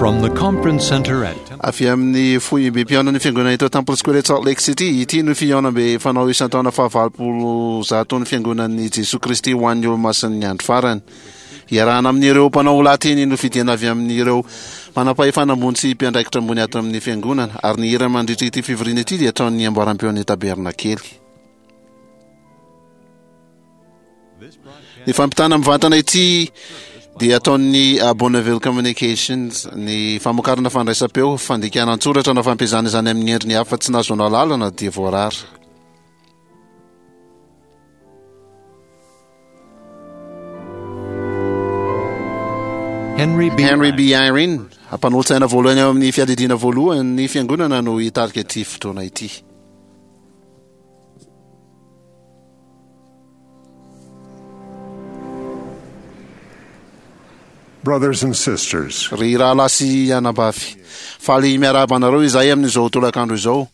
From the conference center at Avy amin'ny foibem-pihaonan'ny Fiangonana eto Temple Square eto Salt Lake City, ity no fihaonambe fanao isan-taona fahavalopolo zaton'ny Fiangonan'i Jesoa Kristy ho an'ny Olomasin'ny Andro Farany. Iarahana amin'ireo mpanao lahateny nofidiana avy amin'ireo manampahefana ambony sy mpiandraikitra ambony ato amin'ny Fiangonana, ary ny hira mandritra ity fivoriana ity dia ataon'ny amboaram-peon'ny Tabernakely. Ny fampitana mivantana ity dia ataon'ny Bonneville Communications. Ny famokarana fandraisam-peo, fandikana an-tsoratra na fampiasana izany amin'ny endriny hafa tsy nahazoana alalana dia voarara. Henry B. Henry B. Eyring, mpanolotsaina voalohany ao amin'ny fiadidiana voalohany ny fiangonana no hitarika ity fotoana ity. Brothers and sisters. Ry rahalahy sy anabavy, faly miarahaba anareo izahay amin'izao tolakandro izao,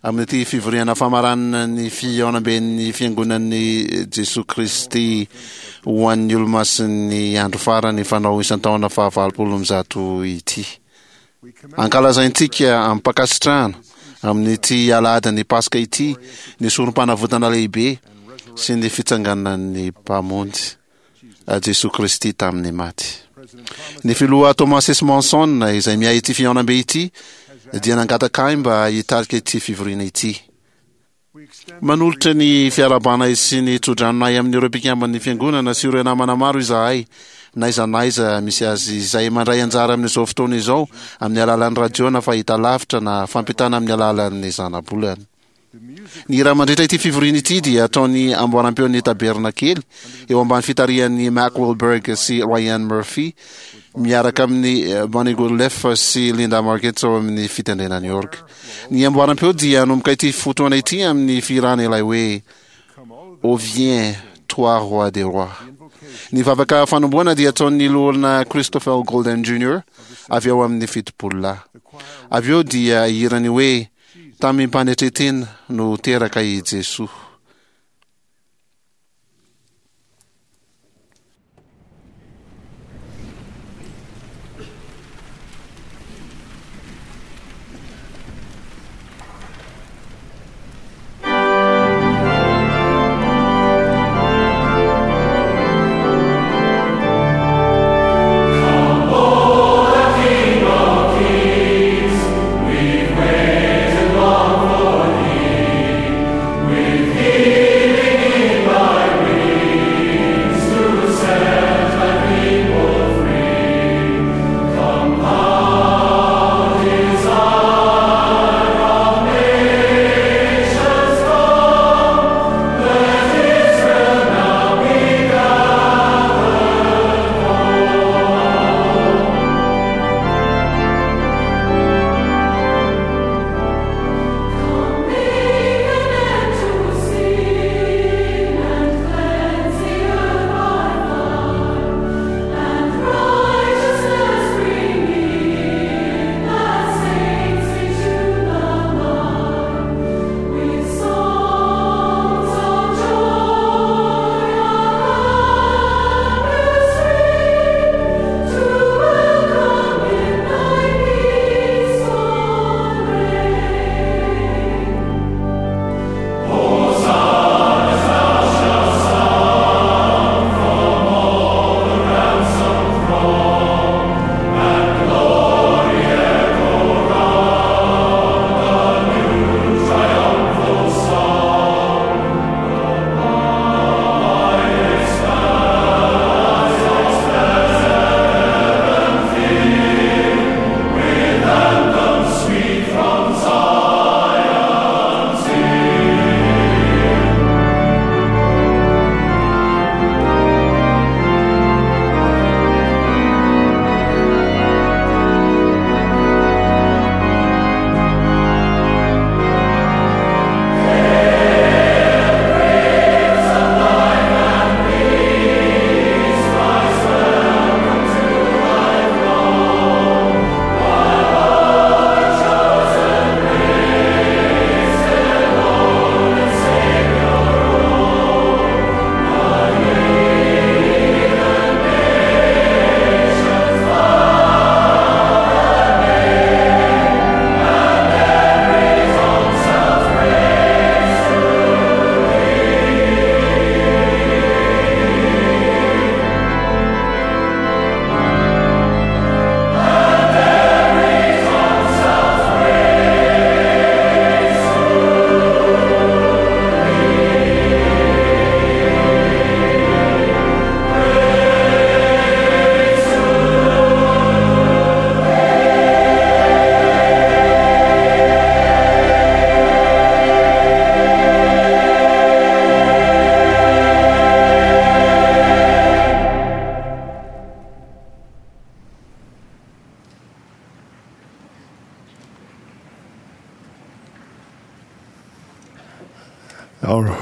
amin'ity fivoriana famaranana ny fihaonamben'ny Fiangonan'i Jesoa Kristy ho an'ny Olomasin'ny Andro Farany fanao isan-taona fahavalopolo amby zato ity. Ankalazaintsika amim-pankasitrahana amin'ity alahadin'ny Paska ity ny Sorompanavotana lehibe sy ny fitsanganan'ny Mpamonjy, Jesoa Kristy tamin'ny maty. Ny Filoha Thomas S. Monson, izay miahy ity fihaonambe ity, dia nangataka ahy mba hitarika ity fivoriana ity. Manolotra ny fiarahabanay sy ny tsodranonay amin'ireo mpikamban'ny Fiangonana sy ireo namana maro izahay, n'aiza n'aiza misy azy, izay mandray anjara amin'izao fotoana izao amin'ny alalan'ny radio na fahitalavitra na fampitana amin'ny alalan'ny zanabolana. Ny hira mandritra ity fivoriana ity dia ataon'ny amboaram-peon'ny Tabernakely eo ambany fitarihan'i Mack Wilberg sy Ryan Murphy miaraka amin'i Bonnie Goodleaf sy Linda Margetts ao amin'ny fitendrena ny orga. Ny amboaram-peo dia hanomboka ity fotoana ity amin'ny fihirana ilay hoe Ô viens, toi roi des rois. Ny vavaka fanombohana dia ataon'ny loholona Christopher Golden Junior avy ao amin'ny Fitopololahy. Avy eo dia hihira ny hoe Tamim-panetren-tena no teraka i Jesoa.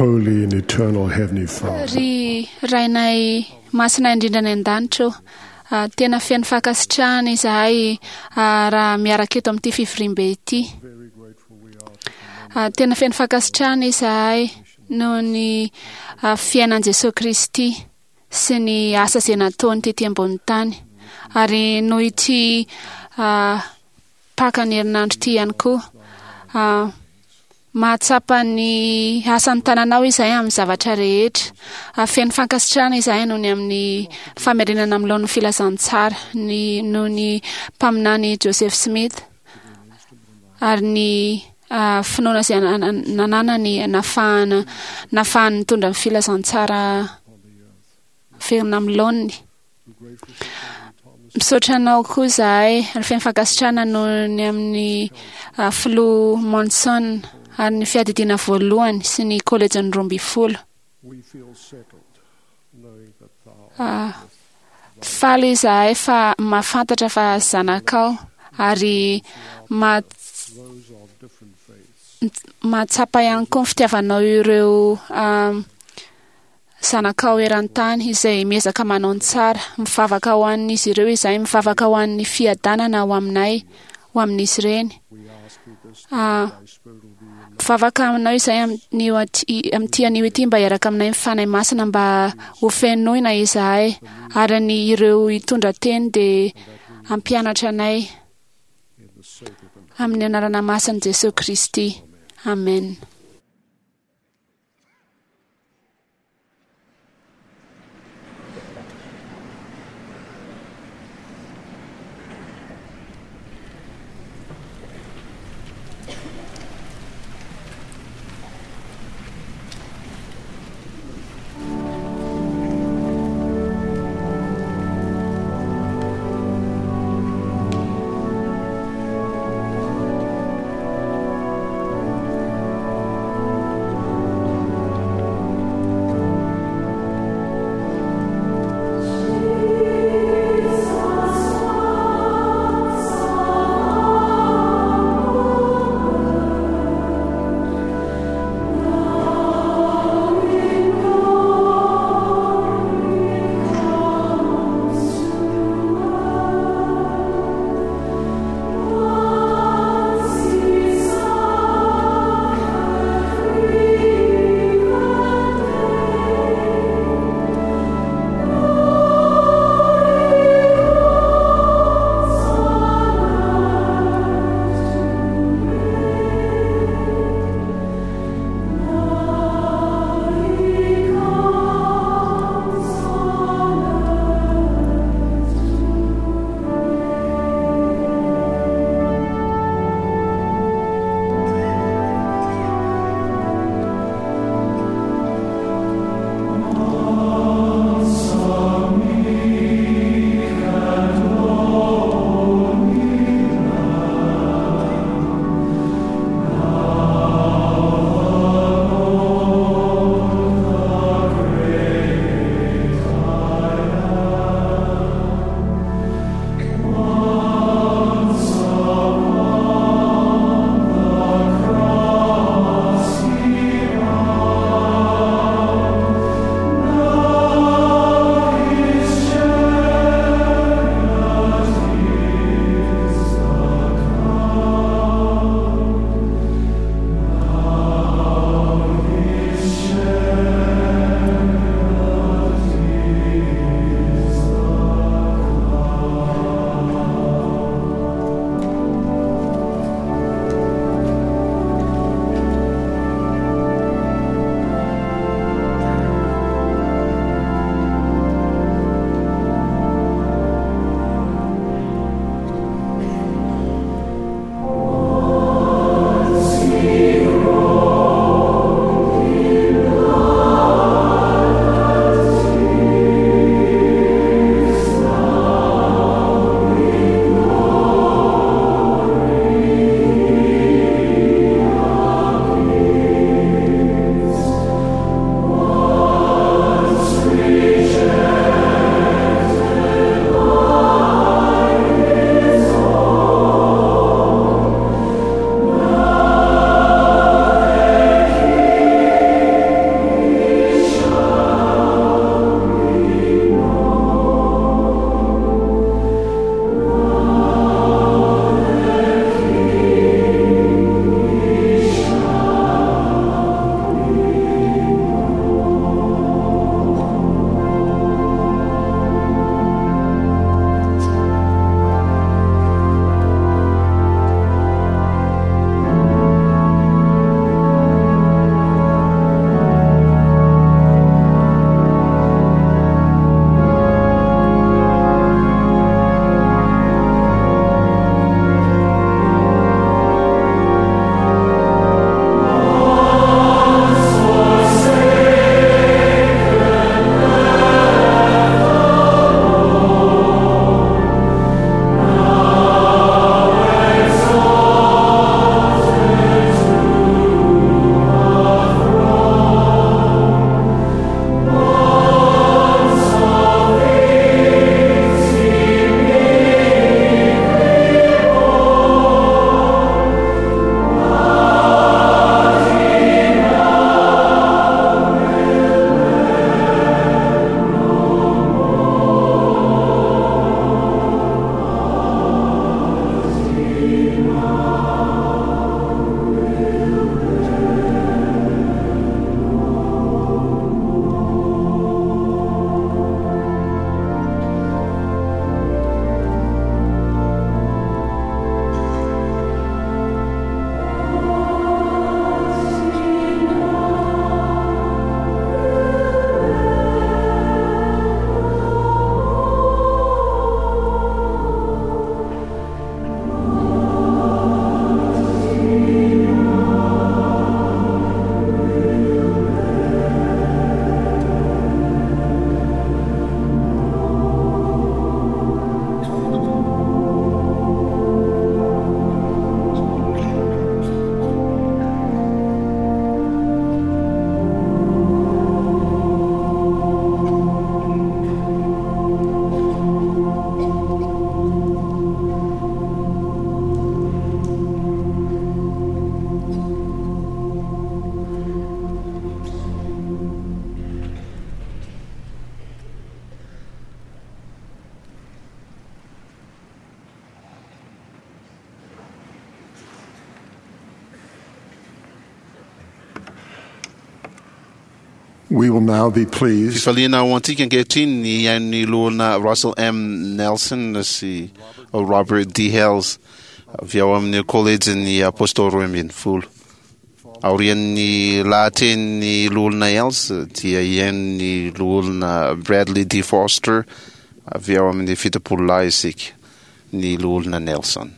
Holy and eternal Heavenly Father, Ry Rainay masina indrindra any an-danitra ô, ah, tena feno fankasitrahana izahay ah, raha miaraka eto amin'ity fivoriambe ity. very grateful we are to Ah, tena feno fankasitrahana izahay noho ny ah, fiainan'i Jesoa Kristy sy ny asa izay nataony tety ambony tany. Ary noho ity ah, Paka ny herinandro ity ihany koa. Ah, mahatsapa ny asan'ny tananao izahay amin'ny zavatra rehetra. Ah, feno fankasitrahana izahay noho ny amin'ny famerenana amin'ny laoniny filazantsara, ny noho ny mpaminany Joseph Smith ary ny ah, finoana izay nananany nafahana nafahany nitondra ny filazantsara verina amin'ny laoniny. Misaotra anao koa izahay ary feno fankasitrahana noho ny amin'ny ah, filoha Monson ary ny fiadidiana voalohany sy ny kolejin'ny 12. We feel settled knowing that thou Ah, faly izahay fa mahafantatra fa zanakao ary ma- those of different faiths mahatsapa ihany koa ny fitiavanao ireo ah, zanakao eran-tany izay miezaka manao ny tsara. Mivavaka ho an'izy ireo izahay, mivavaka ho an'ny fiadanana ho aminay, ho amin'izy ireny. we ask thee this Ah, thy spirit will be in mivavaka aminao izahay amin'io aty- amin'ity anio ity mba hiaraka aminay ny Fanahy Masina mba ho fenoina izahay ary ny ireo hitondra teny dia hampianatra anay in the sacred and amin'ny anarana masin'i Jesoa Kristy. Amen. We will now be pleased Fifaliana ho antsika ankehitriny ny hain'ny loholona Russell M. Nelson sy Robert D. Hales avy ao amin'ny kolejin'ny Apôstôly 12. Aorian'ny lahatenin'ny loholona Hales dia hihaino ny loholona Bradley D. Foster avy ao amin'ny 70 lahy isika, ny loholona Nelson.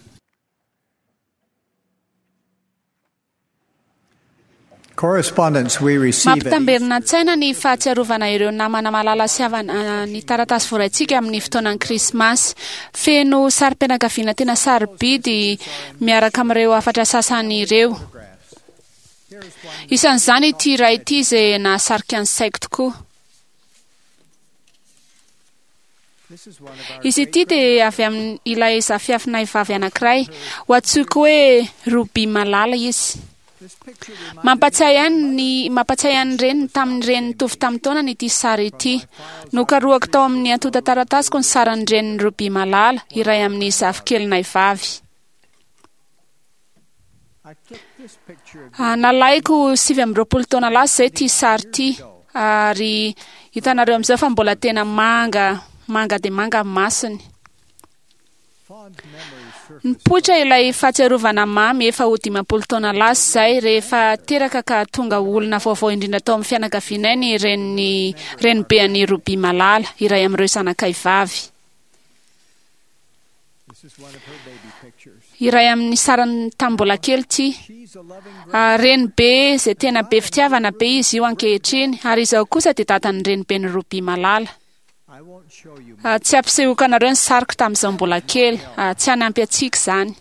Correspondence we receive at Mampitamberina an-tsaina ny fahatsiarovana ireo namana malala sy havana ny taratasy voaraintsika amin'ny fotoanan'ny Krismasy. Feno sarim-pianakaviana tena sarobidy miaraka amin'ireo hafatra sasany ireo. Isan'izany ity iray ity izay nahasarika ny saiko tokoa. This is one of our Izy ity dia avy amin'ny ilay zafiafinay vavy anankiray. Ho antsoiko hoe Ruby Malala izy. This picture reminds Mampatsiahy ahy ny mampatsiahy ahy ny reniny tamin'ny reniny nitovy tamin'ny taonany ity sary ity. Nokarohako tao amin'ny antontan-taratasiko ny sarin'ny renin'i Ruby Malala, iray amin'ny zafikelinay vavy. I took this picture of Nalaiko 29 taona lasa izay ity sary ity ary hitanareo amin'izao fa mbola tena manga manga dia manga ny masony. fond memories surface Nipoitra ilay fahatsiarovana mamy efa ho 50 taona lasa izay rehefa teraka ka tonga olona vaovao indrindra tao amin'ny fianakavianay ny reniny renibean'i Ruby Malala, iray amin'ireo zanakay vavy. This is one of her baby pictures. Iray amin'ny sarany tamin'ny mbola kely ity. She's a loving Renibe izay tena be fitiavana be izy io ankehitriny ary izaho kosa dia dadan'ny reniben'i Ruby Malala. I won't show you Tsy ampisehoako anareo ny sariko tamin'izao mbola kely. Tsy hanampy antsika izany.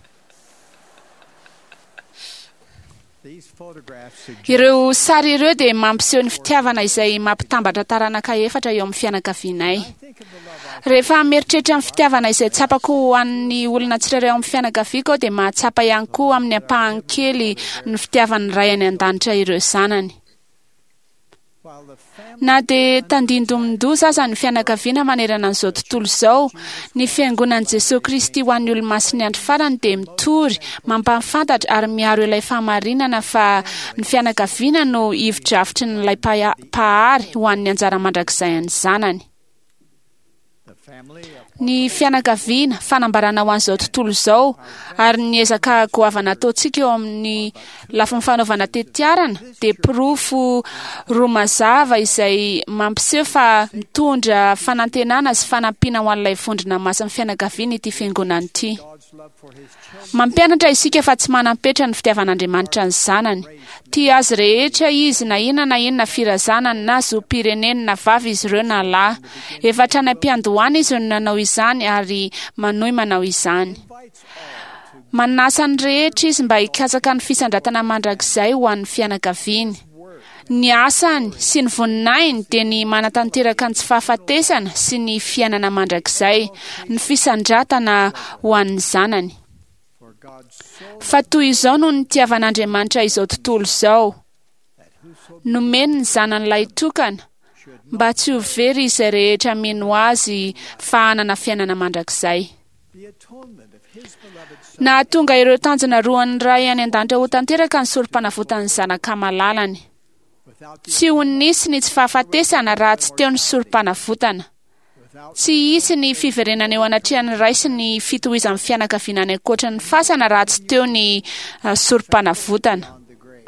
these photographs suggest Ireo sary ireo dia mampiseho ny fitiavana izay mampitambatra taranaka efatra eo amin'ny fianakavianay. I think of the love I Rehefa mieritreritra ny fitiavana izay tsapako ho an'ny olona tsirairay ao amin'ny fianakaviako aho dia mahatsapa ihany koa amin'ny ampahany kely ny fitiavan'ny ray any an-danitra ireo zanany. while the family Na dia tandindomin-doza aza ny fianakaviana manerana an'izao tontolo izao, ny fiangonan'i Jesoa Kristy ho an'ny olomasin'ny andro farany dia mitory, mampahafantatra ary miaro ilay fahamarinana fa ny fianakaviana no ivo-drafitry ny ilay mpahary ho an'ny anjara mandrakizay an'ny zanany. the family of Ny fianakaviana, fanambarana ho an'izao tontolo izao ary ny ezaka goavana ataontsika eo amin'ny lafiny fanaovana tetiarana dia porofo roa mazava izay mampiseho fa mitondra fanantenana sy fanampiana ho an'ilay vondrona masin'ny fianakaviana ity fiangonana ity. God's love for his children Mampianatra isika fa tsy manam-petra ny fitiavan'Andriamanitra ny zanany. Tia azy rehetra izy na inona na inona firazanany na zom-pireneny na vavy izy ireo na lahy. Efa hatrany am-piandohana izy no nanao izany ary manohy manao izany. invites all to Manasa ny rehetra izy mba hikatsaka ny fisandratana mandrakizay ho an'ny fianakaviany. Ny asany sy ny voninahiny dia ny manatanteraka ny tsy fahafatesana sy ny fiainana mandrakizay, ny fisandratana ho an'ny zanany. for God so Fa toy izao no nitiavan'Andriamanitra izao tontolo izao. that whoso Nomeny ny zanany lahitokana should mba tsy ho very izay rehetra mino azy fa hanana fiainana mandrakizay. the atonement of his beloved son Nahatonga ireo tanjona roan'ny ray any an-danitra ho tanteraka ny sorom-panavotan'ny zanaka malalany. without the Tsy ho nisy ny tsy fahafatesana raha tsy teo ny sorom-panavotana. without Tsy hisy ny fiverenana eo anatrehan'ny ray sy ny fitohizan'ny fianakaviana any ankoatra ny fasana raha tsy teo ny sorom-panavotana. on the grave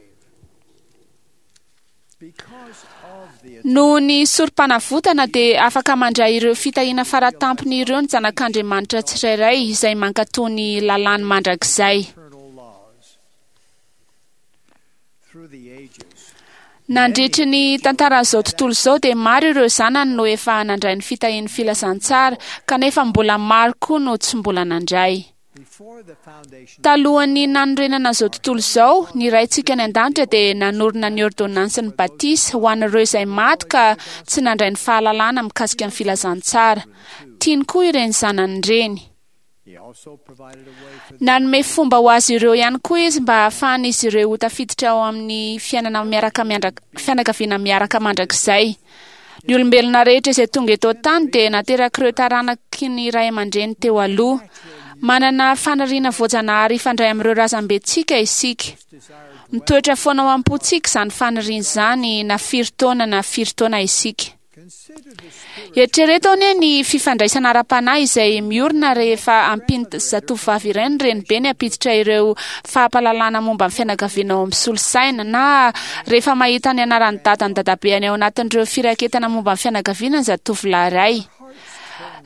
because of the Noho ny sorom-panavotana dia afaka mandray ireo fitahiana faratampony ireo ny zanak'Andriamanitra tsirairay izay mankatò ny lalàny mandrakizay. eternal laws through the ages Nandritry ny tantaran'izao tontolo izao dia maro ireo zanany no efa nandray ny fitahian'ny filazantsara kanefa mbola maro koa no tsy mbola nandray. before the foundation Talohan'ny nanorenana izao tontolo izao, ny Raintsika any an-danitra dia nanorina ny ordonnansin'ny batisa ho an'ireo izay maty ka tsy nandray ny fahalalana mikasika ny filazantsara. Tiany koa ireny zanany ireny. he also provided a way for Nanome fomba ho azy ireo ihany koa izy mba hahafahan'izy ireo ho tafiditra ao amin'ny fiainana miaraka fianakaviana miaraka mandrakizay. Ny olombelona rehetra izay tonga eto an-tany dia naterak'ireo taranaky ny ray aman-dreny teo aloha. Manana faniriana voajanahary hifandray amin'ireo razambentsika isika. Mitoetra foana ao am-pontsika izany faniriana izany na firy taona na firy taona isika. Eritrereto anie ny fifandraisana ara-panahy izay miorina rehefa ampian'ny zatovovavy iray ny renibeny hampiditra ireo fahampahalalana momba ny fianakaviana ao amin'ny solosaina, na rehefa mahita ny anaran'ny dadany dadabeany ao anatin'ireo firaketana momba ny fianakaviana ny zatovolahy iray.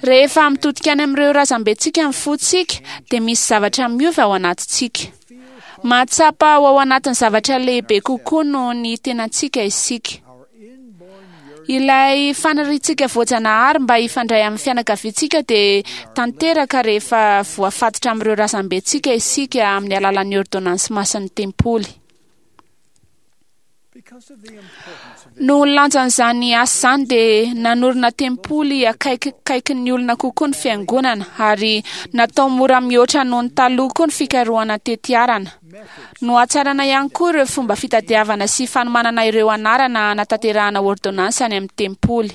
Rehefa mitodika any amin'ireo razambentsika ny fontsika, dia misy zavatra miova ao anatintsika. Mahatsapa ho ao anatin'ny zavatra lehibe kokoa noho ny tenantsika isika. Ilay faniriantsika voajanahary mba hifandray amin'ny fianakaviantsika dia tanteraka rehefa voafatotra amin'ireo razambentsika isika amin'ny alalan'ny ôrdônansy masin'ny tempoly. Noho ny lanjan'izany asa izany dia nanorina tempoly akaikikaikin'ny olona kokoa ny fiangonana ary natao mora mihoatra noho ny taloha koa ny fikarohana tetiarana. Nohatsarana ihany koa ireo fomba fitadiavana sy fanomanana ireo anarana hanatanterahana ôrdônansy any amin'ny tempoly.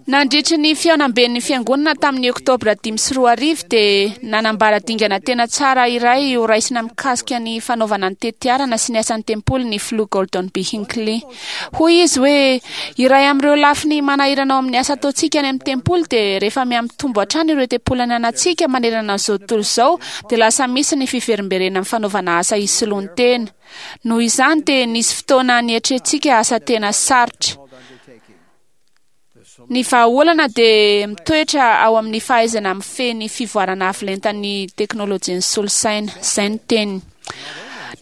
Nandritry ny fihaonamben'ny Fiangonana tamin'ny Oktobra 2005 dia nanambara dingana tena tsara iray ho raisina mikasika ny fanaovana ny tetiarana sy ny asan'ny tempoly ny Filoha Gordon B. Hinckley. Hoy izy hoe, Iray amin'ireo lafiny manahirana ao amin'ny asa ataontsika any amin'ny tempoly dia rehefa mihamitombo hatrany ireo tempoly ananantsika manerana an'izao tontolo izao dia lasa misy ny fiverimberenan'ny fanaovana asa hisoloan-tena. Noho izany dia nisy fotoana nietrentsika asa tena sarotra. Ny vahaolana dia mitoetra ao amin'ny fahaizana mifehy ny fivoarana avo lentan'ny teknolojian'ny solosaina. Izay no teniny.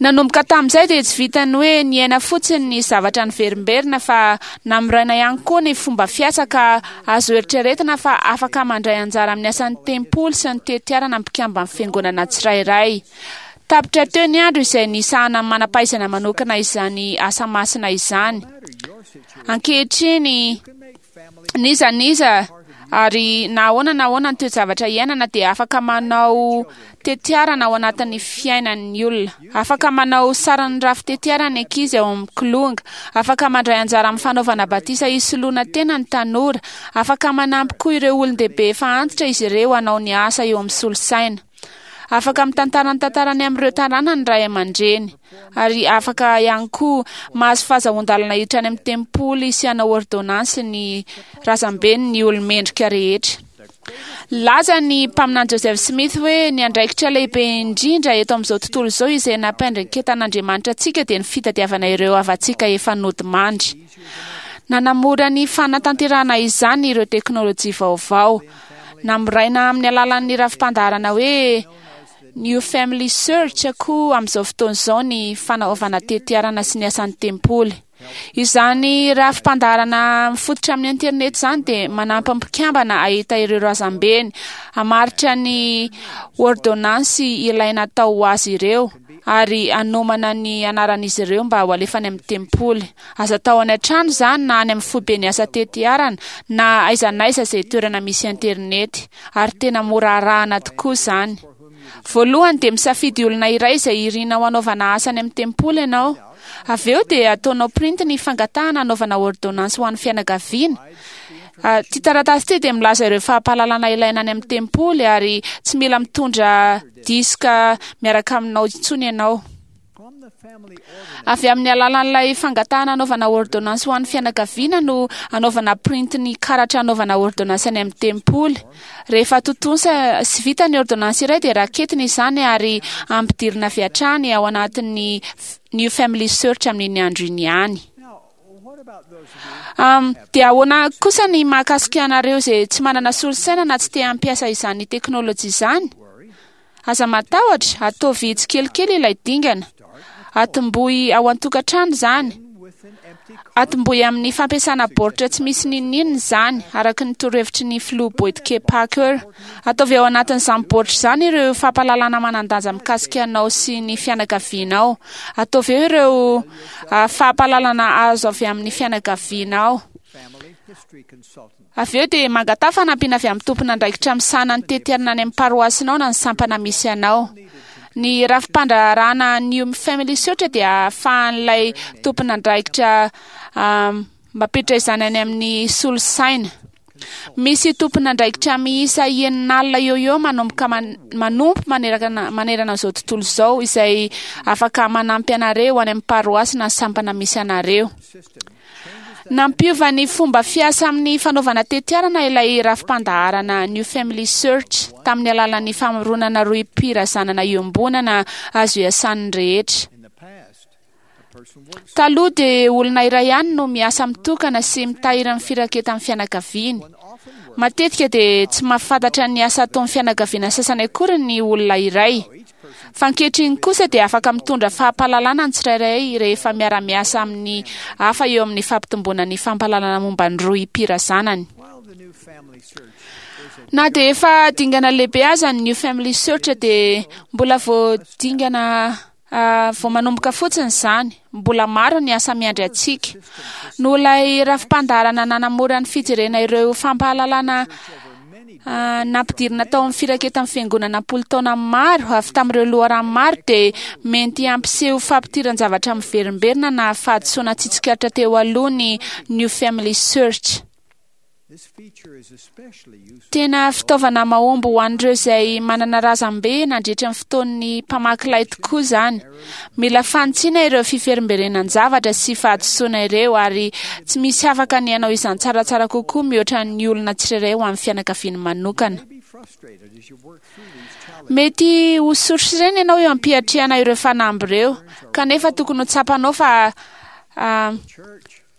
Nanomboka tamin'izay dia tsy vitan'ny hoe niaina fotsiny ny zavatra niverimberina fa namoraina ihany koa ny fomba fiasa ka azo eritreretina fa afaka mandray anjara amin'ny asan'ny tempoly sy ny tetiarana ny mpikamban'ny fiangonana tsirairay. Tapitra teo ny andro izay nisahanan'ny manam-pahaizana manokana izany asa masina izany. Ankehitriny, n'iza n'iza ary na ahoana na ahoana ny toe-javatra iainana dia afaka manao tetiarana ao anatin'ny fiainan'ny olona. Afaka manao sarin'ny rafi-tetiarana ny ankizy ao amin'ny kilonga. Afaka mandray anjara amin'ny fanaovana batisa hisoloana tena ny tanora. Afaka manampy koa ireo olon-dehibe efa antitra izy ireo hanao ny asa eo amin'ny solosaina. Afaka mitantara ny tantarany amin'ireo taranany ny ray aman-dreny, ary afaka ihany koa mahazo fahazahoan-dalana hiditra any amin'ny tempoly sy hanao ôrdônansy ny razambeny ny olo-mendrika rehetra. Nilaza ny mpaminany Joseph Smith hoe ny andraikitra lehibe indrindra eto amin'izao tontolo izao izay nampiandraiketan'Andriamanitra antsika dia ny fitadiavana ireo havantsika efa nodimandry. Nanamora ny fanatanterahana izany ireo teknolojia vaovao. Namoraina amin'ny alalan'ny rafi-pandaharana hoe New Family Search koa amin'izao fotoana izao ny fanaovana tetiarana sy ny asan'ny tempoly. Izany rafi-pandaharana mifototra amin'ny internet izany dia manampy ny mpikambana hahita ireo razambeny, hamaritra ny ôrdônansy ilaina atao ho azy ireo, ary hanomana ny anaran'izy ireo mba ho alefa any amin'ny tempoly. Aza atao any an-trano izany na any amin'ny foiben'ny asa tetiarana na aiza n'aiza izay toerana misy internet, ary tena mora arahana tokoa izany. Voalohany dia misafidy olona iray izay irinao hanaovana asa any amin'ny tempoly ianao. Avy eo dia ataonao printy ny fangatahana hanaovana ôrdônansy ho an'ny fianakaviana. Ity taratasy ity dia milaza ireo fampahalalana ilaina any amin'ny tempoly ary tsy mila mitondra diska miaraka aminao intsony ianao. Avy amin'ny alalan'ilay fangatahana hanaovana ôrdônansy ho an'ny fianakaviana no anaovana printy ny karatra hanaovana ôrdônansy any amin'ny tempoly. Rehefa tontosa sy vita ny ôrdônansy iray dia raketina izany ary ampidirina avy hatrany ao anatin'ny New Family Search amin'iny andro iny ihany. Dia ahoana kosa ny mahakasika anareo izay tsy manana solosaina na tsy te hampiasa izany teknolojia izany? Aza matahotra, ataovy tsikelikely ilay dingana. Atombohy ao an-tokantrano izany. Atombohy amin'ny fampiasana baoritra tsy misy n'inon'inona izany, araka ny torohevitry ny Filoha Boyd K. Packer. Ataovy ao anatin'izany baoritra izany ireo fampahalalana manan-danja mikasika anao sy ny fianakavianao. Ataovy eo ireo fampahalalana azo avy amin'ny fianakavianao. Avy eo dia mangataha fanampiana avy amin'ny tompon'andraikitra misahana ny tetiarana any amin'ny paroasinao na ny sampana misy anao. Ny rafi-pandraharahana New Family Search dia ahafahan'ilay tompon'andraikitra mampiditra izany any amin'ny solosaina. Misy tompon'andraikitra miisa 60 eo eo manomboka manompo manerana izao tontolo izao izay afaka manampy anareo any amin'ny paroasy na sampana misy anareo. Nampiova ny fomba fiasa amin'ny fanaovana tetiarana ilay rafi-pandaharana New Family Search tamin'ny alalan'ny famoronana rohim-pirazanana iombonana azo iasan'ny rehetra. Taloha dia olona iray ihany no miasa mitokana sy mitahiry ny firaketan'ny fianakaviany. Matetika dia tsy mahafantatra ny asa ataon'ny fianakaviana sasany akory ny olona iray. Fa ankehitriny kosa dia afaka mitondra fampahalalana ny tsirairay rehefa miara-miasa amin'ny hafa eo amin'ny fampitomboana ny fampahalalana momba ny rohim-pirazanany. Na dia efa dingana lehibe aza ny New Family Search dia mbola vao dingana vao manomboka fotsiny izany. Mbola maro ny asa miandry antsika. Noho ilay rafi-pandaharana nanamora ny fijerena ireo fampahalalana nampidirina tao amin'ny firaketan'ny fiangonana am-polo taona maro avy tamin'ireo loharano maro dia mety hampiseho fampidiran-javatra miverimberina na fahadisoana tsy tsikaritra teo aloha ny New Family Search. Tena fitaovana mahomby ho an'ireo izay manana razambe nandritra ny fotoan'ny mpamaky lay tokoa izany. Mila fanitsiana ireo fiverimberenan-javatra sy fahadisoana ireo ary tsy misy afaka ny hanao izany tsaratsara kokoa mihoatra ny olona tsirairay ho an'ny fianakaviany manokana. Mety ho sorisorena ianao eo am-piatrehana ireo fanamby ireo, kanefa tokony ho tsapanao fa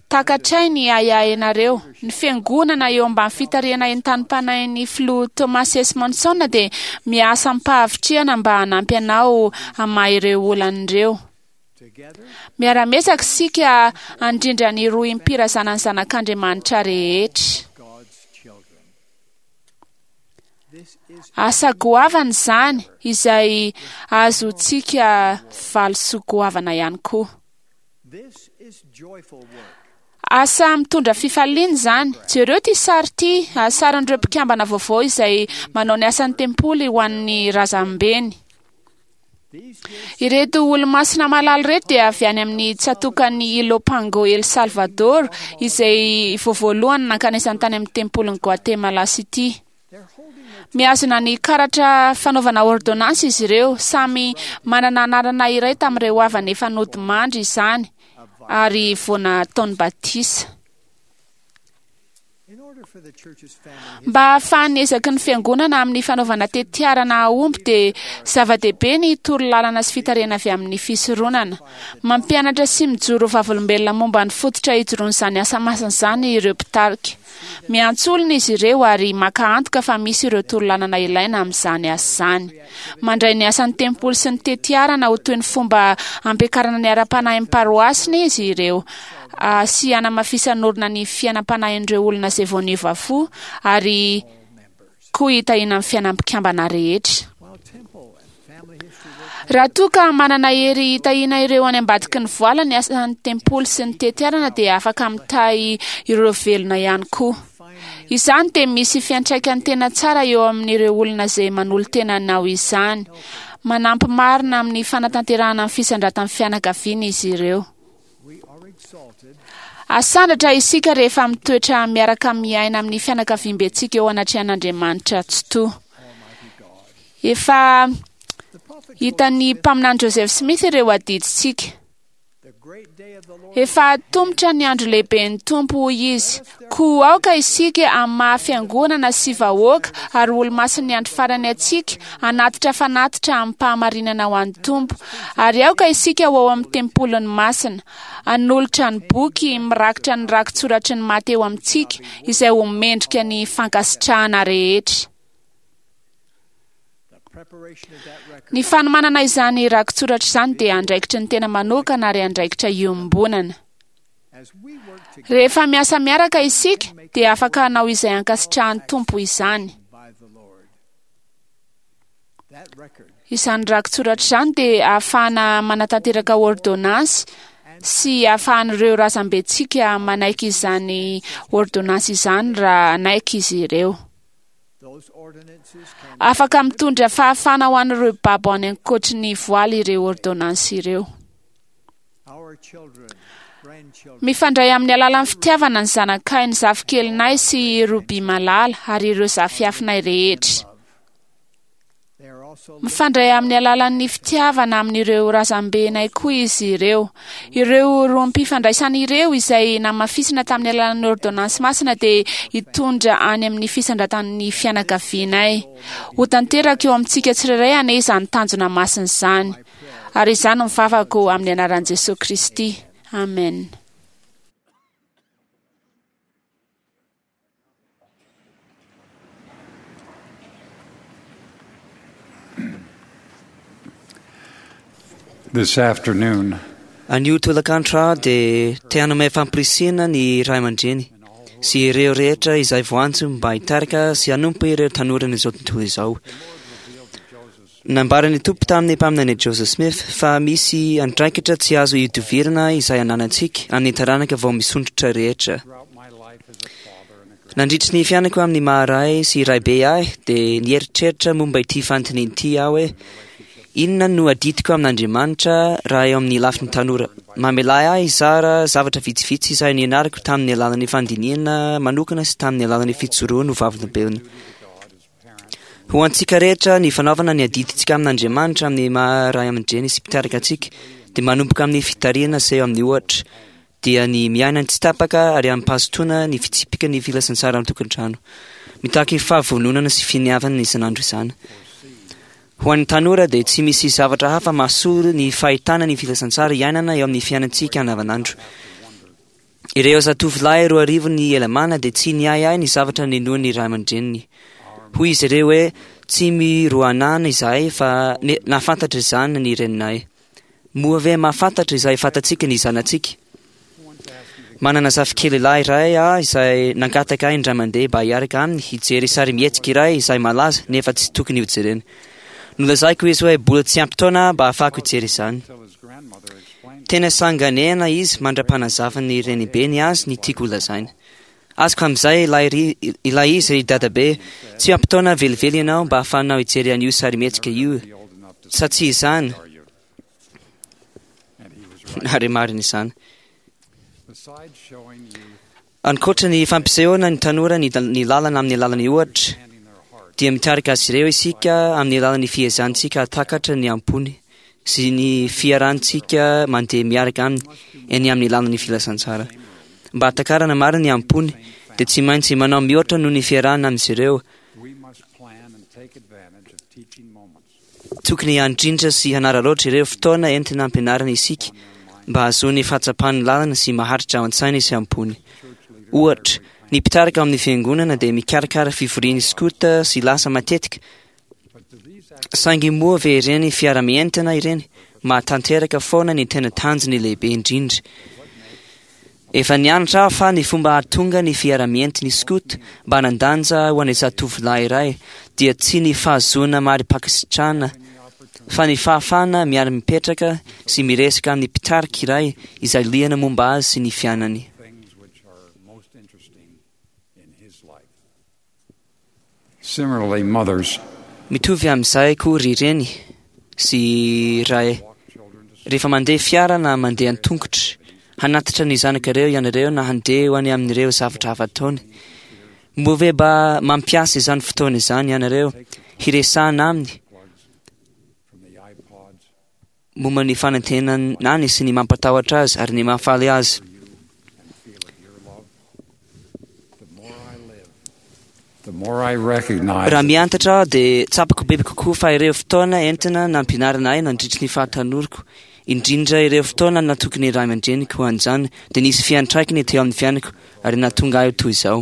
takatray ny ahiahinareo. Ny fiangonana eo ambany fitarihana entanim-panahin'ny filoha Thomas S. Monson dia miasa amim-pahavitrihana mba hanampy anao hamaha ireo olana ireo. Miara-miezaka isika handrindra ny rohim-pirazanan'ny zanak'Andriamanitra rehetra. Asa goavana izany izay azontsika valisoa goavana ihany koa. Asa mitondra fifaliana izany. Jereo ity sary ity, sarin'ireo mpikambana vaovao izay manao ny asan'ny tempoly ho an'ny razambeny. Ireto olo-masina malala ireto dia avy any amin'ny tsatòkan'i Ilopango El Salvador izay vao voalohany nankanesany tany amin'ny tempolin'i Guatemala City. Mihazona ny karatra fanaovana ordonnance izy ireo, samy manana anarana iray tamin'ireo havany efa nodimandry izany ary vao nataony batisa. Mba hahafahan'ny ezaky ny fiangonana amin'ny fanaovana tetiarana hahomby dia zava-dehibe ny torolalana sy fitarihana avy amin'ny fisoronana. Mampianatra sy mijoro vavolombelona momba ny fototra ijoroan'izany asa masina izany ireo mpitarika. Miantso olona izy ireo ary maka antoka fa misy ireo torolalana ilaina amin'izany asa izany. Mandray ny asan'ny tempoly sy ny tetiarana ho toy ny fomba ampiakarana ny ara-panahin'ny paroasiny izy ireo sy hanamafisan'orina ny fiainam-panahin'ireo olona izay vao niova fo ary koa hitahiana ny fiainam-pikambana rehetra. Raha toa ka manana hery hitahiana ireo any ambadiky ny voala ny asan'ny tempoly sy ny tetiarana dia afaka mitahy ireo velona ihany koa. Izany dia misy fiantraikany tena tsara eo amin'ireo olona izay manolo-tena anao izany. Manampy marina amin'ny fanatanterahana ny fisandratan'ny fianakaviana izy ireo. Asandratra isika rehefa mitoetra miaraka miaina amin'ny fianakaviambentsika eo anatrehan'Andriamanitra Tsitoha. Efa hitan'ny mpaminany Joseph Smith ireo adidintsika. Efa atomotra ny andro lehiben'ny Tompo, hoy izy. Koa aoka isika amin'ny maha fiangonana sy vahoaka ary olo-masin'ny andro farany antsika hanatitra fanatitra amim-pahamarinana ho an'ny Tompo. Ary aoka isika ho ao amin'ny tempoliny masina, hanolotra ny boky mirakitra ny rakitsoratry ny maty eo amintsika izay ho mendrika ny fankasitrahana rehetra. Ny fanomanana izany rakitsoratra izany dia andraikitry ny tena manokana ary andraikitra iombonana. Rehefa miasa miaraka isika dia afaka hanao izay ankasitrahan'ny Tompo izany. Izany rakitsoratra izany dia ahafahana manatanteraka ordonnance sy ahafahan'ireo razambentsika manaiky izany ordonnance izany raha hanaiky izy ireo. Afaka mitondra fahafahana ho an'ireo babo any ankoatry ny voaly ireo ordonnance ireo. grandchildren. Mifandray amin'ny alalan'ny fitiavana ny zanakay, ny zafikelinay sy Ruby Malala ary ireo zafiafinay rehetra. They are also Mifandray amin'ny alalan'ny fitiavana amin'ireo razambenay koa izy ireo. Ireo rohim-pifandraisana ireo izay namafisina tamin'ny alalan'ny ordonnance masina dia hitondra any amin'ny fisandratan'ny fianakavianay. Ho tanteraka eo amintsika tsirairay anie izany tanjona masina izany. Ary izany no mivavako amin'ny anaran'i Jesosy Kristy. Amen. This afternoon, Anio tolakandro aho dia te hanome fampirisihana ny ray aman-dreny sy ireo rehetra izay voantso mba hitarika sy hanompo ireo tanoran'izao tontolo izao. Nambaran'ny Tompo tamin'ny mpaminany Joseph Smith fa misy andraikitra tsy azo idovirana izay ananantsika amin'ny taranaka vao misondrotra rehetra. throughout my life as a father and a Nandritry ny fiainako amin'ny maha-ray sy raibe ahy dia nieritreritra momba ity fanontaniana ity aho hoe inona no adidiko amin'Andriamanitra raha eo amin'ny lafiny tanora. Mamela ahy hizara zavatra vitsivitsy izay nianarako tamin'ny alalan'ny fandinihana manokana sy tamin'ny alalan'ny fijoroana ho vavolombelona. Ho antsika rehetra ny fanaovana ny adidintsika amin'Andriamanitra amin'ny maha ray aman-dreny sy mpitarika antsika dia manomboka amin'ny fitarihana seho amin'ny ohatra dia ny miaina tsy tapaka ary amim-pahazotoana ny fitsipika ny filazantsara amin'ny tokantrano. Mitaky fahavononana sy finiavana isan'andro izany. Ho an'ny tanora dia tsy misy zavatra hafa mahasolo ny fahitana ny filazantsara iainana eo amin'ny fiainantsika andavanandro. Ireo zatovolahy 2000 ny Elamana dia tsy niahiahy ny zavatra ninoan'ny ray aman-dreniny. Hoy izy ireo hoe tsy miroanana izahay fa nahafantatra izany ny reninay. Moa ve mahafantatra izay fantatsika ny zanatsika? Manana zafikely lahy iray aho izay nangataka ahy indray mandeha mba hiaraka aminy hijery sarimihetsika iray izay malaza nefa tsy tokony hojerena. Nolazaiko izy hoe mbola tsy ampy taona mba ahafahako hijery izany. till his grandmother explained Tena sanganehana izy mandra-panazavan'ny renibeny azy ny tiako holazaina. Azoko amin'izay ilay ilay izy ry dadabe, tsy ampy taona velively ianao mba ahafahanao hijery an'io sarimihetsika io. be old enough to Sa tsy izany? are you? And he was right. Ary marina izany. Besides showing youth Ankoatra ny fampisehoana ny tanora ny ny lalana amin'ny alalan'ny ohatra, and in their heart dia mitarika azy ireo isika amin'ny alalan'ny fiezantsika hahatakatra ny ampony sy ny fiarantsika mandeha miaraka aminy eny amin'ny lalan'ny filazantsara. Mba hahatakarana marina ny ampony dia tsy maintsy manao mihoatra noho ny fiarahana amin'izy ireo. we must plan and take advantage of teaching moments. Tokony handrindra sy hanararaotra ireo fotoana entina ampianarana isika mba hahazoany fahatsapan'ny lalana sy maharitra ao an-tsainy sy ampony. Ohatra, ny mpitarika ao amin'ny fiangonana dia mikarakara fivorian'ny skoto sy lasa matetika. But do these Saingy moa ve ireny fiara-mientana ireny mahatanteraka foana ny tena tanjony lehibe indrindra. Efa nianatra aho fa ny fomba hahatonga ny fiara-mientin'ny skoto mba hanan-danja ho an'ny zatovolahy iray dia tsy ny fahazoana mari-pankasitrahana fa ny fahafahana miara-mipetraka sy miresaka amin'ny mpitarika iray izay liana momba azy sy ny fiainany. things which are most interesting in his life. Similarly, mothers Mitovy amin'izay koa ry reny sy ray walk children to rehefa mandeha fiara na mandeha an-tongotra hanatitra ny zanakareo ianareo na handeha ho any amin'ireo zavatra hafa ataony. Moa ve mba mampiasa izany fotoana izany ianareo hiresahana aminy plugs from the iPods momba ny fanantenany sy ny mampatahotra azy ary ny mahafaly azy. and feel of your love. The more I live, the more I recognize Raha miantatra aho dia tsapako bebe kokoa fa ireo fotoana entina nampianarana ahy nandritry ny fahatanoriko, indrindra ireo fotoana natokony ray aman-dreniko ho an'izany dia nisy fiantraikany teo amin'ny fiainako ary nahatonga ahy ho toy izao.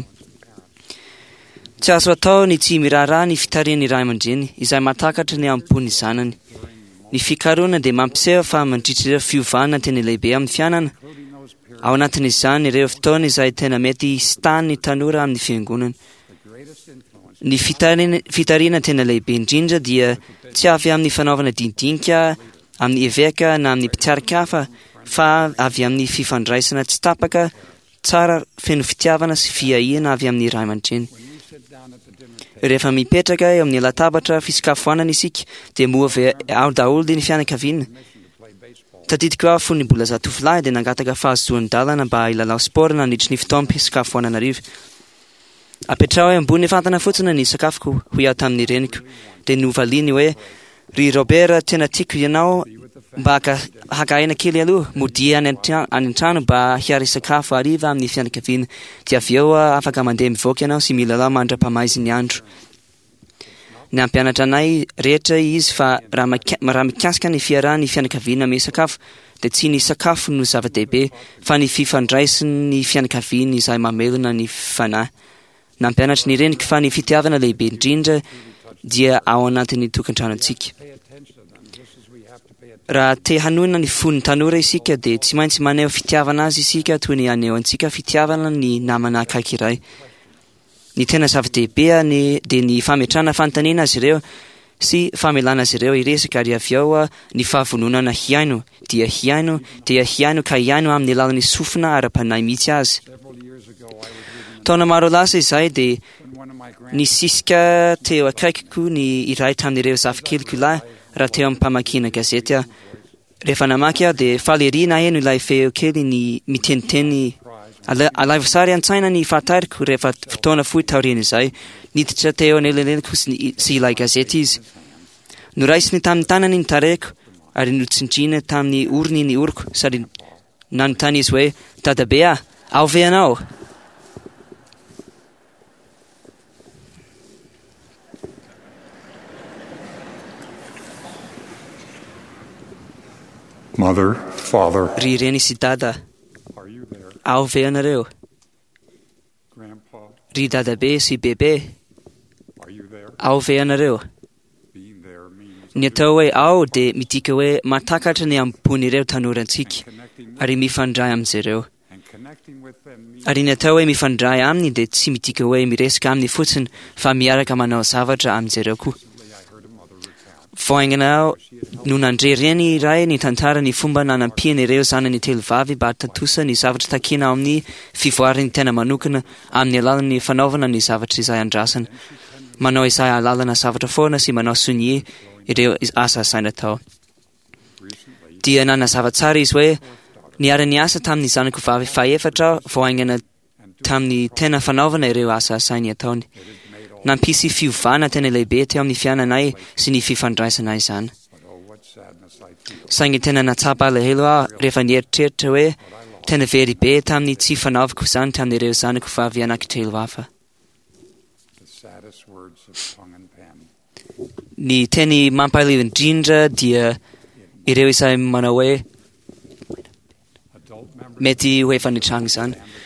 Tsy azo atao ny tsy miraharaha ny fitarihan'ny ray aman-dreny izay mahatakatra ny ampon'ny zanany. Ny fikarohana dia mampiseho fa mandritra ireo fiovana tena lehibe amin'ny fiainana, including those periods ao anatin'izany ireo fotoana izay tena mety hisitan'ny tanora amin'ny fiangonana. the greatest influence Ny fitarihana tena lehibe indrindra dia tsy avy amin'ny fanaovana dinidinika amin'ny eveka na amin'ny mpitarika hafa fa avy amin'ny fifandraisana tsy tapaka tsara feno fitiavana sy fiahiana avy amin'ny ray aman-dreny. when you sit down at the dinner table Rehefa mipetraka eo amin'ny latabatra fisakafoanana isika dia moa ve ao daholo ny fianakaviana permission to play baseball Tadidiko aho fony mbola zatovolahy dia nangataka fahazoan-dalana mba hilalao sport nandritry ny fotoam-pisakafoanana hariva. Apetraho eo ambony fatana fotsiny ny sakafoko, hoy aho tamin'ny reniko. Dia novaliany hoe, Ry Robert, tena tiako ianao mba haka aina kely aloha, modia any an-trano mba hiara-hisakafo hariva amin'ny fianakaviana. Dia avy eo afaka mandeha mivoaka ianao sy milalao mandra-pamaizin'ny andro. Nampianatra anay rehetra izy fa raha mikasika ny fiarahan'ny fianakaviana misakafo dia tsy ny sakafo no zava-dehibe fa ny fifandraisan'ny fianakaviana izay mamelona ny fanahy. Nampianatra ny reniko fa ny fitiavana lehibe indrindra dia ao anatin'ny tokantranontsika. Raha te hanohina ny fon'ny tanora isika dia tsy maintsy maneho fitiavana azy isika toy ny anehoantsika fitiavana ny namana akaiky iray. Ny tena zava-dehibe ny dia ny fametrahana fanontaniana azy ireo sy famelana azy ireo hiresaka ary avy eo ny fahavononana hihaino dia hihaino dia hihaino ka hihaino amin'ny alalan'ny sofina ara-panahy mihitsy azy. Taona maro lasa izay dia nisisika teo akaikiko ny iray tamin'ireo zafikeliko lahy raha teo am-pamakiana gazety aho. Rehefa namaky aho dia faly ery naheno ilay feo kely ny miteniteny. Alaivo sary an-tsaina ny fahatariko rehefa fotoana fohy taorian'izay. Niditra teo anelanelaniko sy ilay gazety izy. Noraisiny tamin'ny tanany ny tarehiko ary notsindriana tamin'ny orony ny oroko sady nanontany izy hoe, Dadabe ah, ao ve ianao? Mother, father, Ry reny sy dada, are you there? ao ve ianareo? Grandpa, Ry dadabe sy bebe, are you there? ao ve ianareo? Being there means Ny atao hoe ao dia midika hoe mahatakatra ny ampon'ireo tanorantsika connecting ary mifandray amin'izy ireo. and connecting with them means Ary ny atao hoe mifandray aminy dia tsy midika hoe miresaka aminy fotsiny fa miaraka manao zavatra amin'izy ireo koa. I heard a mother recount Vao haingana aho no nandre reny iray ny tantara ny fomba nanampiany ireo zanany telo vavy mba hahatontosa ny zavatra takiana ao amin'ny fivoaran'ny tena manokana amin'ny alalan'ny fanaovana ny zavatra izay andrasana. Manao izay ahalalana zavatra foana sy manao sonia ireo asa asaina atao. recently Dia nanazava tsara izy hoe niara-niasa tamin'ny zanako vavy fahefatra aho vao haingana tamin'ny tena fanaovana ireo asa asainy ataony. it had made all Nampisy fiovana tena lehibe teo amin'ny fiainanay sy ny fifandraisanay izany. but oh what sadness I feel Saingy tena natsapa alahelo aho rehefa nieritreritra hoe tena very be tamin'ny tsy fanaovako izany tamin'ireo zanako vavy anankitelo hafa. the saddest words of tongue and pen. Ny teny mampalahelo indrindra dia ireo izay manao hoe Adult members mety ho efa nitranga izany. and the personal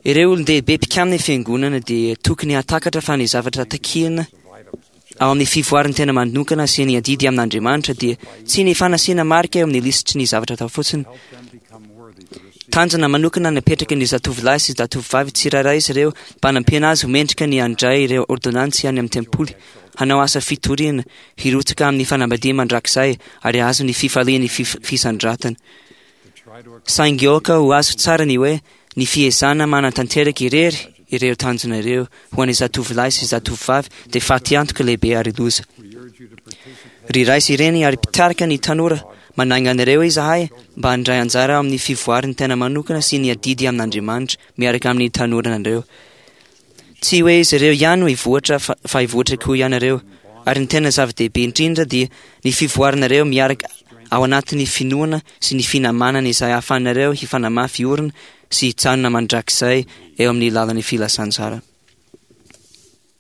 Ireo olon-dehibe mpikamina ny fiangonana dia tokony hahatakatra fa ny zavatra takiana of items to check ao amin'ny fivoaran'ny tena manokana sy ny adidy amin'Andriamanitra dia tsy ny fanasiana marika eo amin'ny lisitry ny zavatra atao fotsiny. help them become worthy to receive Tanjona manokana napetraka ny zatovolahy sy zatovovavy tsirairay izy ireo mba hanampiana azy ho mendrika ny handray ireo ordonantsy any amin'ny tempoly, hanao asa fitoriana, hirotsaka amin'ny fanambadiana mandrakizay ary hahazo ny fifalian'ny fisandratana. to try to Saingy aoka ho azo tsara ny hoe ny fiezahana manatanteraka irery ireo tanjona ireo ho an'ny zatovolahy sy zatovovavy dia fatiantoka lehibe ary loza. we urge you to participate Ry ray sy reny ary mpitarika ny tanora, manainga anareo izahay mba handray anjara amin'ny fivoaran'ny tena manokana sy ny adidy amin'Andriamanitra miaraka amin'ny tanoranareo. Tsy hoe izy ireo ihany no hivoatra fa hivoatra koa ianareo. Ary ny tena zava-dehibe indrindra dia ny fivoaranareo miaraka ao anatin'ny finoana sy ny finamanana izay ahafahanareo hifanamafy orina sy hijanona mandrakizay eo amin'ny lalan'ny filazantsara.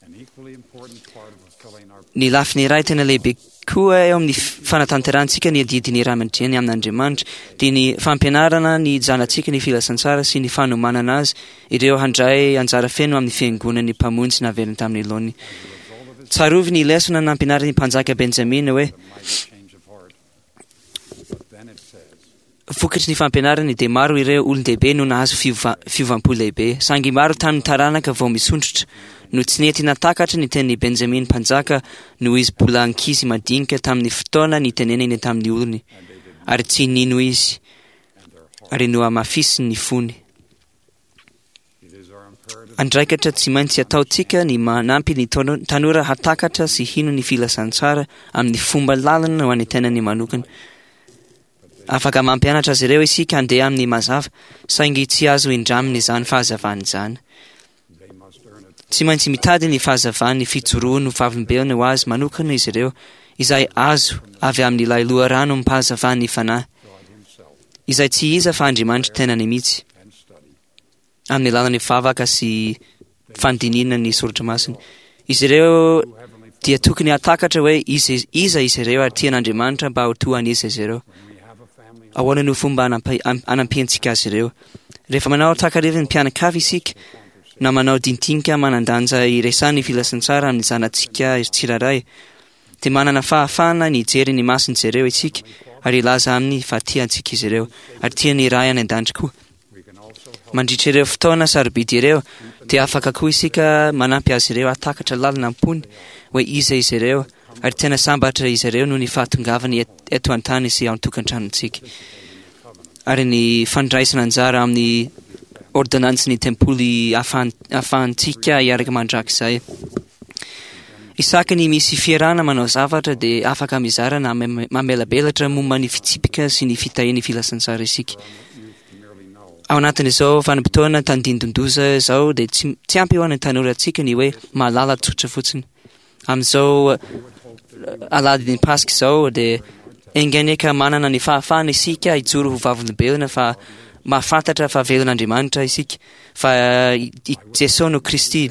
an equally important part of fulfilling our Ny lafiny iray tena lehibe koa eo amin'ny fanatanterahantsika ny adidin'ny ray aman-dreny amin'Andriamanitra dia ny fampianarana ny zanatsika ny filazantsara sy ny fanomanana azy ireo handray anjara feno amin'ny fiangonan'ny mpamonjy naverina tamin'ny laoniny. Tsarovy ny lesona nampianarin'ny mpanjaka Benjamina hoe mighty change of heart. But then it says, vokatry ny fampianarany dia maro ireo olon-dehibe no nahazo fiovam-po lehibe. Saingy maro tamin'ny taranaka vao misondrotra no tsy nety natakatra ny tenin'i Benjamin mpanjaka noho izy mbola ankizy madinika tamin'ny fotoana nitenenany tamin'ny olony ary tsy nino izy ary nohamafisiny ny fony. it is our imperative Andraikitra tsy maintsy ataontsika ny manampy ny tanora hatakatra sy hino ny filazantsara amin'ny fomba lalina ho an'ny tenany manokana. Afaka mampianatra azy ireo isika handeha amin'ny mazava, saingy tsy azo indramina izany fahazavana izany. Tsy maintsy mitady ny fahazavan'ny fijoroany ho vavolombelona ho azy manokana izy ireo, izay azo avy amin'ilay loharanom-pahazavan'ny Fanahy, izay tsy iza fa Andriamanitra tenany mihitsy, amin'ny alalan'ny vavaka sy fandinihana ny Soratra Masina. Izy ireo dia tokony hahatakatra hoe iza iza izy ireo ary tian'Andriamanitra mba ho toa an'iza izy ireo. Ahoana no fomba anampiantsika azy ireo? Rehefa manao takariva ny mpianakavy isika, na manao dintinika manan-danja iresahan'ny filazantsara amin'ny zanatsika tsirairay, dia manana fahafahana ny hijery ny mason'izy ireo isika ary hilaza aminy fa tia antsika izy ireo ary tia ny Ray any An-danitra koa. Mandritra ireo fotoana sarobidy ireo, dia afaka koa isika manampy azy ireo hahatakatra lalina am-pony hoe iza izy ireo ary tena sambatra izy ireo noho ny fahatongavany eto an-tany sy ao an-tokantranontsika. Ary ny fandraisana anjara amin'ny ôrdônansin'ny tempoly ahafahantsika hiaraka mandrakizay. Isaky ny misy fiarahana manao zavatra dia afaka mizara na mamelabelatra momba ny fitsipika sy ny fitahian'ny filazantsara isika. Ao anatin'izao vanim-potoana tandindon-doza izao dia tsy, tsy ampy ho an'ny tanorantsika ny hoe mahalala tsotra fotsiny. Amin'izao eh, alahadin'ny Paska izao dia enga anie ka manana ny fahafahana isika hijoro ho vavolombelona fa mahafantatra fa velon'Andriamanitra isika, fa eh, i Jesoa no Kristy.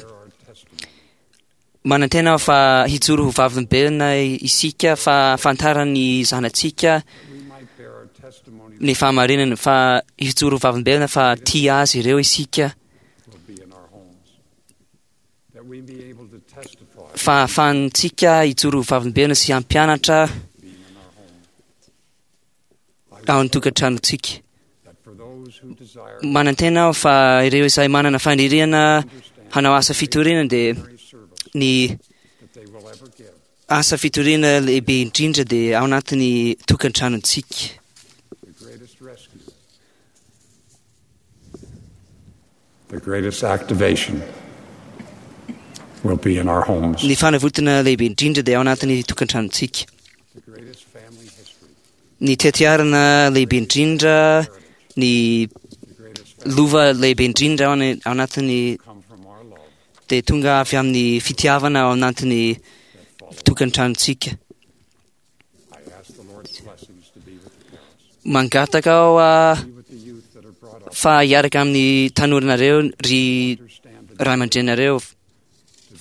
Manantena aho fa hijoro ho vavolombelona isika fa ahafantaran'ny zanatsika ny fahamarinana, fa hijoro ho vavolombelona fa tia azy ireo isika, fa ahafahantsika hijoro ho vavolombelona sy hampianatra ao an-tokantranontsika. Manantena aho fa ireo izay manana faniriana hanao asa fitoriana dia ny asa fitoriana lehibe indrindra dia ao anatin'ny tokantranontsika. The greatest activation will be in our homes. Ny fanavotana lehibe indrindra dia ao anatin'ny tokantranontsika. Ny tetiarana lehibe indrindra, ny lova lehibe indrindra ao anatin'ny dia tonga avy amin'ny fitiavana ao anatin'ny tokantranontsika. Mangataka aho fa hiaraka amin'ny tanoranareo ry ray aman-dreninareo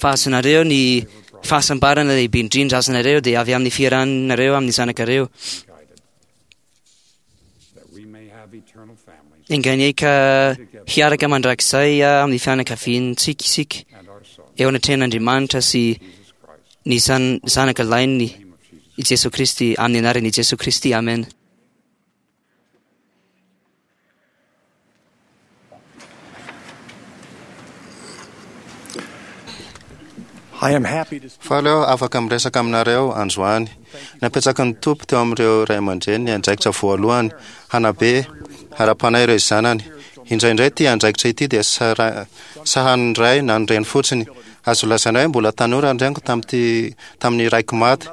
fa azonareo ny fahasambarana lehibe indrindra azonareo dia avy amin'ny fiarahanareo amin'ny zanakareo. Enga anie ka hiaraka mandrakizay amin'ny fianakaviantsika isika eo anatrehan'Andriamanitra sy ny Zanaka Lahiny i Jesoa Kristy, amin'ny anaran'i Jesoa Kristy, amena. Faly aho afaka miresaka aminareo androany. Napetraky ny Tompo teo amin'ireo ray aman-dreny ny andraikitra voalohany hanabe ara-panahy ireo zanany. Indraindray ity andraikitra ity dia sahanin'ny ray na ny reny fotsiny. Azo lazaina hoe mbola tanora ny reniko tamin'ity tamin'ny raiko maty.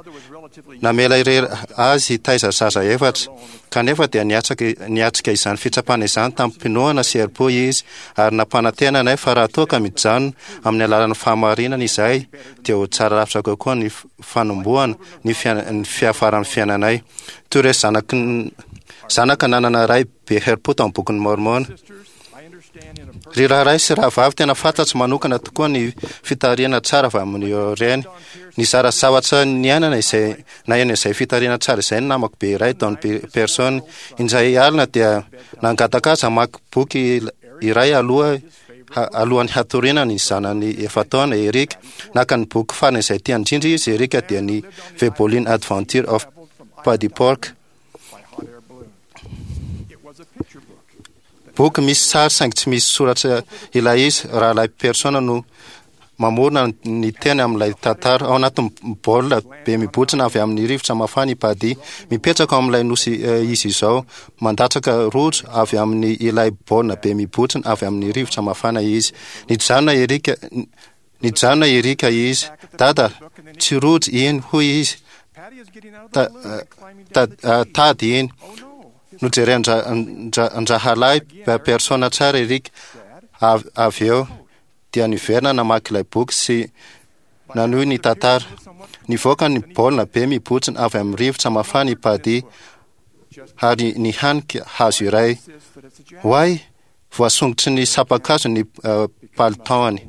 Namela irery azy hitaiza zaza efatra. Kanefa dia niatraka niatrika izany fitsapana izany tamim-pinoana sy herim-po izy ary nampanantena anay fa raha toa ka mijanona amin'ny alalan'ny fahamarinana izahay dia ho tsara lavitra kokoa ny fanombohana ny ny fiafaran'ny fiainanay. Toy ireo zanaky zanaka nanana ray be herim-po tao amin'ny Bokin'i Môrmôna. Ry rahalahy sy rahavavy, tena fantatro manokana tokoa ny fitarihana tsara avy amin'ireo reny. Nizara zavatra niainana izay naheno izay fitarihana tsara izay ny namako be iray, Don Pearson. Indray alina dia nangataka azy hamaky boky iray aloha alohan'ny hatoriana ny zanany efa-taona, Eric. Naka ny boky farany izay tiany indrindra izy, Eric, dia ny The Bolin Adventure of Paddy Pork. Boky misy sary saingy tsy misy soratra ilay izy, Rahalahy Persona no mamorona ny teny amin'ilay tantara. Ao anatin'ny baolina be mibontsina avy amin'ny rivotra mafana i Paddy. Mipetraka ao amin'ilay nosy izy izao. Mandatsaka rojo avy amin'ny ilay baolina be mibontsina avy amin'ny rivotra mafana izy. Nijanona Eric, nijanona Eric izy. Dada, tsy rojo iny, hoy izy. Ta, ta, tady iny. Nojeren-drahalahy Persona tsara Eric avy eo, dia niverina namaky ilay boky sy nanohy ny tantara. Nivoaka ny baolina be mibontsina avy amin'ny rivotra mafana i Paddy ary nihanika hazo iray. Oay! Voasongotry ny sampan-kazo ny palitaony.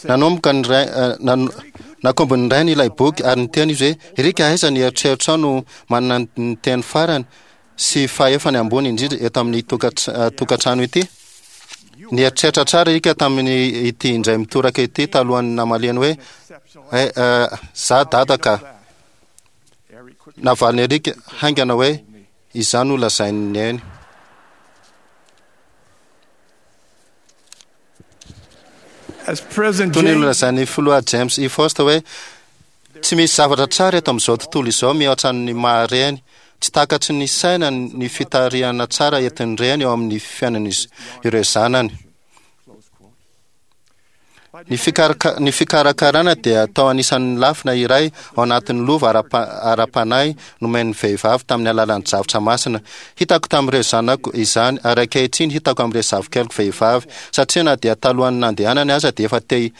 Nanomboka ny ray, nakombon'ny rainy ilay boky ary niteny izy hoe, Eric, aiza ny eritreritrao no manana ny teny farany sy fahefany ambony indrindra eto amin'ny tokantrano ity? Nieritreritra tsara Eric tamin'ny ity indray mitoraka ity talohan'ny namaliany hoe, Eh, za dada ka. Navalin'i Eric haingana hoe, Izany no lazain'i Neny. Toy ny nolazain'ny Filoha James E. Faust hoe, Tsy misy zavatra tsara eto amin'izao tontolo izao mihoatra ny maha reny. Tsy takatry ny saina ny fitarihana tsara entin'ny reny eo amin'ny fiainan'ireo zanany. Ny ny fikarakarana dia atao anisan'ny lafina iray ao anatin'ny lova ara-panahy nomen'ny vehivavy tamin'ny alalan'ny drafitra masina. Hitako tamin'ireo zanako izany ary ankehitriny hitako amin'ireo zafikeliko vehivavy, satria na dia talohan'ny nandehanany aza dia efa te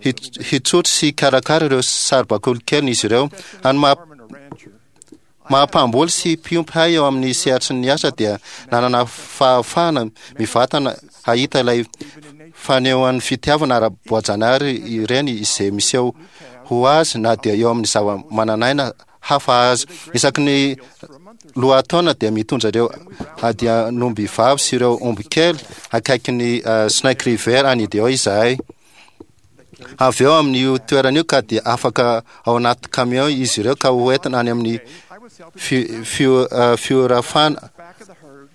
hitsotro sy hikarakara ireo saribakoly keliny izy ireo. Any maha Maha mpamboly sy mpiompy ahy eo amin'ny sehatry ny asa dia nanana fahafahana mivantana hahita ilay fanehoan'ny fitiavana ara-boajanahary ireny izay miseho ho azy na dia eo amin'ny zava-manan'aina hafa aza. Isaky ny lohataona dia mitondra ireo adian'omby vavy sy ireo omby kely akaikin'ny Snake River any Idaho izahay. Avy eo amin'io toerana io ka dia afaka ao anaty camion izy ireo ka ho entina any amin'ny fiorafana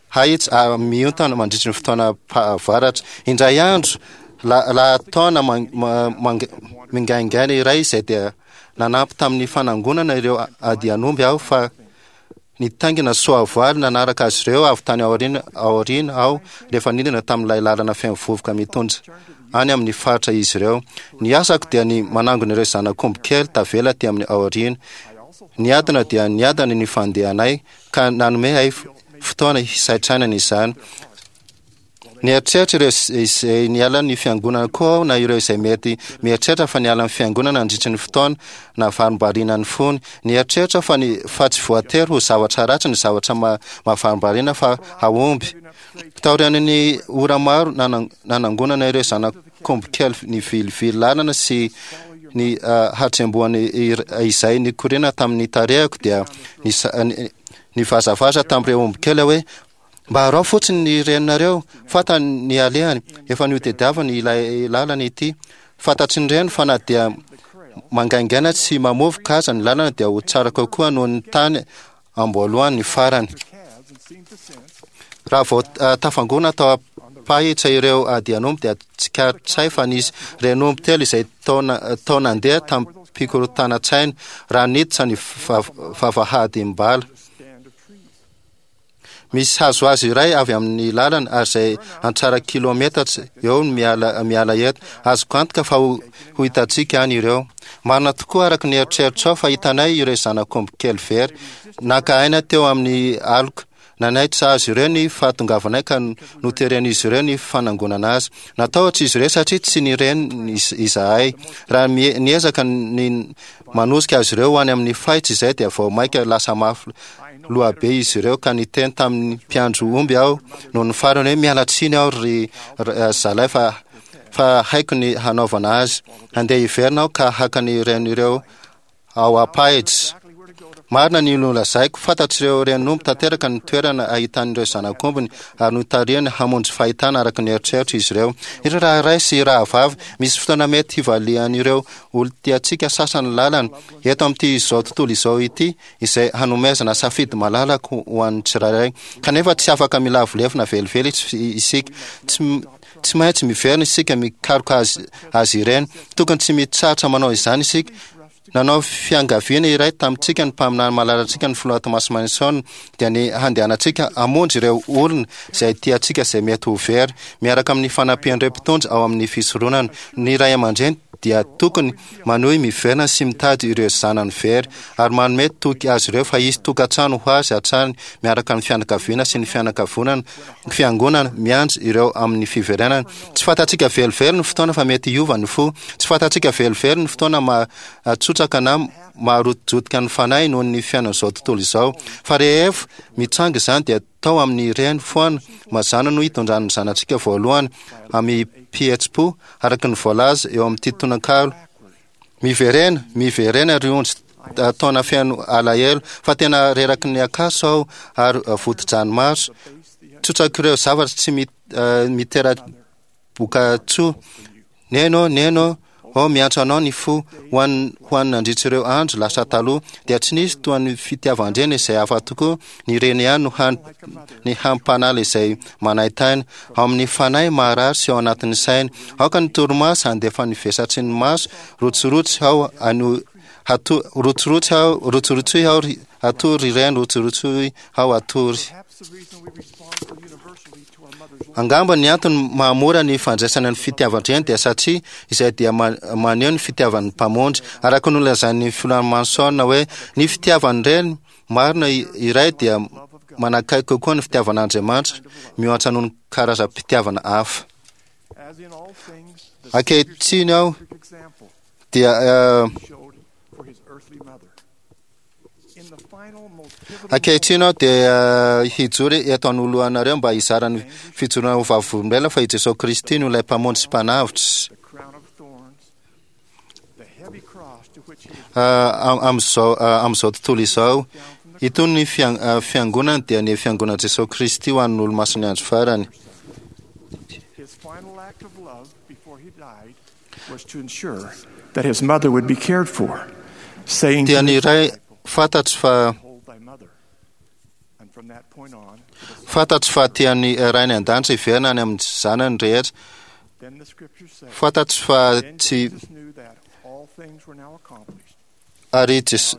hahitsy miontana mandritry ny fotoana pahavaratra. Indray andro, lahataona mingaingaina iray izay dia nanampy tamin'ny fanangonana ireo adian'omby aho fa Nitaingina soavaly nanaraka azy ireo avy tany aoriana aoriana aho rehefa nidina tamin'ilay lalana feno vovoka mitondra any amin'ny faritra izy ireo. Ny asako dia ny manangona ireo zanak'omby kely tavela aty amin'ny aoriana. Niadana dia niadana ny fandehanay ka nanome ahy fotoana hisaintsainana izany. Nieritreritra ireo izay niala ny fiangonana koa aho na ireo izay mety mieritreritra fa niala ny fiangonana nandritry ny fotoana nahavarimbariana ny fony. Nieritreritra aho fa ny fa tsy voatery ho zavatra ratsy ny zavatra mahavarimbariana fa hahomby. Taorian'ny ora maro nanangonana ireo zanak'omby kely nivilivily lalana sy ny hatsembohany izay nikoriana tamin'ny tarehiko dia nivazavaza tamin'ireo omby kely aho hoe, Mba araho fotsiny ny reninareo, fantany ny alehany, efa notediaviny ilay lalana ity. Fantatry ny reny fa na dia mangaingaina sy mamovoka aza ny lalana dia ho tsara kokoa noho ny tany amboalohany ny farany. Raha vao tafangona tao am-pahitra ireo adian'omby dia tsikaritray fa nisy renin'omby telo izay tao nandeha tamim-pikorotanan-tsaina raha niditra ny vavahadim-bala. Misy hazohazo iray avy amin'ny lalana ary izay antsara kilometatra eo no miala miala eto. Azoko antoka fa ho ho hitantsika any ireo. Marina tokoa araka ny eritreritrao fa hitanay ireo zanak'omby kely very. Naka aina teo amin'ny aloka. Nanaitra azy ireo ny fahatongavanay ka noteren'izy ireo ny fanangonana azy. Natahotra izy ireo satria tsy nireny izahay. Raha niezaka ny manosika azy ireo ho any amin'ny fahitsy izay dia vao mainka lasa mafy loha be izy ireo ka niteny tamin'ny mpiandry omby aho noho ny farany hoe miala tsiny aho ry zalahy fa fa haiko ny hanaovana azy. Handeha hiverina aho ka haka ny renin'ireo ao am-pahitra. Marina ny nolazaiko, fantatr'ireo renin'omby tanteraka ny toerana ahitan'ireo zanak'ombiny ary notarihany hamonjy fahitana araka ny eritreritro izy ireo. Ry raharahy sy rahavavy, misy fotoana mety hivalian'ireo olon-tiantsika sasany lalana eto amin'ity izao tontolo izao ity izay hanomezana safidy malalaka ho an'ny tsirairay. Kanefa tsy afaka milavolefona velively isika. Tsy, tsy maintsy miverina isika mikaroka azy, azy ireny. Tokony tsy mitsahatra manao izany isika. Nanao fiangaviana iray tamintsika ny mpaminany malalantsika ny filoha Thomas Monson dia ny handehanantsika hamonjy ireo olona izay tiantsika izay mety ho very, miaraka amin'ny fanampian'ireo mpitondra ao amin'ny fisoronana. Ny ray aman-dreny dia tokony manohy miverina sy mitady ireo zanany very ary manome toky azy ireo fa hisy tokantrano ho azy hatrany miaraka amin'ny fianakaviana sy ny fianakavonana fiangonana miandry ireo amin'ny fiverenana. Tsy fantatsika velively ny fotoana fa mety hiova ny fo. Tsy fantatsika velively ny fotoana mahatsotraka na maharotojotika ny fanahy noho ny fiainan'izao tontolo izao. Fa rehefa mitranga izany dia tao amin'ny reny foana mazàna no hitondran'ny zanatsika voalohany amim-pihetsi-po araka ny voalaza eo amin'ity tononkalo. Miverena, miverena ry ondry taona feno alahelo, fa tena reraky ny akaso aho ary vodi-dranomaso. Tsotsak'ireo zavatra tsy mitera-bokatsoa. Neny ô, neny ô, ô miantso anao ny fo, ho an'ny ho an'ny nandritra ireo andro lasa taloha, dia tsy nisy toa ny fitiavan-dreny izay hafa tokoa, ny reny ihany no hany ny hampanala izay manaintaina, ao amin'ny fanahy maharary sy ao anatin'ny saina. Aoka ny torimaso handefa ny vesatry ny maso, rotsirotsy ao ano hato rotsirotsy ao rotsirotsy ao ry atory ry reny rotsirotsy ao atory. Angamba ny antony mahamora ny fandraisana ny fitiavan-dreny dia satria izay dia maneho ny fitiavan'ny Mpamonjy. Araka ny nolazain'ny Filoha Manson hoe ny fitiavan'ny reny marina iray dia manakaiky kokoa ny fitiavan'Andriamanitra mihoatra noho ny karazam-pitiavana hafa. Ankehitriny aho dia Ankehitriny aho dia hijoro eto anoloanareo mba hizara ny fijoroana ho vavolombelona fa i Jesoa Kristy no ilay Mpamonjy sy Mpanavotra. Amin'izao amin'izao tontolo izao, itony ny fiangonany dia ny fiangonan'i Jesoa Kristy ho an'ny olomasin'ny andro farany. Dia ny iray fantatro fa fantatro fa tian'ny Rainy an-danitra hiverina any amin'ny zanany rehetra. Fantatro fa tsy ary Jesosy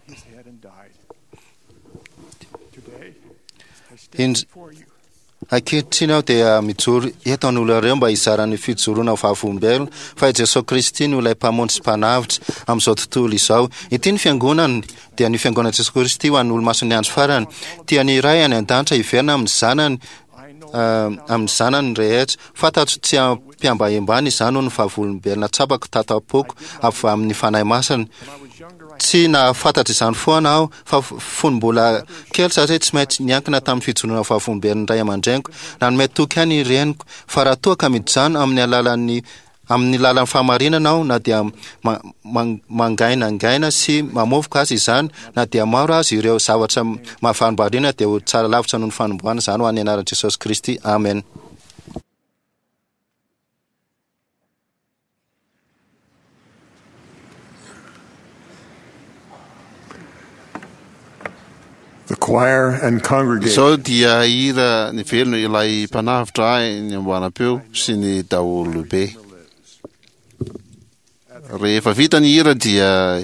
Ankehitriny aho dia mijoro eto anoloanareo mba hizara ny fijoroana ho vavolombelona fa i Jesoa Kristy no ilay Mpamonjy sy Mpanavotra amin'izao tontolo izao. Ity ny Fiangonany, dia ny Fiangonan'i Jesoa Kristy ho an'ny olomasin'ny andro farany. Tian'ny Ray any an-danitra hiverina amin'ny zanany amin'ny zanany rehetra. Fantatro tsy ampiambahembana izany ho ny vavolombelona tsapako tato am-poko avy amin'ny Fanahy Masina. Tsy nahafantatra izany foana aho fa fony mbola kely satria tsy maintsy niankina tamin'ny fijoroana vavolombelon'ny ray aman-dreniko. Nanome toky ahy ny reniko fa raha toa ka mijanona amin'ny alalan'ny amin'ny lalan'ny fahamarinana aho na dia mangainangaina sy mamovoka aza izany, na dia maro aza ireo zavatra mahavarimbariana dia ho tsara lavitra noho ny fanombohana izany ho an'ny anaran'i Jesosy Kristy. Amen. The choir and congregation. Izao dia hira ny velona ilay mpanavotra ahy ny amboaram-peo sy ny daholobe. Rehefa vita ny hira dia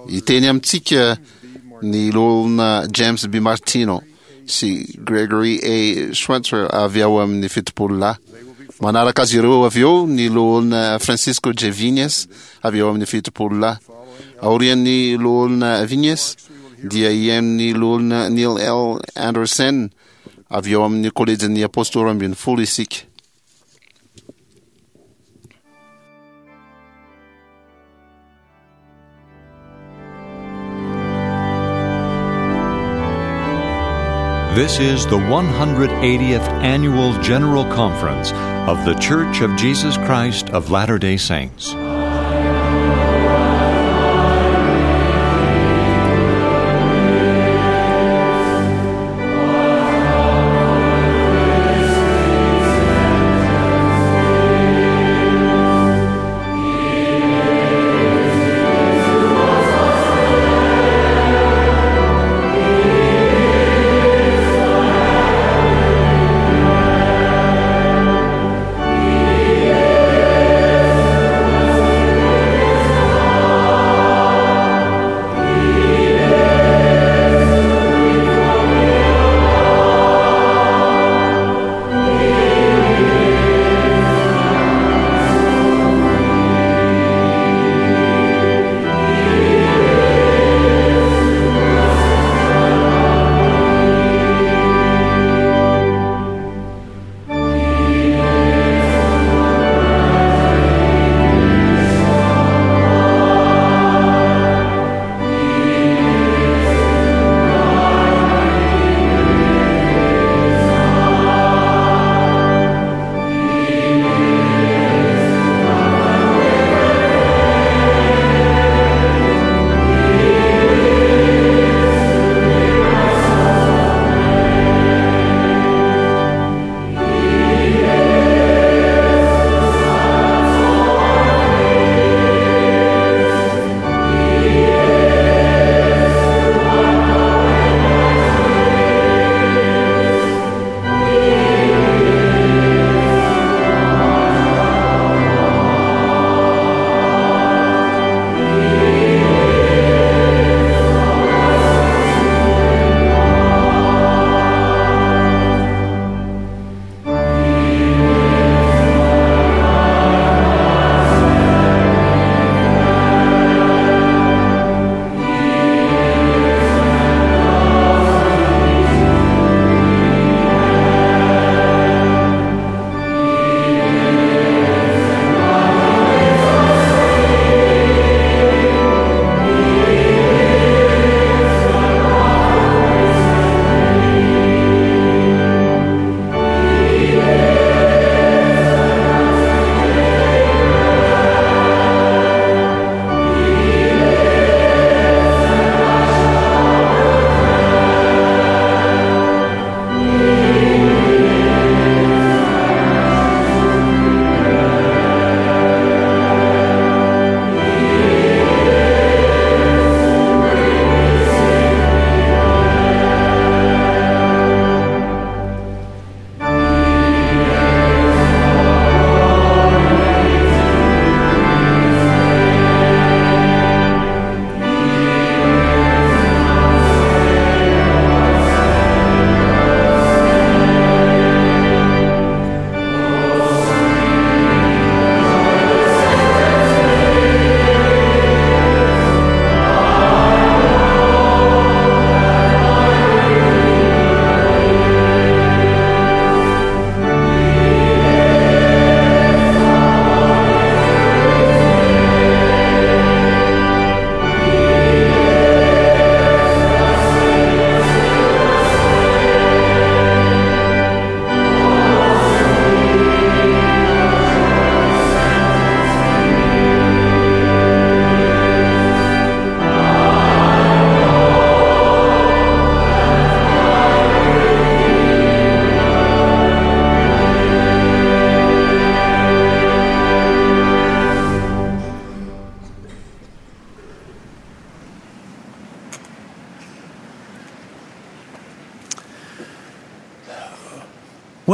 hiteny amintsika ny loholona James B. Martino sy Gregory A. Schweitzer avy ao amin'ny 70 lahy. Manaraka azy ireo avy eo ny loholona Francisco J. Vignes avy ao amin'ny 70 lahy. Aorian'ny loholona Vignes dia hihaino ny loholona Neil L. Andersen avy ao amin'ny kolejin'ny Apôstôly 12 isika. This is the 180th Annual General Conference of The Church of Jesus Christ of Latter day Saints.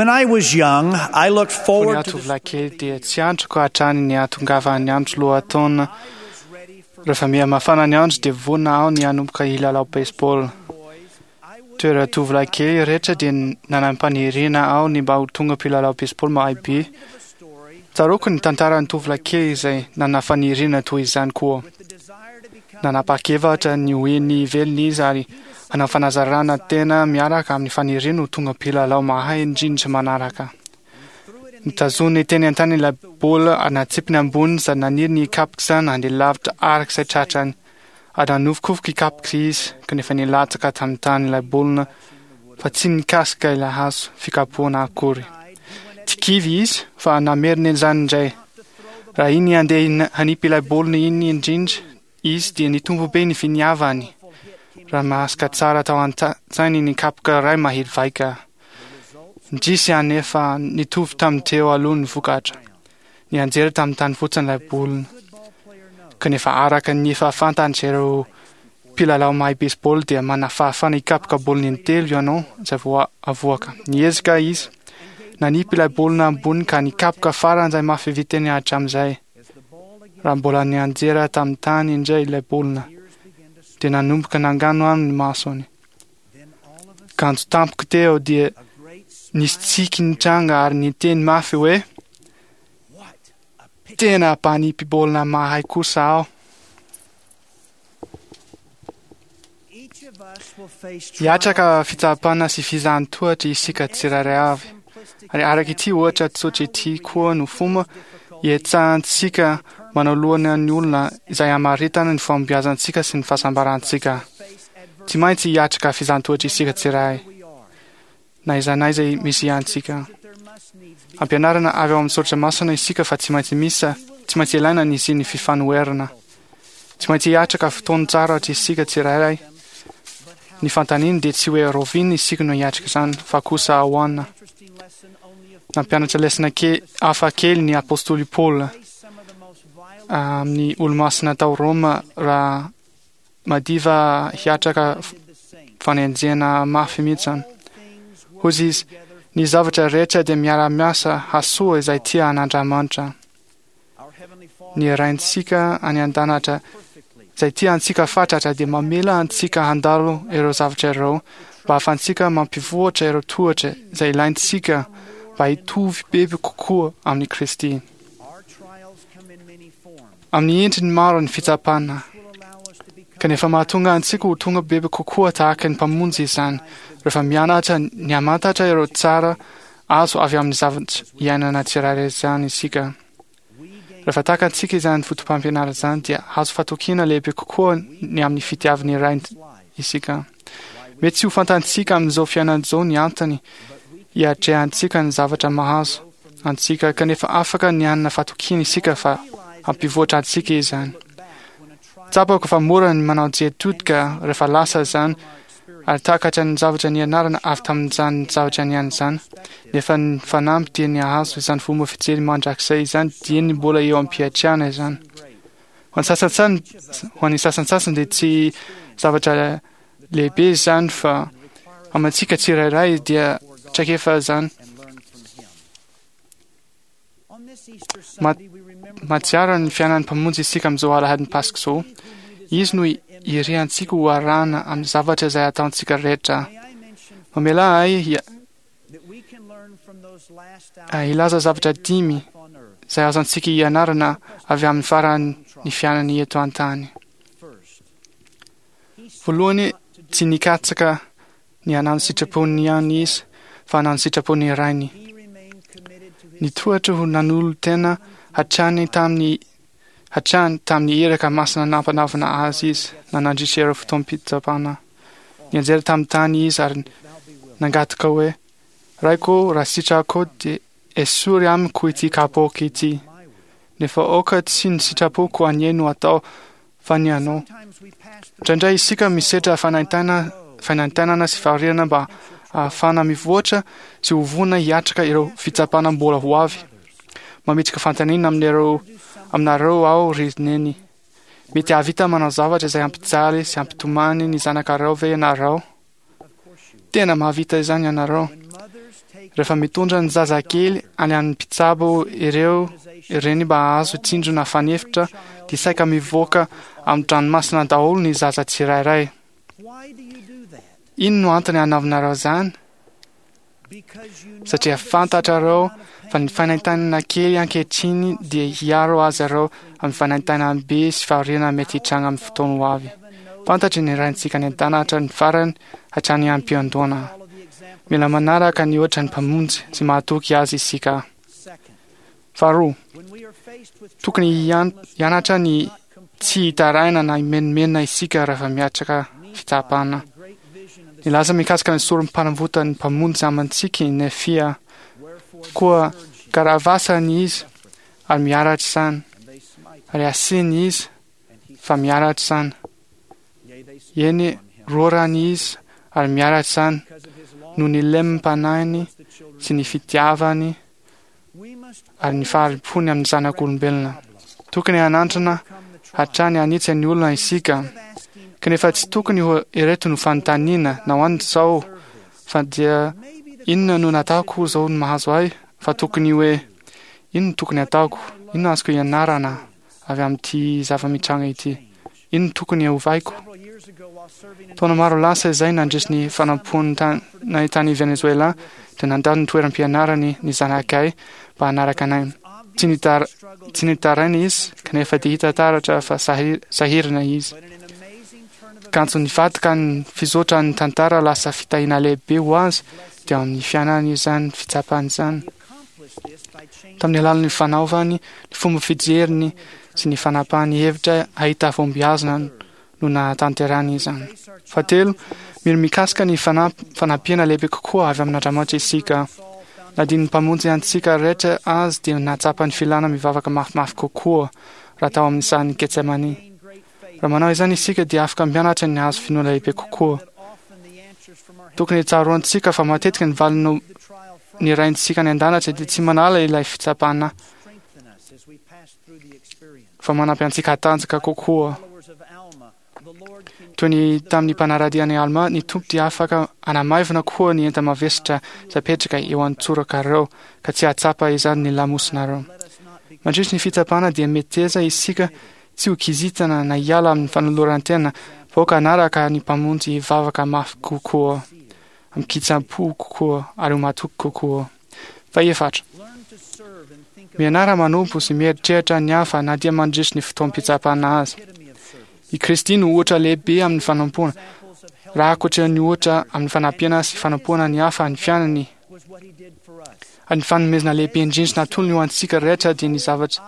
When I was young, I looked Fony forward aho to the tovolahy kely dia tsy andriko hatrany ny hahatongavan'ny andro lohataona. Rehefa miha-mafana ny andro dia vonona aho ny hanomboka hilalao baseball. Toy ireo tovolahy kely rehetra dia nanam-paniriana aho ny mba ho tonga mpilalao baseball mahay be. Tsaroako ny tantaran'ny tovolahy kely izay nanana faniriana toy izany koa. Nanapa-kevitra ny ho eny ivelany izy ary hanao fanazarana tena miaraka amin'ny faniriany ho tonga mpilalao mahay indrindra manaraka. Notazoniny teny an-tany ilay baolina ary natsipiny ambony sady naniry ny hikapoka izany handeha lavitra araka izay tratrany. Ary nanovokovoka hikapoka izy, kanefa nilatsaka tamin'ny tany ilay baolina fa tsy nikasika ilay hazo fikapohana akory. Tsy kivy izy fa namerina izany indray. Raha iny handeha hanipy ilay baolina iny indrindra izy dia nitombo be ny finiavany. Raha mahasika tsara tao an-tsainy ny kapoka iray mahery vaika. Indrisy anefa nitovy tamin'ny teo aloha ny vokatra. Nianjera tamin'ny tany fotsiny ilay baolina. Kanefa araka ny efa fantatr'ireo mpilalao mahay baseball dia manana fahafahana hikapoka baolina intelo ianao izay vao avoaka. Niezaka izy nanipy ilay baolina ambony ka nikapoka faran'izay mafy vitany hatramin'izay. Raha mbola nianjera tamin'ny tany indray ilay baolina dia nanomboka nanganohano ny masony. Kanjo tampoka teo dia nisy tsiky nitranga ary niteny mafy hoe, Tena mpanipy baolina mahay kosa aho. Hiatraka fitsapana sy fizahan-tohatra isika tsirairay avy. Ary araka ity ohatra tsotra ity koa no fomba ihetsahantsika manoloana ny olona izay hamaritana ny fahombiazantsika sy ny fahasambarantsika. Tsy maintsy hiatrika fizahan-tohatra isika tsirairay, na aiza na aiza misy antsika. Ampianarina avy ao amin'ny soratra masina isika fa tsy maintsy misy, tsy maintsy ilaina ny hisian'ny fifanoherana. Tsy maintsy hiatrika fotoan-tsarotra isika tsirairay. Ny fanontaniana dia tsy hoe rahoviana isika no hiatrika izany, fa kosa ahoana. Nampianatra lesona ke hafa kely ny apostoly Paoly amin'ny olomasina tao Roma raha madiva hiatraka fanenjehana mafy mihitsy izany. Hoy izy, Ny zavatra rehetra dia miara-miasa hasoa izay tia an'Andriamanitra. Ny Raintsika any an-danitra izay tia antsika fatratra dia mamela antsika handalo ireo zavatra ireo mba hahafahantsika mampivoatra ireo tohatra izay ilaintsika mba hitovy bebe kokoa amin'i Kristy. Amin'ny endriny maro ny fitsapana, kanefa mahatonga antsika ho tonga bebe kokoa tahaka ny Mpamonjy izany rehefa mianatra ny hamantatra ireo tsara azo avy amin'ny zavatra iainana tsirairay izany isika. Rehefa takantsika izany fotopampianarana izany dia hahazo fatokiana lehibe kokoa ny amin'ny fitiavan'ny Ray isika. Mety tsy ho fantantsika amin'izao fiainana izao ny antony hiatrehantsika ny zavatra mahazo antsika, kanefa afaka ny hanana fatokiana isika fa hampivoatra antsika izany. Tsapako fa mora ny manao jery todika rehefa lasa izany ary takatra ny zavatra nianarana avy tamin'izany zavatra niaina izany, nefa ny fanamby dia ny hahazo izany fomba fijery mandrakizay izany dieny mbola eo am-piatrehana izany. Ho an'ny sasantsany, ho an'ny sasantsasany dia tsy zavatra lehibe izany fa amintsika tsirairay dia traikefa izany. Mahatsiaro ny fiainan'ny Mpamonjy isika amin'izao alahadin'ny Paska izao. Izy no iriantsika ho arahana amin'ny zavatra izay ataontsika rehetra. Mamelà ahy hilaza zavatra dimy izay azontsika ianarana avy amin'ny faran'ny fiainany eto an-tany. Voalohany, tsy nikatsaka ny hanao ny sitrapony ihany izy, fa hanao ny sitrapon'ny Rainy. Nitohatra ho nanolo-tena hatrany tamin'ny hatrany tamin'ny iraka masina nampanaovina azy izy, na nandritra ireo fotoam-pitsapana. Nianjera tamin'ny tany izy ary nangataka hoe, Raiko ô, raha sitrako dia esory amiko ity kapoaka ity. Nefa aoka tsy ny sitrapoko anie no atao fa ny anao. Indraindray isika misedra fanaintaina, fanaintainana sy fahoriana mba hahafahana mivoatra sy ho vonona hiatrika ireo fitsapana mbola ho avy. Mametraka fanontaniana amin'ireo aminareo aho ry neny. Mety hahavita manao zavatra izay hampijaly sy hampitomany ny zanakareo ve ianareo? Tena mahavita izany ianareo. Rehefa mitondra ny zazakely any amin'ny mpitsabo ireo reny mba hahazo tsindrona fanefitra dia saika mivoaka amin'ny dranomasina daholo ny zaza tsirairay. Inona no antony hanaovanareo izany? Satria fantatrareo fa ny fanaintainana kely ankehitriny dia hiaro azy ireo amin'ny fanaintainana be sy fahoriana mety hitranga amin'ny fotoana ho avy. Fantatry ny Raintsika any an-danitra ny farany hatrany am-piandohana. Mila manaraka ny ohatra ny Mpamonjy sy mahatoky Azy isika. Faharoa, tokony hianatra ny tsy hitaraina na himenomenona isika rehefa miatrika fitsapana. Nilaza mikasika ny sorom-panavotan'ny Mpamonjy amantsika i Nefia, Koa karavasany izy ary miaratra izany, ary asiany izy fa miaratra izany. Eny, rorany izy ary miaratra izany noho ny lemim-panahiny sy ny fitiavany ary ny fahari-pony amin'ny zanak'olombelona. Tokony hanandrana hatrany hanitsy ny olona isika, kanefa tsy tokony ho ireto no fanontaniana, nahoana izao fa dia inona no nataoko izao no mahazo ahy, fa tokony hoe inona no tokony hataoko, inona azoko ianarana avy amin'ity zava-mitranga ity, inona no tokony hovaiko. Taona maro lasa izay nandritry ny fanompoanay tany Venezuela dia nandalo ny toeram-pianarany ny zanakay mba hanaraka anay. Tsy nitar tsy nitaraina izy kanefa dia hita taratra fa sahirana izy. Kanjo nivadika ny fizotran'ny tantara lasa fitahiana lehibe ho azy teo amin'ny fiainany izany fitsapana izany. Tamin'ny alalan'ny fanaovany ny fomba fijeriny sy ny fanapahany hevitra hahita fahombiazana no nahatanterahany izany. Fahatelo, mino mikasika ny fanampiana lehibe kokoa avy amin'Andriamanitra isika. Na dia ny Mpamonjy antsika rehetra azy dia nahatsapa ny filana mivavaka mafimafy kokoa raha tao amin'ny sahan'i Getsemane. Raha manao izany isika dia afaka mianatra ny hahazo finoana lehibe kokoa. Tokony tsaroantsika fa matetika ny valiny ny Raintsika any an-danitra dia tsy manala ilay fitsapana fa manampy antsika hatanjaka kokoa. Toy ny tamin'ny mpanara-dia an'i Alma, ny Tompo dia afaka hanamaivana koa ny enta-mavesatra izay apetraka eo an-tsorakareo ka tsy hahatsapa izany ny lamosinareo. Mandritry ny fitsapana dia meteza isika tsy ho kizitina na hiala amin'ny fanoloran-tena fa aoka hanaraka ny Mpamonjy hivavaka mafy kokoa, amin-kitsampo kokoa ary ho matoky kokoa. Fahefatra, mianara manompo sy mieritreritra ny hafa na dia mandritry ny fotoam-pitsapana aza. I Kristy no ohatra lehibe amin'ny fanompoana. Raha ankoatra ny ohatra amin'ny fanampiana sy fanompoana ny hafa ny fiainany, ary ny fanomezana lehibe indrindra natolony ho antsika rehetra dia ny zavatra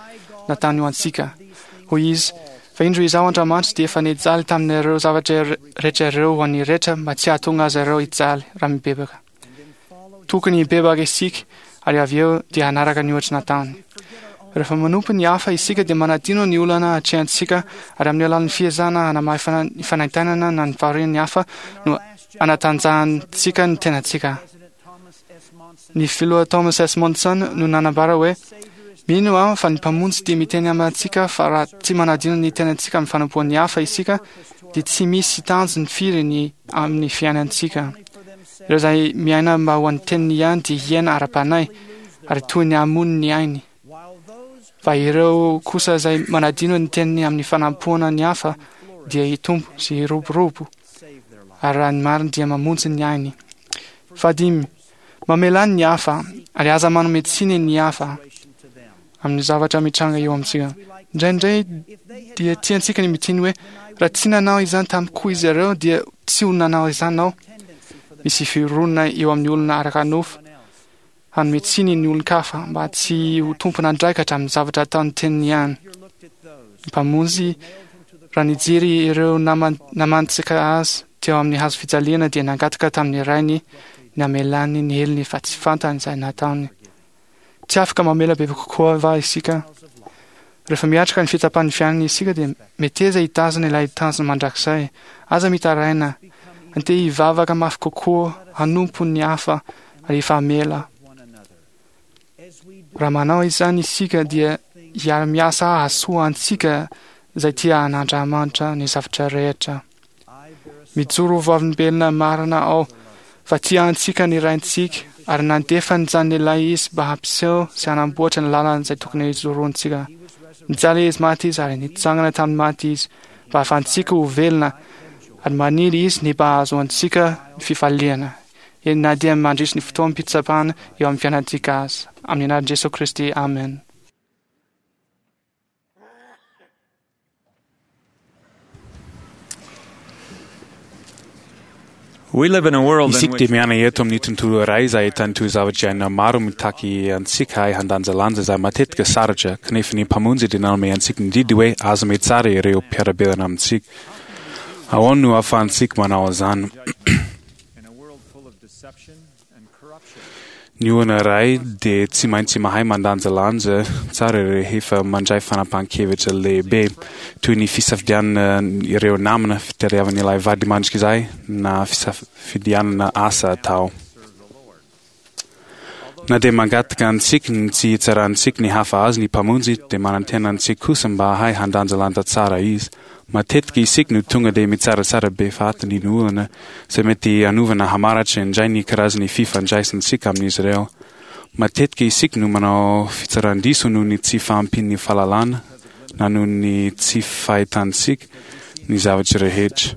nataony ho antsika. Hoy izy, Fa indro Izaho Andriamanitra dia efa nijaly tamin'ireo zavatra rehetra ireo ho an'ny rehetra mba tsy hahatonga azy ireo hijaly raha mibebaka. Tokony hibebaka isika ary avy eo dia hanaraka ny ohatra nataony. Rehefa manompo ny hafa isika dia manadino ny olana atrehantsika ary amin'ny alalan'ny fiezahana hanamaifana ny fanaintainana na ny fahorian'ny hafa no anatanjahantsika ny tenantsika. Ny filoha Thomas S. Monson no nanambara hoe, Mino aho fa ny Mpamonjy dia miteny amintsika fa raha tsy manadino ny tenantsika amin'ny fanompoan'ny hafa isika dia tsy misy tanjony firy ny amin'ny fiainantsika. Ireo izay miaina mba ho an'ny teniny ihany dia hiaina ara-panahy ary toy ny hamono ny ainy. Fa ireo kosa izay manadino ny teniny amin'ny fanampoana ny hafa dia hitombo sy hiroborobo ary raha ny marina dia mamonjy ny ainy. Fahadimy, mamelà ny hafa ary aza manome tsiny ny hafa amin'ny zavatra mitranga eo amintsika. Indraindray dia tiantsika ny miteny hoe raha tsy nanao izany tamiko izy ireo dia tsy ho nanao izany aho. Misy fironana eo amin'ny olona araka nofo hanome tsiny ny olon-kafa mba tsy ho tompon'andraikatra amin'ny zavatra ataon'ny teniny ihany. Ny Mpamonjy, raha nijery ireo namantsika azy teo amin'ny hazo fijaliana dia nangataka tamin'ny Rainy ny hamelany ny helony fa tsy fantany izay nataony. Tsy afaka mamela bebe kokoa va isika? Rehefa miatrika ny fitsapan'ny fiainana isika dia meteza hitazona ilay tanjona mandrakizay. Aza mitaraina. Andeha hivavaka mafy kokoa, hanompo ny hafa ary hifamela. Raha manao izany isika dia hiara-miasa hahasoa antsika izay tia an'Andriamanitra ny zavatra rehetra. Mijoro ho vavolombelona marina aho fa tia antsika ny Raintsika. Ary nandefa ny Zanany Lahy Izy mba hampiseho sy hanamboatra ny lalana izay tokony hijoroantsika. Nijaly Izy, maty Izy, ary nitsangana tamin'ny maty Izy mba hahafahantsika ho velona, ary maniry Izy ny mba hahazoantsika ny fifaliana, eny na dia mandritry ny fotoam-pitsapana eo amin'ny fiainantsika aza. Amin'ny anaran'i Jesoa Kristy, amena. Isika dia miaina eto amin'ny tontolo iray izay ahitana toe-javatra iainana maro mitaky antsika hahay handanjalanja izay matetika sarotra, kanefa ny Mpamonjy dia nanome antsika ny didy hoe aza mitsara ireo mpiara-belona amintsika. Ahoana no ahafahantsika manao izany? Ny olona iray dia tsy maintsy mahay mandanjalanja tsara rehefa mandray fanapahan-kevitra lehibe, toy ny fisafidianana ireo namana, fitadiavana ilay vady mandrakizay, na fisafidianana asa atao. Na dia mangataka antsika ny tsy hitsarantsika ny hafa azy ny Mpamonjy, dia manantena antsika kosa mba hahay handanjalanja tsara Izy. Matetika isika no tonga dia mitsaratsara be fahatany ny olona, izay mety hanova na hamaratra indray ny karazan'ny fifandraisantsika amin'izy ireo. Matetika isika no manao fitsaran-diso noho ny tsy fahampian'ny fahalalana na noho ny tsy fahitantsika ny zavatra rehetra.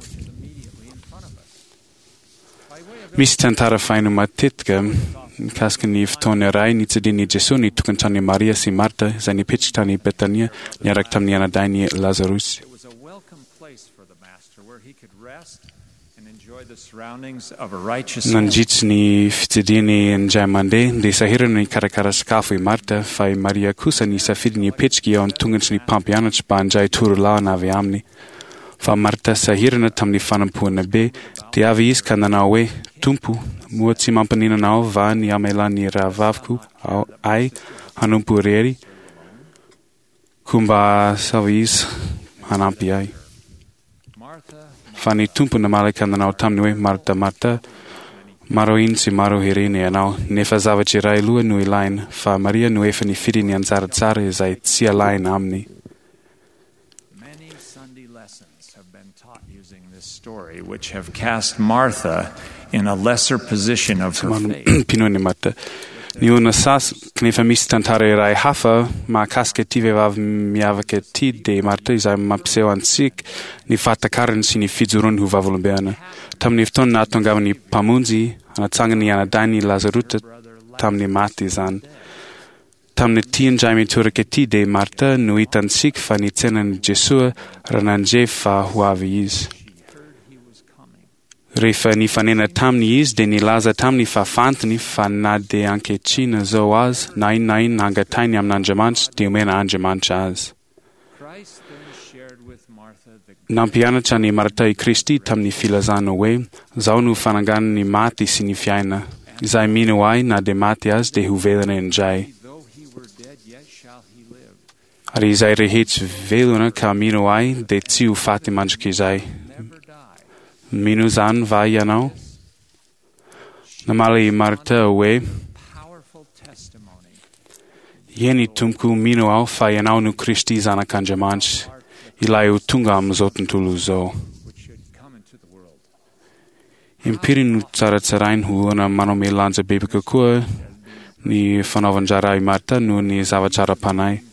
Misy tantara faheno matetika mikasika ny fotoana iray nitsilian'i Jesoa ny tokantranon'i Maria sy Marta izay nipetraka tany Betania niaraka tamin'ny anadahiny Lazarosy. Nandritry ny fitsidihany indray mandeha dia sahirana nikarakara sakafo i Marta fa i Maria kosa nisafidy ny hipetraka eo an-tongotry ny mpampianatra mba handray torolàlana avy aminy. Fa Marta sahirana tamin'ny fanompoana be, dia avy izy ka nanao hoe, Tompo, moa tsy mampaninona Anao va ny hamelan'ny rahavaviko ahy hanompo irery? Koa mba asao izy hanampy ahy. Fa ny Tompo namaly ka nanao taminy hoe, Marta, Marta, maro iny sy maro herena ianao, nefa zavatra iray loha no ilaina, fa Maria no efa nifidy ny anjara tsara izay tsy alaina aminy. Many Sunday lessons have been taught using this story, which have cast Martha in a lesser position of her faith. Mpinoan'i Marta. Ny olona sasany, kanefa misy tantara iray hafa mahakasika ity vehivavy miavaka ity dia i Marta izay mampiseho antsika ny fahatakarany sy ny fijoroany ho vavolombelona. Tamin'ny fotoana nahatongavan'ny Mpamonjy hanatsangana ny anadahiny Lazarota tamin'ny maty izany. Tamin'ity indray mitoraka ity dia i Marta no hitantsika fa nitsena an'i Jesoa raha nandre fa ho avy Izy. Rehefa nifanena taminy Izy dia nilaza taminy fa fantany fa na dia ankehitriny izao aza na inona na inona angatahiny amin'Andriamanitra dia omena Andriamanitra azy. Nampianatra an'i Marta i Kristy tamin'ny filazana hoe, Izaho no fananganana ny maty sy ny fiaina. Izay mino Ahy na dia maty aza dia ho velona indray. Ary izay rehetra velona ka mino Ahy dia tsy ho faty mandrakizay. Mino izany va ianao? Namaly i Marta hoe, Eny, Tompoko, mino aho fa Ianao no Kristy Zanak'Andriamanitra, ilay ho tonga amin'izao tontolo izao. Impiry no tsaratsarainy ho olona manome lanja bebe kokoa ny fanaovan-draharaha i Marta noho ny zavatra ara-panahy.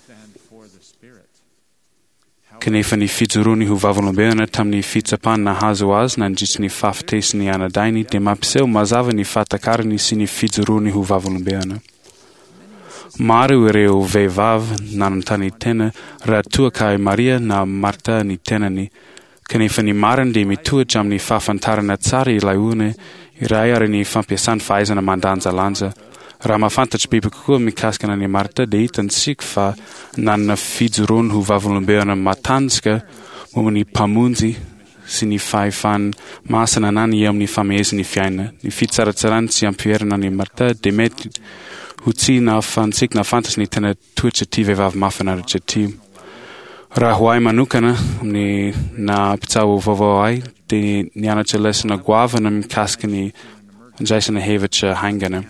Kanefa ny fijoroany ho vavolombelona tamin'ny fitsapana nahazo azy nandritry ny fahafatesan'ny anadahiny dia mampiseho mazava ny fahatakarany sy ny fijoroany ho vavolombelona. Maro ireo vehivavy nanontany tena raha toa ka i Maria na Marta ny tenany, kanefa ny marina dia mitohitra amin'ny fahafantarana tsara ilay olona iray ary ny fampiasany fahaizana mandanjalanja. Raha mahafantatra bebe kokoa mikasika an'i Marta dia hitantsika fa nanana fijoroany ho vavolombelona matanjaka momba ny Mpamonjy sy ny fahefany masina ananany eo amin'ny famehezany ny fiainana. Ny fitsaratsarany tsy ampiherana an'i Marta dia mety ho tsy nahafahantsika nahafantatra ny tena toetr'ity vehivavy mahafinaritra ity. Raha ho ahy manokana, amin'ny naha mpitsabo vaovao ahy, dia nianatra lesona goavana mikasika ny Andraisana hevitra haingana.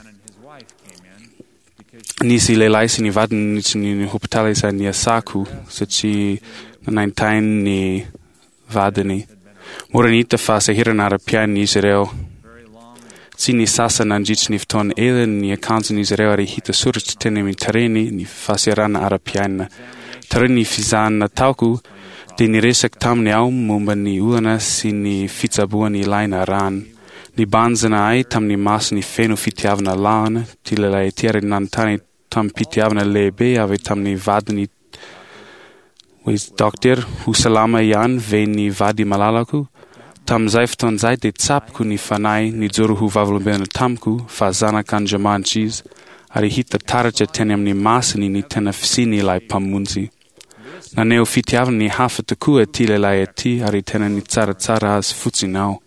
Nisy lehilahy sy ny vadiny niditra ny hopitaly izay niasako satria nanaintainy ny vadiny. Mora ny hita fa sahirana ara-piainana izy ireo. Tsy nisasa nandritry ny fotoana ela ny akanjon'izy ireo ary hita soratra teny amin'ny tarehiny ny fahasahiranana ara-piainana. Taorian'ny fizahana nataoko dia niresaka taminy aho momba ny olana sy ny fitsaboana ilaina arahana. Nibanjina ahy tamin'ny masony feno fitiavana lahana ity lehilahy ity ary nanontany tamim-pitiavana lehibe avy tamin'ny vadiny hoe, Dokotera, ho salama ihany ve ny vady malalako? Tamin'izay fotoana izay dia tsapako ny Fanahy nijoro ho vavolombelona tamiko fa Zanak'Andriamanitra Izy, ary hita taratra teny amin'ny masony ny tena fisian'ilay Mpamonjy. Naneho fitiavana ny hafa tokoa ity lehilahy ity ary tena nitsaratsara azy fotsiny aho.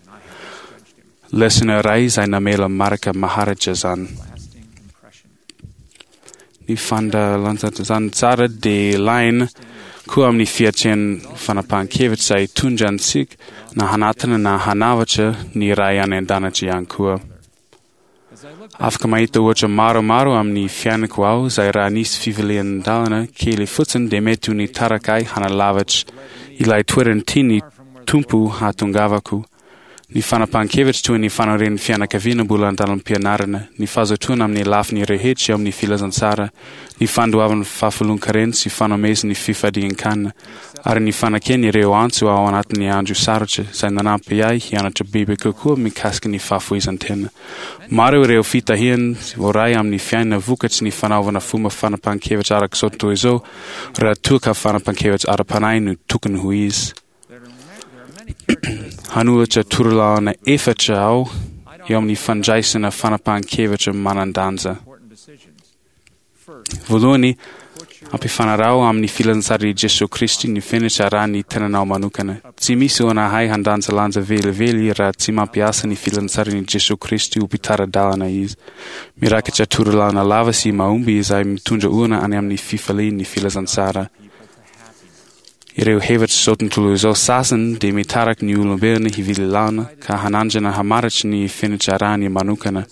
Lesona iray izay namela marika maharitra izany. Ny fandalanjana tsara dia ilaina koa amin'ny fiatrehana fanapahan-kevitra izay hitondra antsika na hanatona na hanavatra ny Ray any An-danitra ihany koa. Afaka mahita ohatra maromaro amin'ny fiainako aho izay raha nisy fivilian-dalana kely fotsiny dia mety ho nitarika ahy hanalavitra ilay toerana tian'ny Tompo hahatongavako. Ny fanapahan-kevitra toy ny fanoren'ny fianakaviana mbola an-dalam-pianarana, ny fahazotoana amin'ny lafiny rehetra eo amin'ny filazantsara, ny fandoavana fahafolon-karena sy fanomezana ny fifadian-kanina, ary ny fanekena ireo antso ao anatin'ny andro sarotra izay nanampy ahy hianatra bebe kokoa mikasika ny fahafoizan-tena. Maro ireo fitahiana voaray amin'ny fiainana vokatry ny fanaovana fomba fanapahan-kevitra araka izao tontolo izao raha toa ka fanapahan-kevitra ara-panahy no tokony ho izy. Hanolotra torolalana efatra aho eo amin'ny fandraisana fanapahan-kevitra manan-danja. Voalohany, ampifanaraho amin'ny filazantsaran'i Jesoa Kristy ny fenitra arahin'ny tenanao manokana. Tsy misy olona hahay handanjalanja velively raha tsy mampiasa ny filazantsaran'i Jesoa Kristy ho mpitara-dalana izy. Mirakitra torolalana lava sy mahomby izay mitondra olona any amin'ny fifalian'ny filazantsara. Ireo hevitr'izao tontolo izao sasany dia mitaraky ny olombelona hivily lalana ka hanandrana hamaritry ny fenitra arahiny manokana.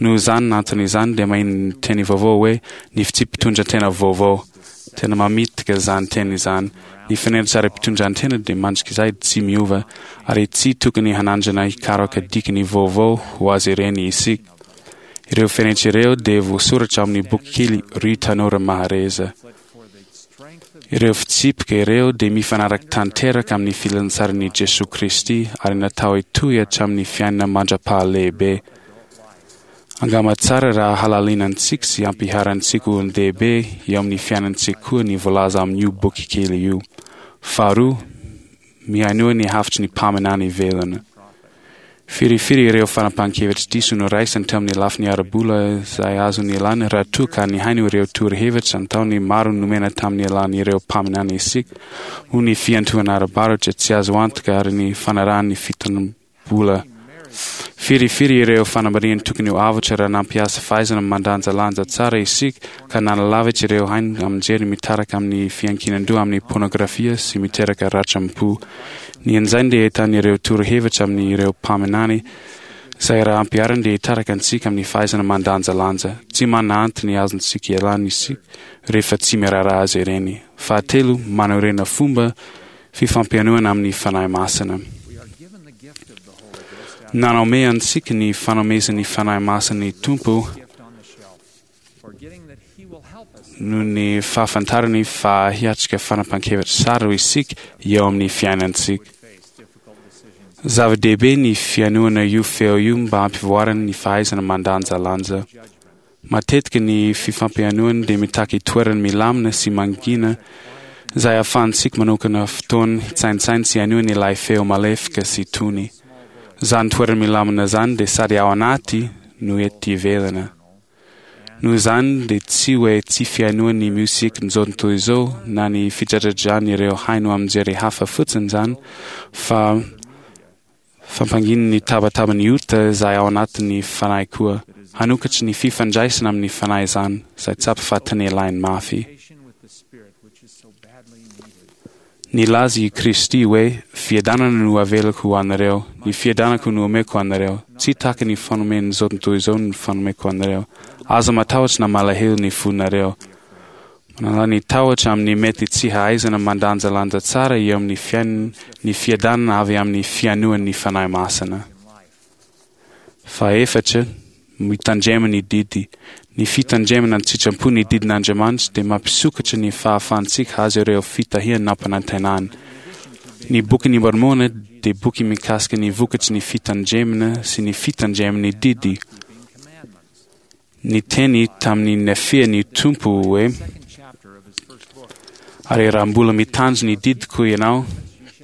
Noho izany antony izany dia maheno ny teny vaovao hoe ny fitsipi-pitondran-tena vaovao. Tena mamitaka izany teny izany. Ny fenitra ara-pitondran-tena dia mandrakizay tsy miova ary tsy tokony hanandrana hikaroka dikany vaovao ho azy ireny isika. Ireo fenitra ireo dia voasoratra amin'ny bokikely Ry Tanora Mahareza. Ireo fitsipika ireo dia mifanaraka tanteraka amin'ny filazantsaran'i Jesoa Kristy ary natao hitohy hatramin'ny fiainana mandra-pahalehibe. Angamba tsara raha halalinantsika sy ampiharantsika olon-dehibe eo amin'ny fiainantsika koa ny voalaza amin'io bokikely io. Faharoa, Mihainoa ny hafatry ny mpaminany velona. Firifiry ireo fanapahan-kevitra diso noraisiny teo amin'ny lafiny ara-bola izay azo nialana raha toa ka nihaino ireo torohevitra an-taony maro nomena tamin'ny alalan'ireo mpaminany isika, ho ny fiantohana ara-barotra tsy azo antoka ary ny fanarahan'ny fitanam-bola. Firifiry ireo fanambarihana tokony ho avotra raha nampiasa fahaizana mandanjalanja tsara isika ka nanalavitra ireo haino aman-jery mitaraka amin'ny fiankinan-doha amin'ny pôrnôgrafia sy miteraka ratram-po. Ny anjainy dia ahitana ireo torohevitra amin'ireo mpaminany izay raha ampiharina dia hitaraka antsika amin'ny fahaizana mandanjalanja. Tsy manana antony azontsika ialana isika rehefa tsy miraharaha azy ireny. Fahatelo, manorena fomba fifampihainoana amin'ny Fanahy Masina. Nanome antsika ny fanomezan'ny Fanahy Masina ny Tompo noho ny fahafantarany fa hiatrika fanapahan-kevitra saro isika eo amin'ny fiainantsika. Zava-dehibe ny fihainoana io feo io mba hampivoarana ny fahaizana mandanjalanja. Matetika ny fifampihainoana dia mitaky toerana milamina sy mangina izay ahafahantsika manokana fotoana hitsaintsaina sy hihainoana ilay feo malefaka sy tony. Izany toerana milamina izany dia sady ao anaty no ety ivelana. Noho izany dia tsy hoe tsy fihainoana ny miozikin'izao tontolo izao na ny fidradradrany haino aman-jery hafa fotsiny izany fa Fampanginy ny tabataban'ny ota izay ao anatin'ny fanahy koa. Hanokatry ny fifandraisana amin'ny fanahy izany, izay tsapa fa tena ilainy mafy. Nilaza i Kristy hoe, Fiadanana no avelako ho anareo, ny fiadanako no omeko anareo, tsy tahaka ny fanomen'izao tontolo izao no fanomeko anareo. Aza matahotra na malahelo ny fonareo. Manala ny tahotra amin'ny mety tsy hahaizana mandanjalanja tsara eo amin'ny fiainany ny fiadanana avy amin'ny fihainoan'ny Fanahy Masina. Fahefatra, mitandrema ny didy. Ny fitandremana an-tsitrapo ny didin'Andriamanitra dia mampisokatra ny fahafahantsika hahazo ireo fitahiana nampanantenana. Ny Bokin'i Môrmôna dia boky mikasika ny vokatry ny fitandremana sy ny fitandremana ny didy. Niteny tamin'i Nefia ny Tompo hoe, Ary raha mbola mitandro ny didiko ianao,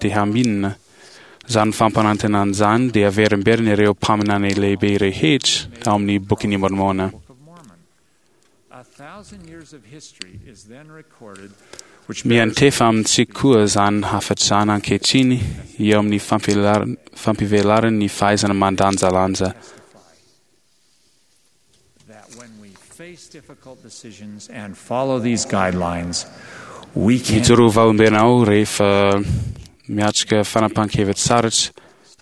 dia haminina. Izany fampanantenana izany dia averimberina ireo mpaminany lehibe rehetra ao amin'ny Bokin'i Môrmôna. Miantefa amintsika koa izany hafatra izany ankehitriny eo amin'ny fampivelarana ny fahaizana mandanjalanja. Mijoroa vavolombelona aho rehefa miatrika fanapahan-kevitra sarotra,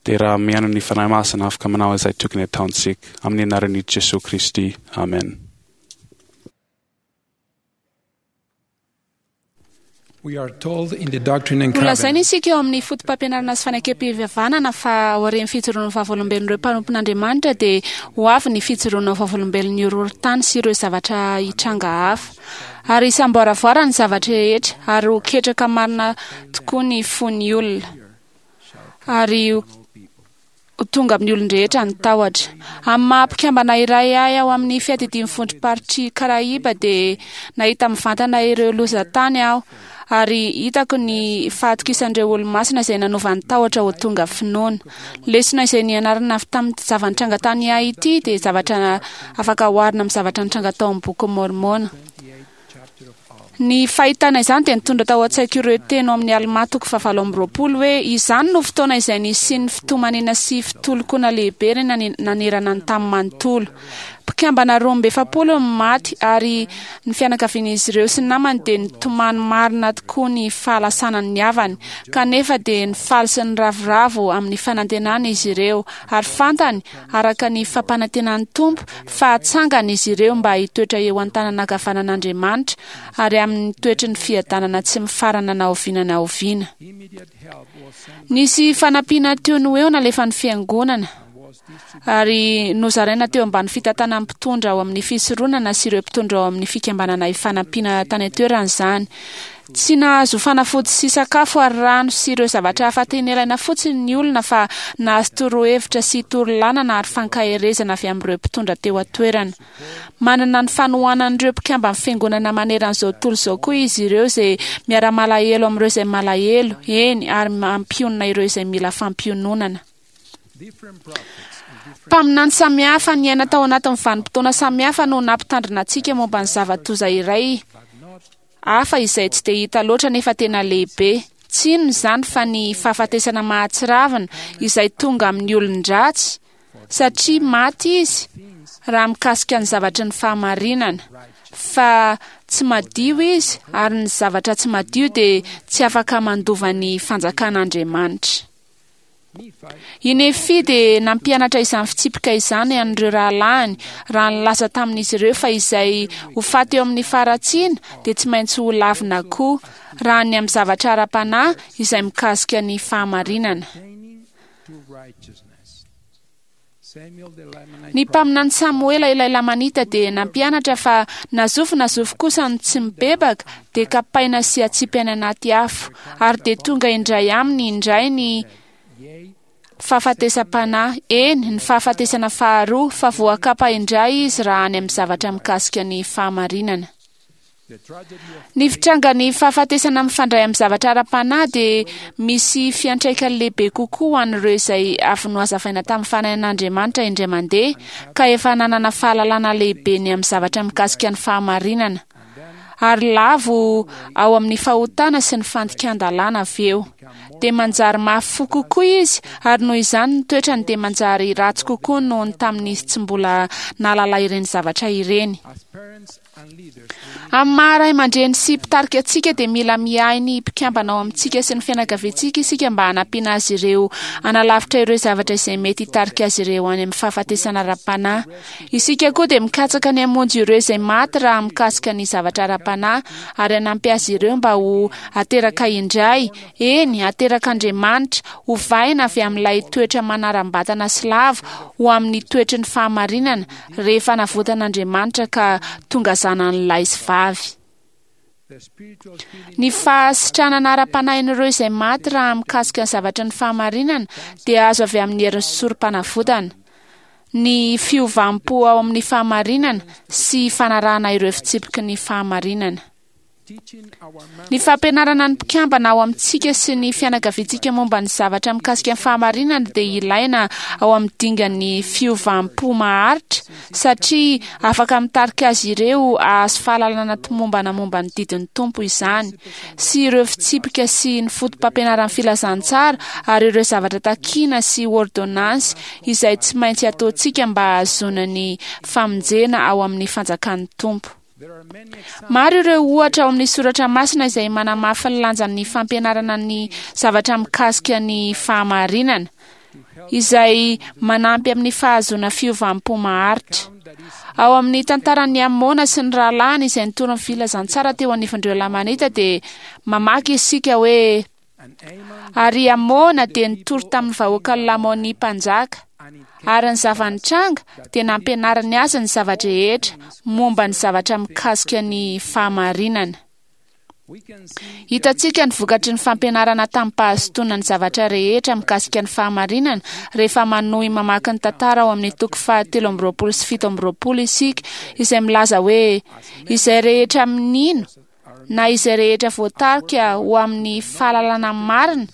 dia raha mihaino ny Fanahy Masina afaka manao izay tokony hataontsika. Amin'ny anaran'i Jesoa Kristy, amen. Nolazaina isika eo amin'ny fotopampianarana sy fanekem-pihavanana fa aorian'ny fijoroan'ny vavolombelon'ireo mpanompon'Andriamanitra dia ho avy ny fijoroana ho vavolombelon'ny horohorontany sy ireo zavatra hitranga hafa. Ary hisamboaravoara ny zavatra rehetra ary ho ketraka marina tokoa ny fon'ny olona. Ary ho tonga amin'ny olon-drehetra ny tahotra. Amin'ny maha mpikambana iray ahy ao amin'ny fiadidian'ny vondrom-paritr'i Karaiba dia nahita mivantana ireo lozan-tany aho ary hitako ny fahatokisan'ireo olomasina izay nanova ny tahotra ho tonga finoana. Lesona izay nianarana avy tamin'ny zava-nitranga tany Haiti dia zavatra afaka oharina amin'ny zavatra nitranga tao amin'ny Bokin'i Môrmôna. Ny fahitana izany dia nitondra tao an-tsaiko ireo teny ao amin'ny Almà toko fahavalo amby roapolo hoe, Izany no fotoana izay nisian'ny fitomaniana sy fitolokoana lehibe nanerana ny tany manontolo. Mpikambana 42 no maty ary ny fianakavian'izy ireo sy ny namany dia nitomany marina tokoa ny fahalasanan'ny havany. Kanefa dia nifaly sy niravoravo amin'ny fanantenana izy ireo ary fantany araka ny fampanantenan'ny Tompo fa hatsangana izy ireo mba hitoetra eo an-tanana ankavanan'Andriamanitra ary amin'ny toetry ny fiadanana tsy mifarana na oviana na oviana. Nisy fanampiana teo no eo nalefan'ny Fiangonana ary nozaraina teo ambany fitantanan'ny mpitondra ao amin'ny fisoronana sy ireo mpitondra ao amin'ny fikambanana ifanampiana tany an-toerana izany. Tsy nahazo fanafody sy sakafo ary rano sy ireo zavatra hafa tena ilaina fotsiny ny olona fa nahazo torohevitra sy torolanana ary fankaherezana avy amin'ireo mpitondra teo an-toerana. Manana ny fanohanan'ireo mpikamban'ny Fiangonana maneran'izao tontolo izao koa izy ireo izay miara-malahelo amin'ireo izay malahelo, eny, ary mampionona ireo izay mila fampiononana. Mpaminany samihafa niaina tao anatin'ny vanim-potoana samihafa no nampitandrina antsika momba ny zava-doza iray hafa izay tsy dia hita loatra nefa tena lehibe. Tsy inona izany fa ny fahafatesana mahatsiravina izay tonga amin'ny olon-dratsy satria maty izy raha mikasika ny zavatry ny fahamarinana, fa tsy madio izy ary ny zavatra tsy madio dia tsy afaka mandova ny fanjakan'Andriamanitra. I Nefia dia nampianatra izany fitsipika izany an'ireo rahalahiny raha nilaza tamin'izy ireo fa izay ho faty eo amin'ny faharatsiana dia tsy maintsy ho lavina koa, raha ny amin'ny zavatra ara-panahy izay mikasika ny fahamarinana. Ny mpaminany Samoela ilay Lamanita dia nampianatra fa na zovy na zovy kosa no tsy mibebaka dia kapaina sy atsipy any anaty afo, ary dia tonga indray aminy indray ny fahafatesam-panahy, eny, ny fahafatesana faharoa, fa voakapa indray izy raha any amin'ny zavatra mikasika ny fahamarinana. Ny fitrangan'ny fahafatesana mifandray amin'ny zavatra ara-panahy dia misy fiantraikany lehibe kokoa ho an'ireo izay avy nohazavaina tamin'ny Fanahin'Andriamanitra indray mandeha ka efa nanana fahalalana lehibe ny amin'ny zavatra mikasika ny fahamarinana, ary lavo ao amin'ny fahotana sy ny fandikan-dalàna avy eo. Dia manjary mafy fo kokoa izy, ary noho izany ny toetrany dia manjary ratsy kokoa noho ny tamin'izy tsy mbola nahalala ireny zavatra ireny. Amin'ny maha ray aman-dreny sy mpitarika antsika dia mila miahy ny mpikambana ao amintsika sy ny fianakaviantsika isika mba hanampiana azy ireo hanalavitra ireo zavatra izay mety hitarika azy ireo any amin'ny fahafatesana ara-panahy. Isika koa dia mikatsaka ny hamonjy ireo izay maty raha mikasika ny zavatra ara-panahy. ara-panahy ary hanampy azy ireo mba ho ateraka indray, eny, aterak'Andriamanitra, hovaina avy amin'ilay toetra manaram-batana sy lavo ho amin'ny toetry ny fahamarinana rehefa navotan'Andriamanitra ka tonga zanany lahy sy vavy. Ny fahasitranana ara-panahin'ireo izay maty raha mikasika ny zavatry ny fahamarinana dia azo avy amin'ny herin'ny sorom-panavotana, ny fiovam-po ao amin'ny fahamarinana sy fanarahana ireo fitsipiky ny fahamarinana. Ny fampianarana ny mpikambana ao amintsika sy ny fianakaviantsika momba ny zavatra mikasika ny fahamarinana dia ilaina ao amin'ny dingan'ny fiovam-po maharitra satria afaka mitarika azy ireo hahazo fahalalana tomombana momba ny didin'ny Tompo izany sy ireo fitsipika sy ny fotopampianaran'ny filazantsara ary ireo zavatra takiana sy ôrdônansy izay tsy maintsy ataontsika mba hahazoana ny famonjena ao amin'ny fanjakan'ny Tompo. Maro ireo ohatra ao amin'ny soratra masina izay manamafy ny lanjan'ny fampianarana ny zavatra mikasika ny fahamarinana, izay manampy amin'ny fahazoana fiovam-po maharitra. Ao amin'ny tantaran'i Amôna sy ny rahalahiny izay nitory ny filazantsara teo anivon'ireo Lamanita dia mamaky isika hoe, Ary i Amôna dia nitory tamin'ny vahoakan'i Lamônia mpanjaka, ary ny zava-nitranga dia nampianariny azy ny zava-drehetra momba ny zavatra mikasika ny fahamarinana. Hitantsika ny vokatry ny fampianarana tamim-pahazotoana ny zavatra rehetra mikasika ny fahamarinana rehefa manohy mamaky ny tantara ao amin'ny toko faha-23 sy 27 isika, izay milaza hoe, Izay rehetra mino na izay rehetra voatarika ho amin'ny fahalalana marina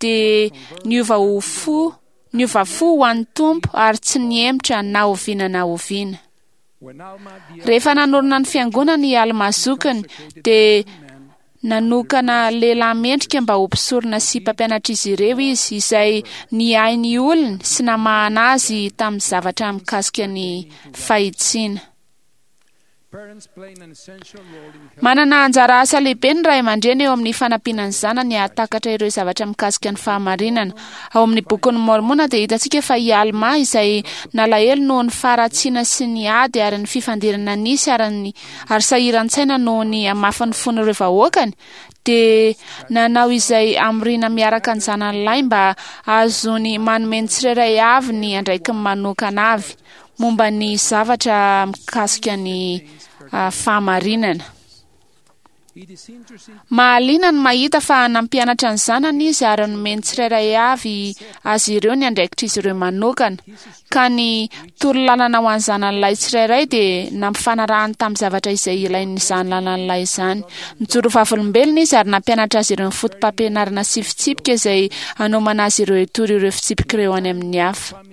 dia niova ho fo, niova fo ho an'ny Tompo ary tsy nihemotra na oviana na oviana. Rehefa nanorina ny fiangonana i Almà zokiny dia nanokana lehilahy mendrika mba ho mpisorona sy mpampianatr'izy ireo izy, izay niahy ny olony sy namahana azy tamin'ny zavatra mikasika ny fahitsiana. Manana anjara asa lehibe ny ray aman-dreny eo amin'ny fanampiana ny zanany hahatakatra ireo zavatra mikasika ny fahamarinana. Ao amin'ny Bokin'i Môrmôna dia hitantsika fa i Almà, izay nalahelo noho ny faharatsiana sy ny ady ary ny fifandirana nisy ary ny ary sahiran-tsaina noho ny hamafin'ny fon'ireo vahoakany, dia nanao izay hamoriana miaraka ny zanany lahy mba hahazoany manome ny tsirairay avy ny andraikiny manokana avy. momba ny zavatra mikasika ny fahamarinana. Mahaliana ny mahita fa nampianatra ny zanany izy ary nomeny tsirairay avy azy ireo ny andraikitr'izy ireo manokana, ka ny torolalana ho an'ny zanany lahy tsirairay dia nampifanarahany tamin'ny zavatra izay ilain'izany zanany lahy izany. Nijoro vavolombelona izy ary nampianatra azy ireo ny fotopampianarana sy fitsipika izay hanomana azy ireo hitory ireo fitsipika ireo any amin'ny hafa.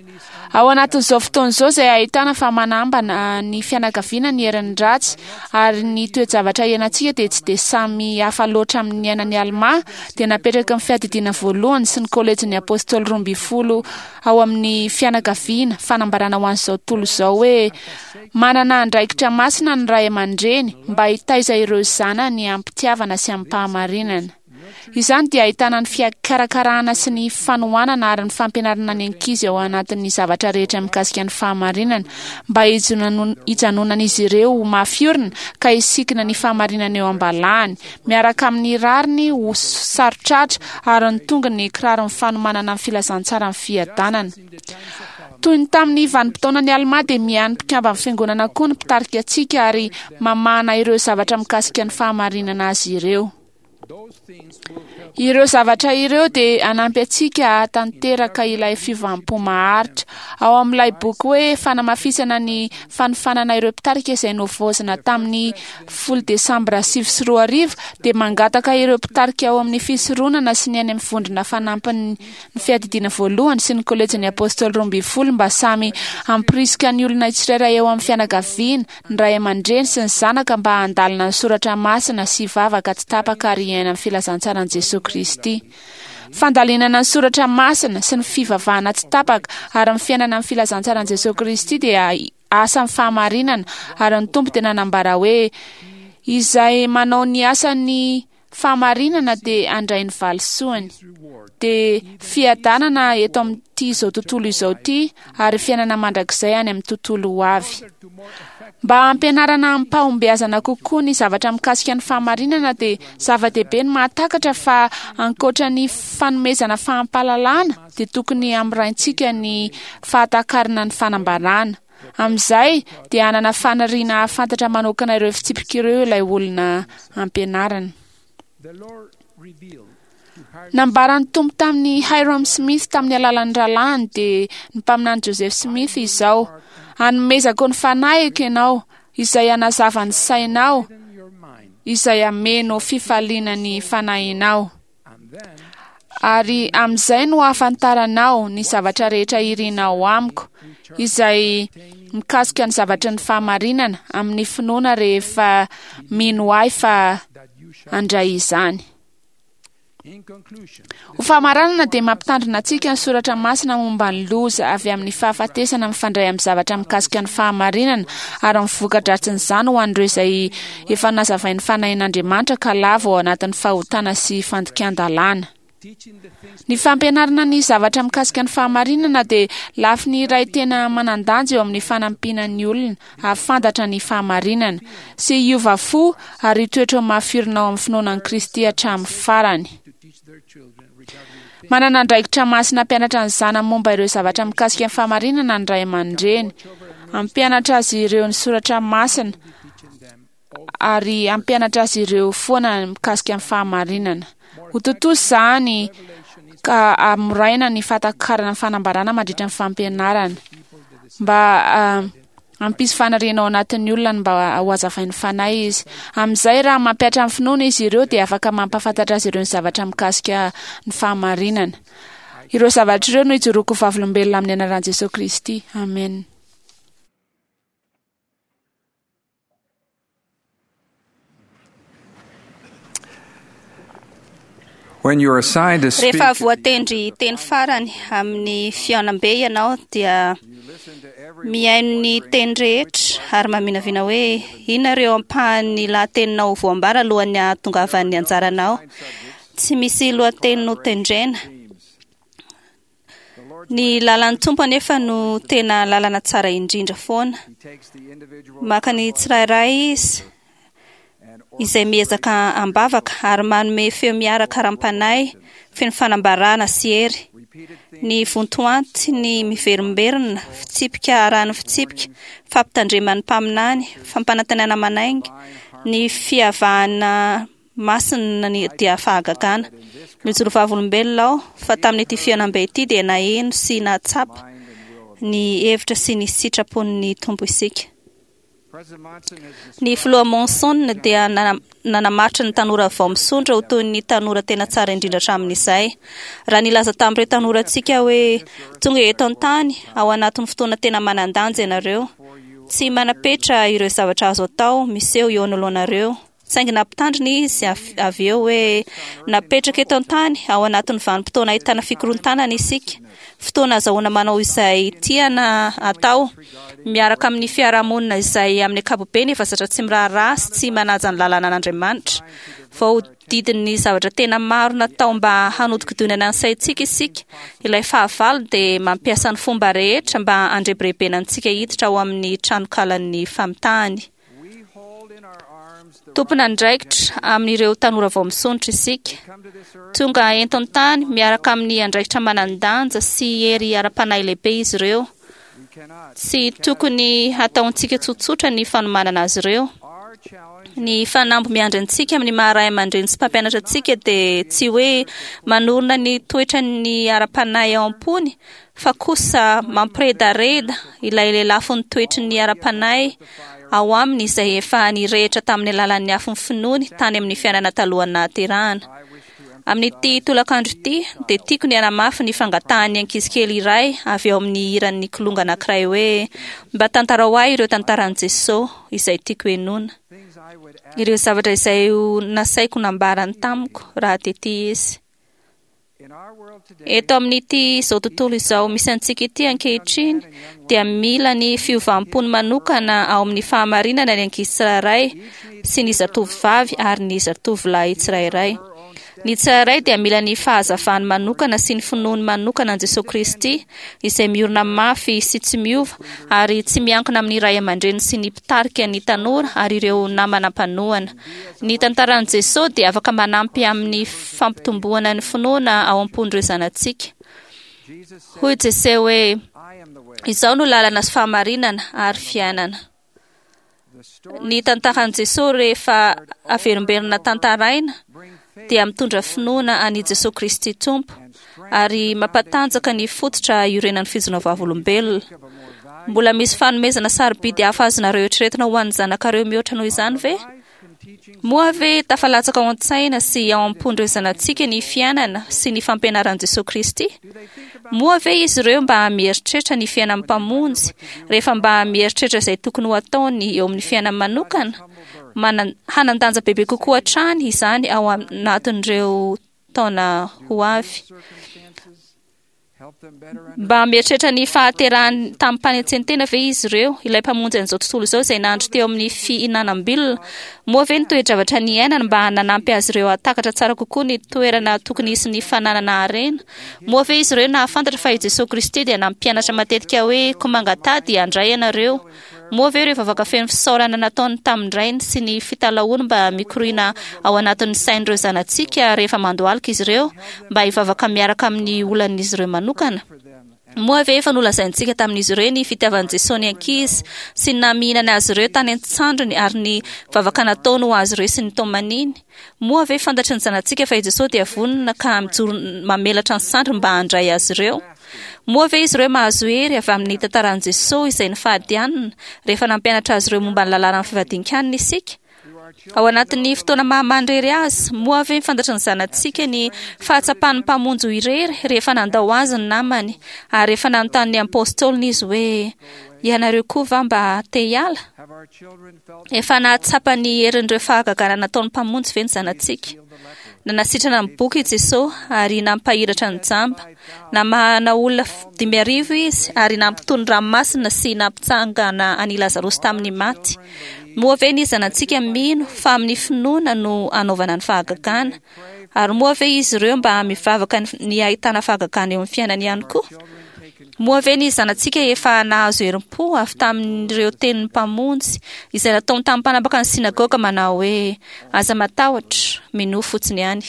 Ao anatin'izao fotoana izao izay ahitana fa manambana ny fianakaviana ny herin'ny ratsy ary ny toe-javatra iainantsika dia tsy dia samy hafa loatra amin'ny niainan'i Almà, dia napetraky ny Fiadidiana Voalohany sy ny Kôlejin'ny Apôstôly Roambinifolo ao amin'ny Fianakaviana fanambarana ho an'izao tontolo izao hoe manana andraikitra masina ny ray aman-dreny mba hitaiza ireo zanany amim-pitiavana sy amim-pahamarinana. Izany dia ahitana ny fikarakarana sy ny fanohanana ary ny fampianarana ny ankizy ao anatin'ny zavatra rehetra mikasika ny fahamarinana, mba hijanonan'izy ireo ho mafy orina ka hisikina ny fahamarinana eo am-balahany, miaraka amin'ny rariny ho saro-tratra ary ny tongony kiraron'ny fanomanana ny filazantsaran'ny fiadanana. Toy ny tamin'ny vanim-potoanan'i Almà dia miahy ny mpikamban'ny Fiangonana koa ny mpitarika antsika ary mamahana ireo zavatra mikasika ny fahamarinana azy ireo. Ireo zavatra ireo dia hanampy antsika hahatanteraka ilay fiovam-po maharitra. Ao amin'ilay boky hoe Fanamafisana ny Fanofanana Ireo Mpitarika izay novaozina tamin'ny 10 Desambra 2009 dia mangataka ireo mpitarika ao amin'ny fisoronana sy ny any amin'ny vondrona fanampiny ny Fiadidiana Voalohany sy ny Kôlejin'ny Apôstôly Roambinifolo mba samy hampirisika ny olona tsirairay ao amin'ny fianakaviana, ny ray aman-dreny sy ny zanaka mba handalina ny soratra masina sy hivavaka tsy tapaka ary hiaina ny filazantsaran'i Jesoa Kristy. Fandalinana ny soratra masina sy ny fivavahana tsy tapaka ary ny fiainana ny filazantsaran'i Jesoa Kristy dia asan'ny fahamarinana ary ny Tompo dia nanambara hoe izay manao ny asan'ny fahamarinana dia handray ny valisoany, dia fiadanana eto amin'ity izao tontolo izao ity ary fiainana mandrakizay any amin'ny tontolo ho avy. Mba hampianarana amim-pahombiazana kokoa ny zavatra mikasika ny fahamarinana dia zava-dehibe ny mahatakatra fa ankoatra ny fanomezana fampahalalana dia tokony hamoraintsika ny fahatakarana ny fanambarana. Amin'izay dia hanana faniriana hahafantatra manokana ireo fitsipika ireo ilay olona ampianarina. Nambaran'ny Tompo tamin'i Hyrum Smith tamin'ny alalan'ny rahalahiny dia ny mpaminany Joseph Smith izao, Hanomezako ny fanahiko ianao, izay hanazava ny sainao, izay hameno fifaliana ny fanahinao. Ary amin'izay no hahafantaranao ny zavatra rehetra irinao amiko, izay mikasika ny zavatry ny fahamarinana amin'ny finoana rehefa mino ahy fa handray izany. Ho famaranana dia mampitandrina antsika ny soratra masina momba ny loza avy amin'ny fahafatesana mifandray amin'ny zavatra mikasika ny fahamarinana ary ny voka-dratsin'izany ho an'ireo izay efa nazavain'ny fanahin'Andriamanitra ka lavo ao anatin'ny fahotana sy fandikan-dalàna. Ny fampianarana ny zavatra mikasika ny fahamarinana dia lafiny iray tena manan-danja eo amin'ny fanampiana ny olona hahafantatra ny fahamarinana, sy hiova fo ary hitoetra ho mafy orina ao amin'ny finoana an'i Kristy hatramin'ny farany. Manana andraikitra masina hampianatra ny zanany momba ireo zavatra mikasika ny fahamarinana ny ray aman-dreny. Hampianatra azy ireo ny soratra masina ary hampianatra azy ireo foana mikasika ny fahamarinana. Ho tontosa izany ka hamoraina ny fahatakarana ny fanambarana mandritra ny fampianarana mba hampisy faniriana ao anatin'ny olona ny mba ho hazavain'ny fanahy izy. Amin'izay raha mampihatra ny finoana izy ireo dia afaka mampahafantatra azy ireo ny zavatra mikasika ny fahamarinana. Ireo zavatra ireo no ijoroako ho vavolombelona amin'ny anaran'i Jesoa Kristy. Amen. When you are assigned to speak, Rehefa voatendry teny farany amin'ny fihaonambe ianao dia mihaino ny teny rehetra ary maminavina hoe inona ireo ampahan'ny lahateninao voambara alohan'ny hahatongavan'ny anjaranao. Tsy misy lohateny notendrena. Ny lalan'ny Tompo anefa no tena lalana tsara indrindra foana. Maka ny tsirairay izy izay miezaka am-bavaka ary manome feo miaraka ara-panahy feno fanambarana sy hery. Ny vontoanty ny miverimberina, fitsipika arahan'ny fitsipika, fampitandreman'ny mpaminany, fampanantenana manainga, ny fiavahana masina ny dia fahagagana. Mijoro vavolombelona aho fa tamin'ity fihaonambe ity dia naheno sy nahatsapa ny hevitra sy ny sitrapon'ny Tompo isika. Ny filoha Monson dia nanamaritra ny tanora vao misondrotra ho toy ny tanora tena tsara indrindra hatramin'izay. Raha nilaza tamin'ireo tanorantsika hoe tonga eto an-tany ao anatin'ny fotoana tena manan-danja ianareo, tsy manam-petra ireo zavatra azo atao miseho eo anoloanareo. Saingy nampitandrina izy avy eo hoe napetraka eto an-tany ao anatin'ny vanim-potoana ahitana fikorontanana isika, fotoana azahoana manao izay tiana atao, miaraka amin'ny fiarahamonina izay amin'ny ankapobeny efa zatra tsy miraharaha sy tsy manaja ny lalànan'Andriamanitra. Voahodidin'ny zavatra tena maro natao mba hanodikodinana ny saintsika isika, ilay fahavalo dia mampiasa ny fomba rehetra mba handrebirebena antsika hiditra ao amin'ny tranokalan'ny famitahany. Tompon'andraikitra amin'ireo tanora vao misondrotra isika. Tonga eto an-tany miaraka amin'ny andraikitra manan-danja sy hery ara-panahy lehibe izy ireo. Tsy tokony hataontsika tsotsotra ny fanomanana azy ireo. Ny fanamby miandry antsika amin'ny maha ray aman-dreny sy mpampianatra antsika dia tsy hoe manorina ny toetrany ara-panahy ao am-pony fa kosa mampiredareda ilay lelafon'ny toetry ny ara-panahy ao aminy izay efa nirehitra tamin'ny alalan'ny afon'ny finoany tany amin'ny fiainana talohan'ny nahaterahana. Amin'ity tolakandro ity dia tiako ny hanamafy ny fangatahan'ny ankizy kely iray avy ao amin'ny hiran'ny kilonga anankiray hoe mba tantarao ahy ireo tantaran'i Jesoa izay tiako henoina. Ireo zavatra izay ho nasaiko nambarany tamiko raha tety izy. Eto amin'ity izao tontolo izao misy antsika ity ankehitriny dia mila ny fiovam-pony manokana ao amin'ny fahamarinana ny ankizy tsirairay sy ny zatovovavy ary ny zatovolahy tsirairay. Ny tsirairay dia mila ny fahazavany manokana sy ny finoany manokana an'i Jesoa Kristy, izay miorina mafy sy tsy miova ary tsy miankina amin'ny ray aman-dreny sy ny mpitarika ny tanora ary ireo namana mpanohana. Ny tantaran'i Jesoa dia afaka manampy amin'ny fampitomboana ny finoana ao am-pon'ireo zanatsika. Hoy Jesoa hoe, Izaho no lalana sy fahamarinana ary fiainana. Ny tantaran'i Jesoa rehefa averimberina tantaraina dia mitondra finoana an'i Jesoa Kristy Tompo ary mampatanjaka ny fototra iorenan'ny fijoroana vavolombelona. Mbola misy fanomezana sarobidy hafa azonareo eritreretina ho an'ny zanakareo mihoatra noho izany ve? Moa ve tafalatsaka ao an-tsaina sy ao am-pon'ireo zanatsika ny fiainana sy ny fampianaran'i Jesoa Kristy? Moa ve izy ireo mba mieritreritra ny fiainan'ny Mpamonjy rehefa mba mieritreritra izay tokony ho ataony eo amin'ny fiainany manokana? Manan, hanan-danja bebe kokoa hatrany izany ao anatin'ireo taona ho avy. Mba mieritreritra ny fahaterahany tamim-panetsen-tena ve izy ireo, ilay Mpamonjy an'izao tontolo izao izay nandry teo amin'ny fihinanam-bilona? Moa ve ny toe-javatra niainany mba nanampy azy ireo hahatakatra tsara kokoa ny toerana tokony hisy ny fananana harena? Moa ve izy ireo nahafantatra fa i Jesoa Kristy dia nampianatra matetika hoe, Koa mangataha dia handray ianareo? Moa ve ireo vavaka feno fisaorana nataony tamin-dRainy sy ny fitalahoany mba mikoriana ao anatin'ny sain'ireo zanatsika rehefa mandohalika izy ireo mba hivavaka miaraka amin'ny olan'izy ireo manokana? Moa ve efa nolazaintsika tamin'izy ireo ny fitiavan'i Jesoa ny ankizy sy ny namihinany azy ireo tany an-tsandriny ary ny vavaka nataony ho azy ireo sy ny tomaniny? Moa ve fantatry ny zanatsika fa i Jesoa dia vonona ka mijoro mamelatra ny sandriny mba handray azy ireo? Moa ve izy ireo mahazo hery avy amin'ny tantaran'i Jesoa izay nifady hanina rehefa nampianatra azy ireo momba ny lalànan'ny fivadian-kanina isika? Ao anatin'ny fotoana maha-manirery azy, moa ve fantatry ny zanatsika ny fahatsapan'ny Mpamonjy ho irery rehefa nandao azy ny namany ary rehefa nanontany ny Apôstôliny izy hoe, Ianareo koa va mba te hiala? Efa nahatsapa ny herin'ireo fahagagana nataon'ny Mpamonjy ve ny zanatsika? Nanasitrana ny boky i Jesoa ary nampahiratra ny jamba. Namahana olona 5000 Izy ary nampitony ranomasina sy nampitsangana an'i Lazarosy tamin'ny maty. Moa ve ny zanatsika mino fa amin'ny finoana no anaovana ny fahagagana? Ary moa ve izy ireo mba mivavaka ny hahitana fahagagana eo amin'ny fiainany ihany koa? Moa ve ny zanatsika efa nahazo herim-po avy tamin'ireo tenin'ny Mpamonjy izay nataony tamin'ny mpanapaka ny synagoga manao hoe, Aza matahotra, minoa fotsiny ihany?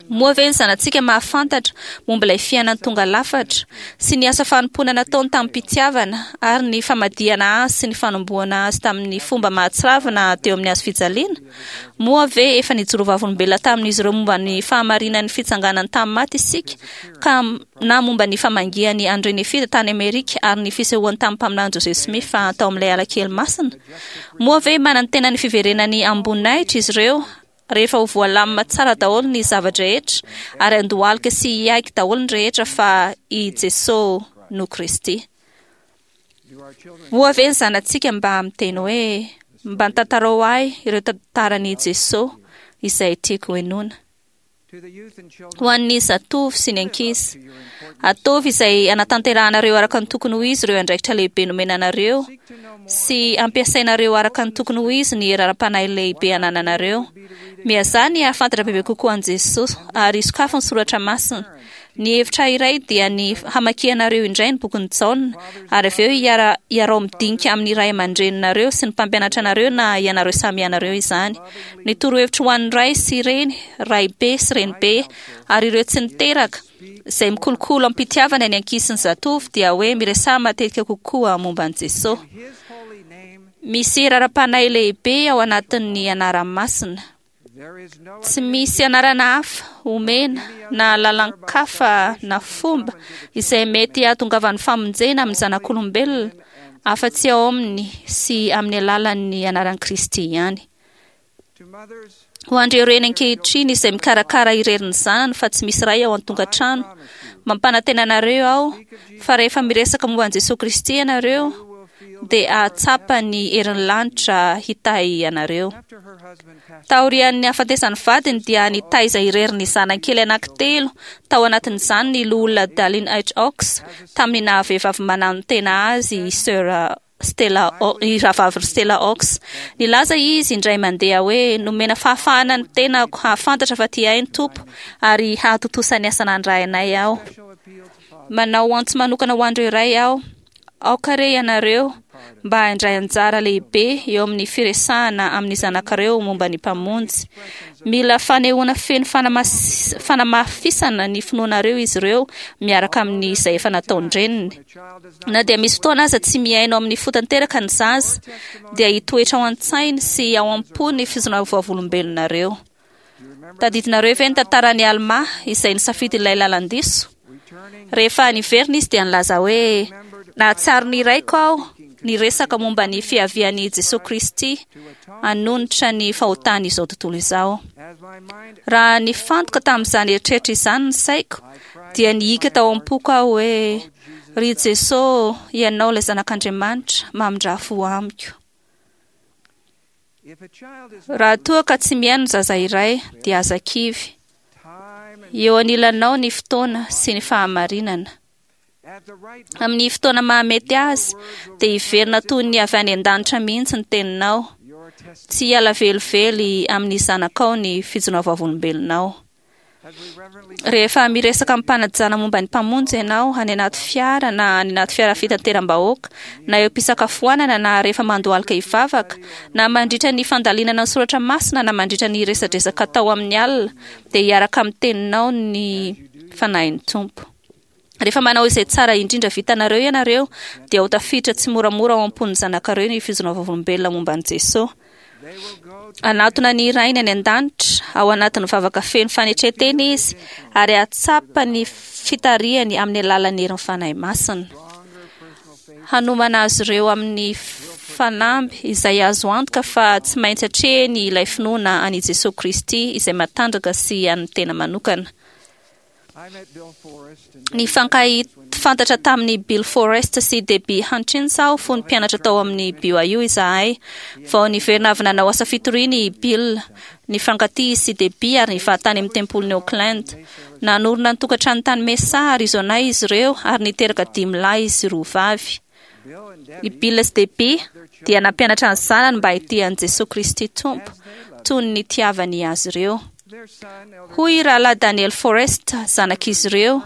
Moa ve ny zanatsika mahafantatra momba ilay fiainany tonga lafatra sy ny asa fanompoana nataony tamim-pitiavana ary ny famadihana azy sy ny fanombohana azy tamin'ny fomba mahatsiravina teo amin'ny hazo fijaliana? Moa ve efa nijoro vavolombelona tamin'izy ireo momba ny fahamarinan'ny fitsanganany tamin'ny maty isika ka na momba ny famangian'i André Nefita tany Amerika ary ny fisehoany tamin'ny mpaminany Joseph Smith tao amin'ilay ala kely masina? Moa ve manantena ny fiverenany amim-boninahitra izy ireo rehefa ho voalamina tsara daholo ny zava-drehetra ary handohalika sy hiaiky daholo ny rehetra fa i Jesoa no Kristy? Moa ve ny zanatsika mba miteny hoe, Mba tantarao ahy ireo tantaran'i Jesoa izay tiako henoina? Ho an'ny zatovo sy ny ankizy, ataovy izay hanatanterahanareo araka ny tokony ho izy ireo andraikitra lehibe nomena anareo sy ampiasainareo araka ny tokony ho izy ny hery ara-panahy lehibe anananareo. Miazaha ny hahafantatra bebe kokoa an'i Jesoa ary sokafy ny soratra masina. Ny hevitra iray dia ny hamakianareo indray ny bokin'i Jaona, ary avy eo hiara, hiarao midinika amin'ny ray aman-dreninareo sy ny mpampianatra anareo na ianareo samy ianareo izany. Ny torohevitro ho an'ny ray sy reny, raibe sy renibe, ary ireo tsy niteraka, izay mikolokolo am-pitiavana ny ankizy sy ny zatovo, dia hoe miresaha matetika kokoa momba an'i Jesoa. Misy hery ara-panahy lehibe ao anatin'ny anarany masina. Tsy misy anarana hafa omena na lalan-kafa na fomba izay mety hahatongavan'ny famonjena amin'ny zanak'olombelona afa-tsy ao aminy sy amin'ny alalan'ny anaran'i Kristy ihany. Ho an'ireo reny ankehitriny izay mikarakara irery ny zanany fa tsy misy ray ao an-tokantrano, mampanantena anareo aho fa rehefa miresaka momba an'i Jesoa Kristy ianareo dia hahatsapa ny herin'ny lanitra hitahy anareo. Taorian'ny hahafatesan'ny vadiny dia nitaiza irery ny zanany kely anankitelo, tao anatin'izany ny Loholona Dallin H. Oaks, tamin'ny naha-vehivavy mananotena azy i Sir. Stella i rahavavy Stella Ox. Nilaza izy indray mandeha hoe nomena fahafahana ny tenako hahafantatra fa tia ahy ny Tompo ary hahatontosa ny asa nandrainay aho. Manao antso manokana ho an'ireo ray aho. Aoka re ianareo mba handray anjara lehibe eo amin'ny firesahana amin'ny zanakareo momba ny Mpamonjy. Mila fanehoana feno fanamafisana ny finoanareo izy ireo miaraka amin'izay efa nataon-dreniny. Na dia misy fotoana aza tsy mihaino amin'ny fo tanteraka ny zaza, dia hitoetra ao an-tsainy sy ao am-po ny fizona vavolombelonareo. Tadidinareo ve ny tantaran'i Alma izay nisafidy ilay lalan-diso? Rehefa niverina izy dia nilaza hoe, Nahatsiaro ny raiko aho niresaka momba ny fiavian'i Jesoa Kristy hanonitra ny fahotan'izao tontolo izao. Raha nifantoka tamin'izany eritreritra izany ny saiko, dia nihiaka tao am-poko aho hoe, Ry Jesoa, Ianao ilay Zanak'Andriamanitra, mamindrà fo amiko. Raha toa ka tsy mihaino ny zaza iray, dia aza kivy. Eo anilanao ny fotoana sy ny fahamarinana. Amin'ny fotoana mahamety azy, dia hiverina toy ny avy any an-danitra mihitsy ny teninao. Tsy hiala velively amin'ny zanakao ny fijoroana vavolombelonao. Rehefa miresaka amim-panajana momba ny Mpamonjy ianao any anaty fiara na any anaty fiara fitateram-bahoaka, na eo am-pisakafoanana na rehefa mandohalika hivavaka, na mandritra ny fandalinana ny soratra masina na mandritra ny resadresaka atao amin'ny alina, dia hiaraka amin'ny teninao ny Fanahin'ny Tompo. Rehefa manao izay tsara indrindra vitanareo ianareo, dia ho tafiditra tsimoramora ao am-pon'ny zanakareo ny fijoroana vavolombelona momba an'i Jesoa. Hanatona ny Rainy any an-danitra ao anatin'ny vavaka feno fanetren-tena izy, ary hahatsapa ny fitarihany amin'ny alalan'ny herin'ny Fanahy Masina. Hanomana azy ireo amin'ny fanamby izay azo antoka fa tsy maintsy atrehiny ilay finoana an'i Jesoa Kristy izay matanjaka sy an'ny tena manokana. Nifankahafantatra tamin'i Bill Forrest sy Debbie Hutchins aho fony mpianatra tao amin'ny BYU izahay. Vao niverina avy nanao asa fitoriana i Bill. Nifankatia izy sy Debbie ary nivady tany amin'ny tempolin'i Oakland. Nanorina ny tokantrano tany Mesa, Arizona izy ireo ary niteraka dimy lahy sy roa vavy. I Bill sy Debbie dia nampianatra ny zanany mba hitia an'i Jesoa Kristy Tompo toy ny nitiavany azy ireo. Hoy i Rahalahy Daniel Forrest, zanak'izy ireo,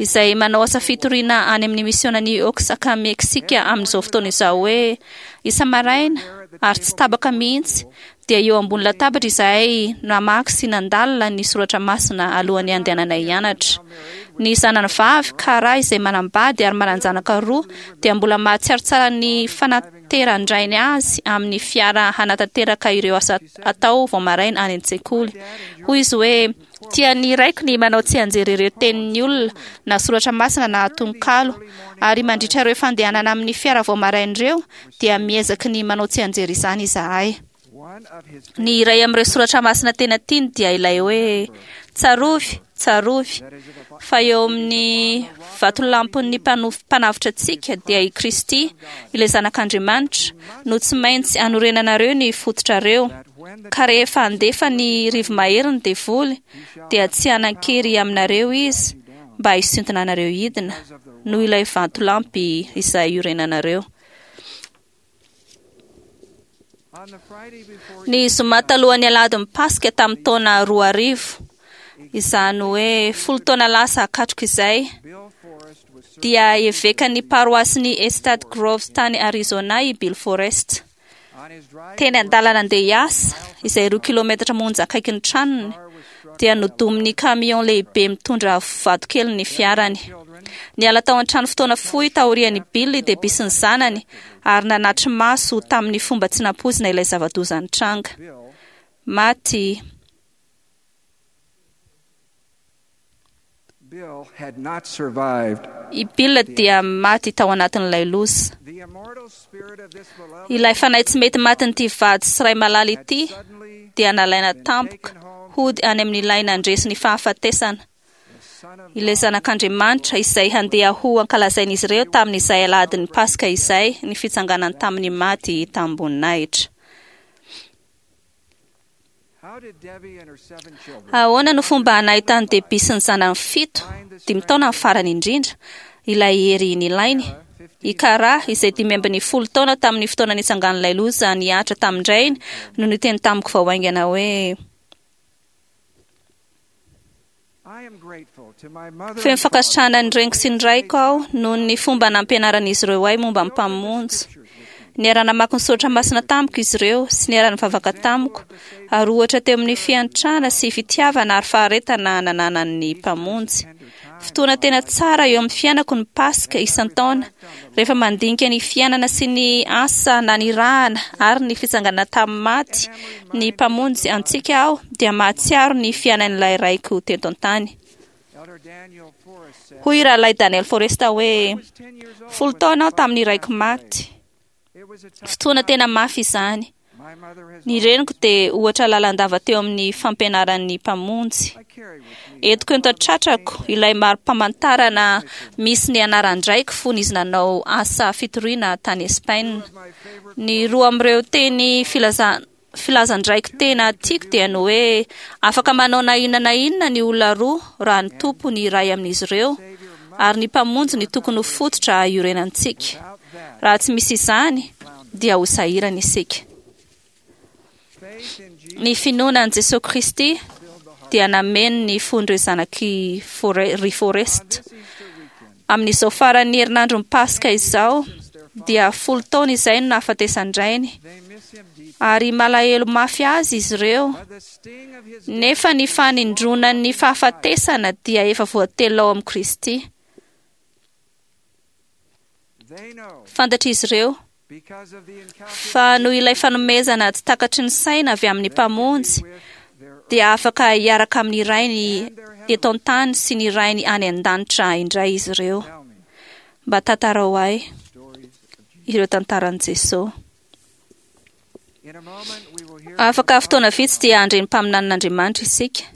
izay manao asa fitoriana any amin'ny misionan'i Oaxaca, Meksika amin'izao fotoana izao hoe, Isa-maraina, ary tsy tapaka mihitsy, dia eo ambony latabatra izahay namaky sy nandalina ny soratra masina alohan'ny handehananay hianatra. Ny zanany vavy, Kara, izay manambady ary manan-janaka roa, dia mbola mahatsiaro tsara ny fanateran-drainy azy amin'ny fiara hanatanteraka ireo asa atao vao maraina any an-tsekoly. Hoy izy hoe, Tian'ny raiko ny manao tsianjery ireo tenin'ny olona, na soratra masina na tononkalo. Ary mandritra ireo fandehanana amin'ny fiara vao maraina ireo, dia miezaky ny manao tsianjery izany izahay. Ny iray amin'ireo soratra masina tena tiany dia ilay hoe, Tsarovy, tsarovy, fa eo amin'ny vatolampin'ny Mpanavotra antsika, dia i Kristy, ilay Zanak'Andriamanitra, no tsy maintsy anorenanareo ny fototrareo. Ka rehefa handefa ny rivo-mahery ny devoly, dia tsy hanan-kery aminareo izy mba hisintona anareo hidina, noho ilay vatolampy izay iorenanareo. Ny zoma talohan'ny alahadin'ny Paska tamin'ny taona 2000, izany hoe folo taona lasa katroka izay, dia evekan'ny paroasin'i Estate Groves tany Arizona i Bill Forest. Teny an-dalana andeha hiasa, izay roa kilometatra monja akaikin'ny tranony, dia nodomin'ny camion lehibe mitondra vatokely ny fiarany. Niala tao an-trano fotoana fohy taorian'i Bill i Debbie sy ny zanany ary nanatri-maso tamin'ny fomba tsy nampoizina ilay zava-doza nitranga. Maty I Bill dia maty tao anatin'ilay loza. Ilay fanahy tsy mety matin'ity vady sy ray malala ity dia nalaina tampoka hody any amin'ilay nandresy ny fahafatesana, ilay Zanak'Andriamanitra izay handeha ho ankalazain'izy ireo tamin'izay alahadin'ny Paska izay ny fitsanganany tamin'ny maty tamim-boninahitra. Ahoana no fomba nahitan'i Debbie sy ny zanany fito, dimy taona ny farany indrindra, ilay hery nilainy? I Kara, izay 15 taona tamin'ny fotoana nitsangan'ilay loza nihatra tamin-drainy, no niteny tamiko vao haingana hoe: Feno fankasitrahana ny reniko sy ny raiko aho noho ny fomba nampianaran'izy ireo ahy momba ny Mpamonjy. Niara-namaky ny soratra masina tamiko izy ireo sy niara-nivavaka tamiko, ary ohatra teo amin'ny fiantrana sy fitiavana ary faharetana nananan'ny Mpamonjy. Fotoana tena tsara eo amin'ny fiainako ny Paska isan-taona, rehefa mandinika ny fiainana sy ny asa nanirahana ary ny fitsanganana tamin'ny maty ny Mpamonjy antsika aho, dia mahatsiaro ny fiainan'ilay raiko teto an-tany. Hoy i Rahalahy Daniel Forrest hoe, 10 taona aho tamin'ny raiko maty. Fotoana tena mafy izany. Ny reniko dia ohatra lalandava teo amin'ny fampianaran'ny Mpamonjy. Entiko eto an-tratrako ilay mari-pamantarana misy ny anaran-draiko fony izy nanao asa fitoriana tany Espaina. Ny roa amin'ireo teny filazan-draiko tena tiako dia ny hoe afaka manao na inona na inona ny olona roa raha ny Tompo ny iray amin'izy ireo, ary ny Mpamonjy ny tokony ho fototra iorenantsika. Raha tsy misy izany, dia ho sahirana isika. Ny finoana an'i Jesoa Kristy dia nameno ny fon'ireo zanak'i ry Forrest. Amin'izao faran'ny herinandron'ny Paska izao, dia 10 taona izay no nahafatesan-drainy, ary malahelo mafy azy izy ireo. Nefa ny fanindronan'ny fahafatesana dia efa voatelina ao amin'i Kristy. Fantatr'izy ireo fa noho ilay fanomezana tsy takatry ny saina avy amin'ny Mpamonjy, dia afaka hiaraka amin'ny Rainy eto an-tany sy ny Rainy any an-danitra indray izy ireo. Mba tantarao ahy ireo tantaran'i Jesoa. Afaka fotoana vitsy dia handre ny mpaminanin'Andriamanitra isika.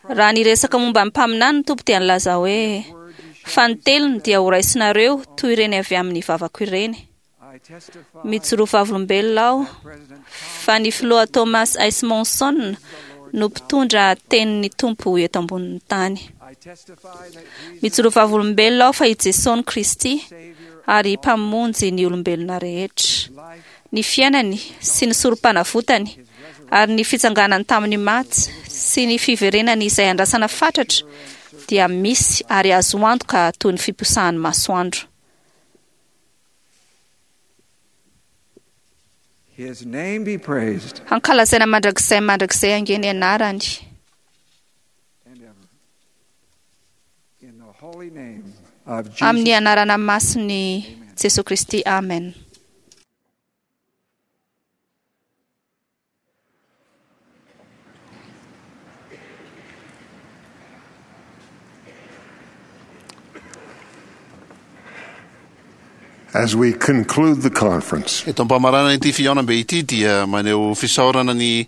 Raha niresaka momba ny mpaminany ny Tompo dia nilaza hoe: Fa ny telony dia horaisinareo toy ireny avy amin'ny vavako ireny. Mijoro vavolombelona aho fa ny filoha Thomas S. Monson no mpitondra tenin'ny Tompo eto ambonin'ny tany. Mijoro vavolombelona aho fa i Jesoa no Kristy ary Mpamonjy ny olombelona rehetra. Ny fiainany sy ny sorom-panavotany ary ny fitsanganany tamin'ny maty sy ny fiverenany izay andrasana fatratra dia misy ary azo antoka toy ny fiposahan'ny masoandro. His name be praised. Hankalazaina mandrakizay mandrakizay ange ny anarany. And ever. In the holy name of Jesus. Amin'ny anarana masin'i Jesoa Kristy. Amen. As we conclude the conference, Eto am-pamarana ity fihaonambe ity dia maneho fisaorana ny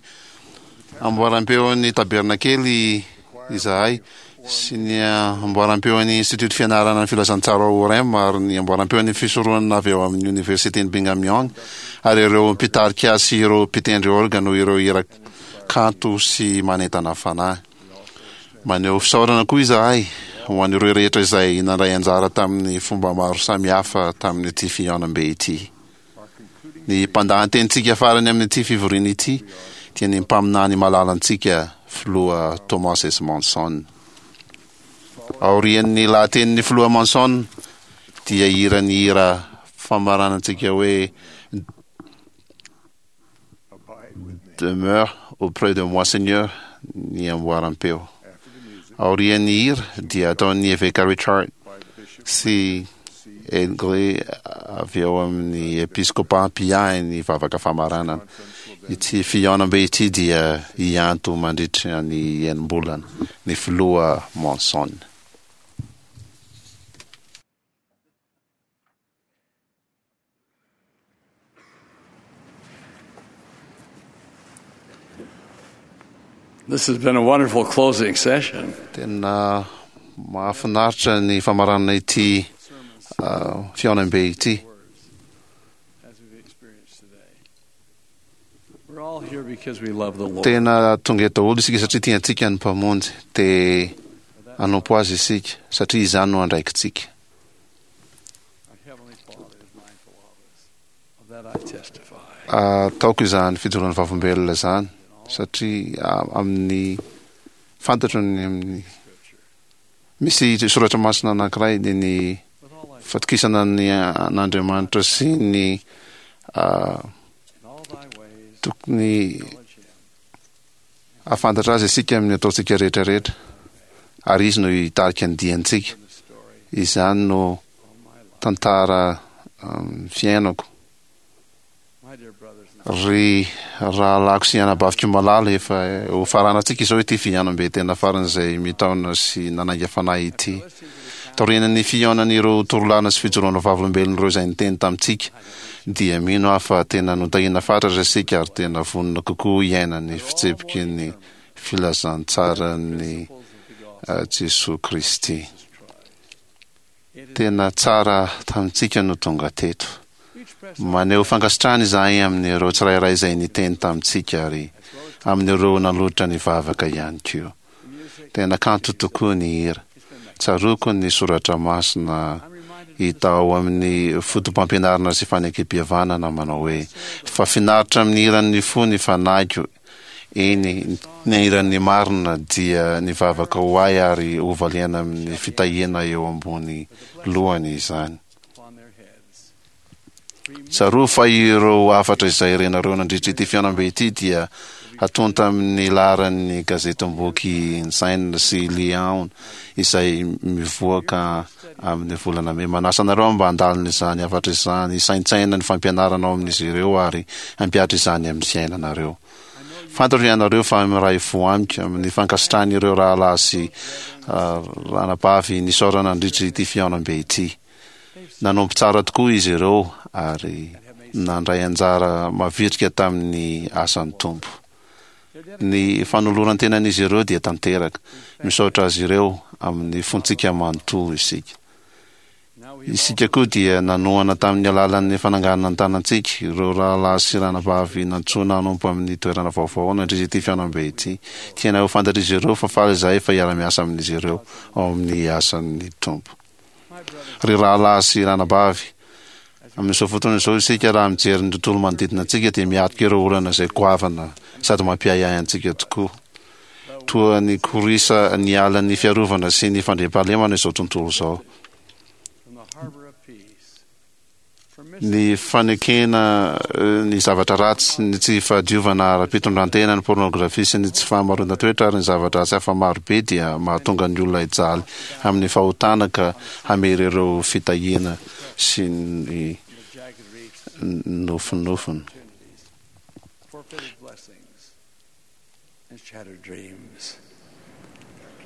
amboaram-peon'ny tabernakely izahay sy ny amboaram-peon'ny Institut Fianarana ny Filazantsara ao Orem ary ny amboaram-peon'ny fisoronana avy ao amin'ny Oniversiten'i Brigham Young ary ireo mpitarika sy ireo mpitendry orga noho ireo hira kanto sy manentana fanahy. Maneho fisaorana koa izahay ho an'ireo rehetra izay nandray anjara tamin'ny fomba maro samihafa tamin'ity fihaonambe ity. Ny mpandahan-tenintsika farany amin'ity fivoriana ity dia ny mpaminany malalantsika Filoha Thomas S. Monson. Aorian'ny lahatenin'ny Filoha Monson dia hira ny hira famaranantsika hoe Demeure auprès de moi Seigneur ny amboaram-peo. Aorian'ny hira dia ataon'ny Eveka Richard sy Edgre avy ao amin'ny Episkopa mpiahy ny vavaka famaranana. Ity fihaonambe ity dia hianto mandritra ny enim-bolana ny Filoha Monson. This has been a wonderful closing session. Tena mahafinaritra ny famaranana ity fihaonambe ity. As we've experienced today. We're all here because we love the Lord. Tena tonga eto daholo isika satria tiantsika ny Mpamonjy. Te hanompo Azy isika satria izany no andraikitsika. Ataoko izany fijoroana vavolombelona izany satria amin'ny fantatro ny amin'ny misy soratra masina anankiray dia ny fatokisana ny an'Andriamanitra sy ny tokony hahafantatra azy isika amin'ny ataontsika rehetra rehetra ary izy no hitarika ny diantsika. Izany no tantara fiainako. Ry rahalahiko sy anabaviko malala, efa ho faranantsika izao ity fihaonambe tena faran'izay mitaona sy nanainga fanahy ity. Taorian'ny fihaonan'ireo torolàna sy fijoroana vavolombelon'ireo izay niteny tamintsika, dia mino aho fa tena notahiana fatratra isika ary tena vonona kokoa hiaina ny fitsipiky ny filazantsaran'i Jesoa Kristy. Tena tsara tamintsika no tonga teto. Maneho fankasitrahana izahay amin'ireo tsirairay izay niteny tamintsika ary amin'ireo nanolotra ny vavaka ihany koa. Tena kanto tokoa ny hira. Tsaroako ny soratra masina hita ao amin'ny Fotopampianarana sy Fanekempihavanana manao hoe, Fa finaritra amin'ny hiran'ny fo ny fanahiko, Eny, ny hiran'ny marina dia nivavaka ho ahy ary hovaliana amin'ny fitahiana eo ambony lohany izany. Tsarovy fa ireo hafatra izay renareo nandritra ity fihaonambe ity dia hatonta amin'ny laharan'ny gazetim-boky Ensign sy Liahona izay mivoaka amin'ny volana mey. Manasa anareo aho mba handalina izany hafatra izany, hisaintsaina ny fampianarana ao amin'izy ireo ary hampihatra izany amin'ny fiainanareo. Fantatro ianareo fa miray fo amiko amin'ny fankasitrahan'ireo rahalahy sy ranabavy nisaorana nandritra ity fihaonambe ity. Nanompo tsara tokoa izy ireo ary nandray anjara mavitrika tamin'ny asan'ny Tompo. Ny fanoloran-tenan'izy ireo dia tanteraka. Misaotra azy ireo amin'ny fontsika manontolo isika. Isika koa dia nanohana tamin'ny alalan'ny fananganana ny tanantsika ireo rahalahy sy ranabavy nantsoina hanompo amin'ny toerana vaovao nandritra ity fihaonambe ity. Tianay ho fantatr'izy ireo fa faly izahay fa hiara-miasa amin'izy ireo ao amin'ny asan'ny Tompo. Ry rahalahy sy ranabavy, amin'izao fotoana izao isika raha mijery ny tontolo manodidina antsika dia miatrika ireo olana izay goavana sady mampiahiahy antsika tokoa. Toa nikorisa niala ny fiarovana sy ny fandriampahalemana izao tontolo izao. Ny fanekena ny zavatra ratsy, ny tsy fahadiovana ara-pitondrantena, ny pôrnôgrafia sy ny tsy fahamaroan-toetra ary ny zava-dratsy hafa maro be dia mahatonga ny olona hijaly amin'ny fahotana ka hamery ireo fitahiana sy ny nofinofiny.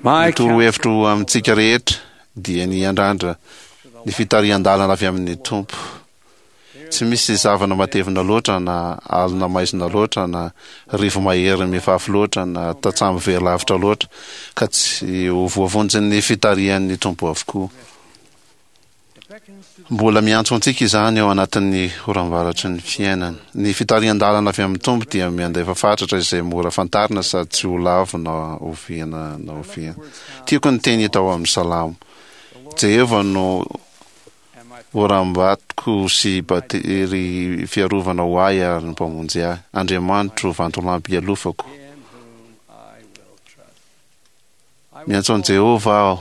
Ny torohevitro amintsika rehetra dia ny hiandrandra ny fitarihan-dalana avy amin'ny Tompo. Tsy misy zavona matevina loatra na alina maizina loatra na rivo-mahery mifafy loatra na tatsambo very lavitra loatra ka tsy ho voavonjin'ny fitarihan'ny Tompo avokoa. Mbola miantso antsika izany ao anatin'ny oram-baratry ny fiainana. Ny fitarihan-dalana avy amin'ny Tompo dia miandefa fatratra izay mora fantarina sady tsy ho lavo na oviana na oviana. Tiako ny teny hita ao amin'ny Salamo. Jehovah no oram-batoko sy batery fiarovana ho ahy ary ny Mpamonjy ahy. Andriamanitro, vantolampy ialofako. Miantso an'i Jehovah aho.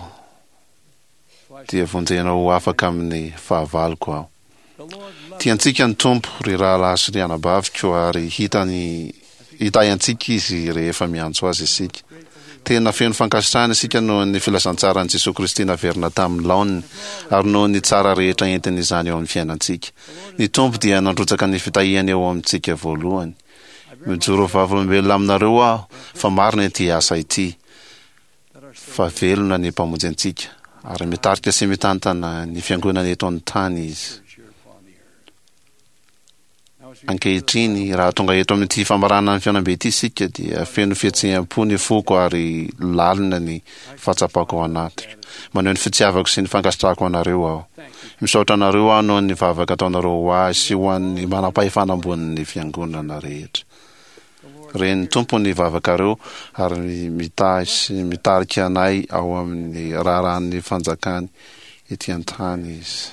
dia vonjena ho afaka amin'ny fahavaloko aho. Tiantsika ny Tompo, ry rahalahy sy ry anabaviko, ary hitany hitahy antsika Izy rehefa miantso Azy isika. Tena feno fankasitrahana isika noho ny filazantsaran'i Jesoa Kristy naverina tamin'ny laoniny, ary noho ny tsara rehetra entin'izany eo amin'ny fiainantsika. Ny Tompo dia nandrotsaka ny fitahiany eo amintsika voalohany. Mijoro ho vavolombelona aminareo aho fa marina ity asa ity. fa velona ny Mpamonjy antsika ary mitarika sy mitantana ny Fiangonana eto an-tany Izy. Ankehitriny, raha tonga eto amin'ity famaranana ny fihaonambe ity isika, dia feno fihetseham-po ny foko ary lalina ny fahatsapako ao anatiko. Maneho ny fitiavako sy ny fankasitrahako anareo aho. Misaotra anareo aho noho ny vavaka ataonareo ho ahy sy ho an'ny manam-pahefana ambonin'ny Fiangonana rehetra. Ren'ny Tompo ny vavakareo ary mitahy sy mitarika anay ao amin'ny raharahan'ny fanjakany ety an-tany Izy.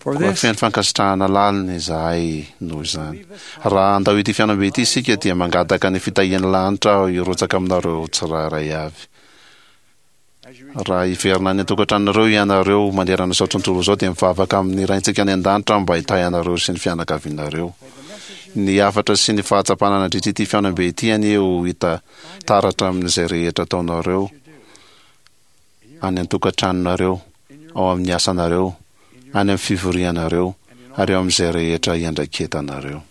Koa feno fankasitrahana lalina izahay noho izany. Raha handao ity fihaonambe ity isika dia mangataka ny fitahian'ny lanitra aho hirotsaka aminareo tsirairay avy. Raha hiverina any an-tokantranonareo ianareo manerana izao tontolo izao dia mivavaka amin'ny Raintsika any an-danitra aho mba hitahy anareo sy ny fianakavianareo. Ny hafatra sy ny fahatsapana nandritra ity fihaonambe ity anie ho hita taratra amin'izay rehetra ataonareo any an-tokantranonareo, ao amin'ny asanareo, any amin'ny fivorianareo, ary ao amin'izay rehetra iandraiketanareo.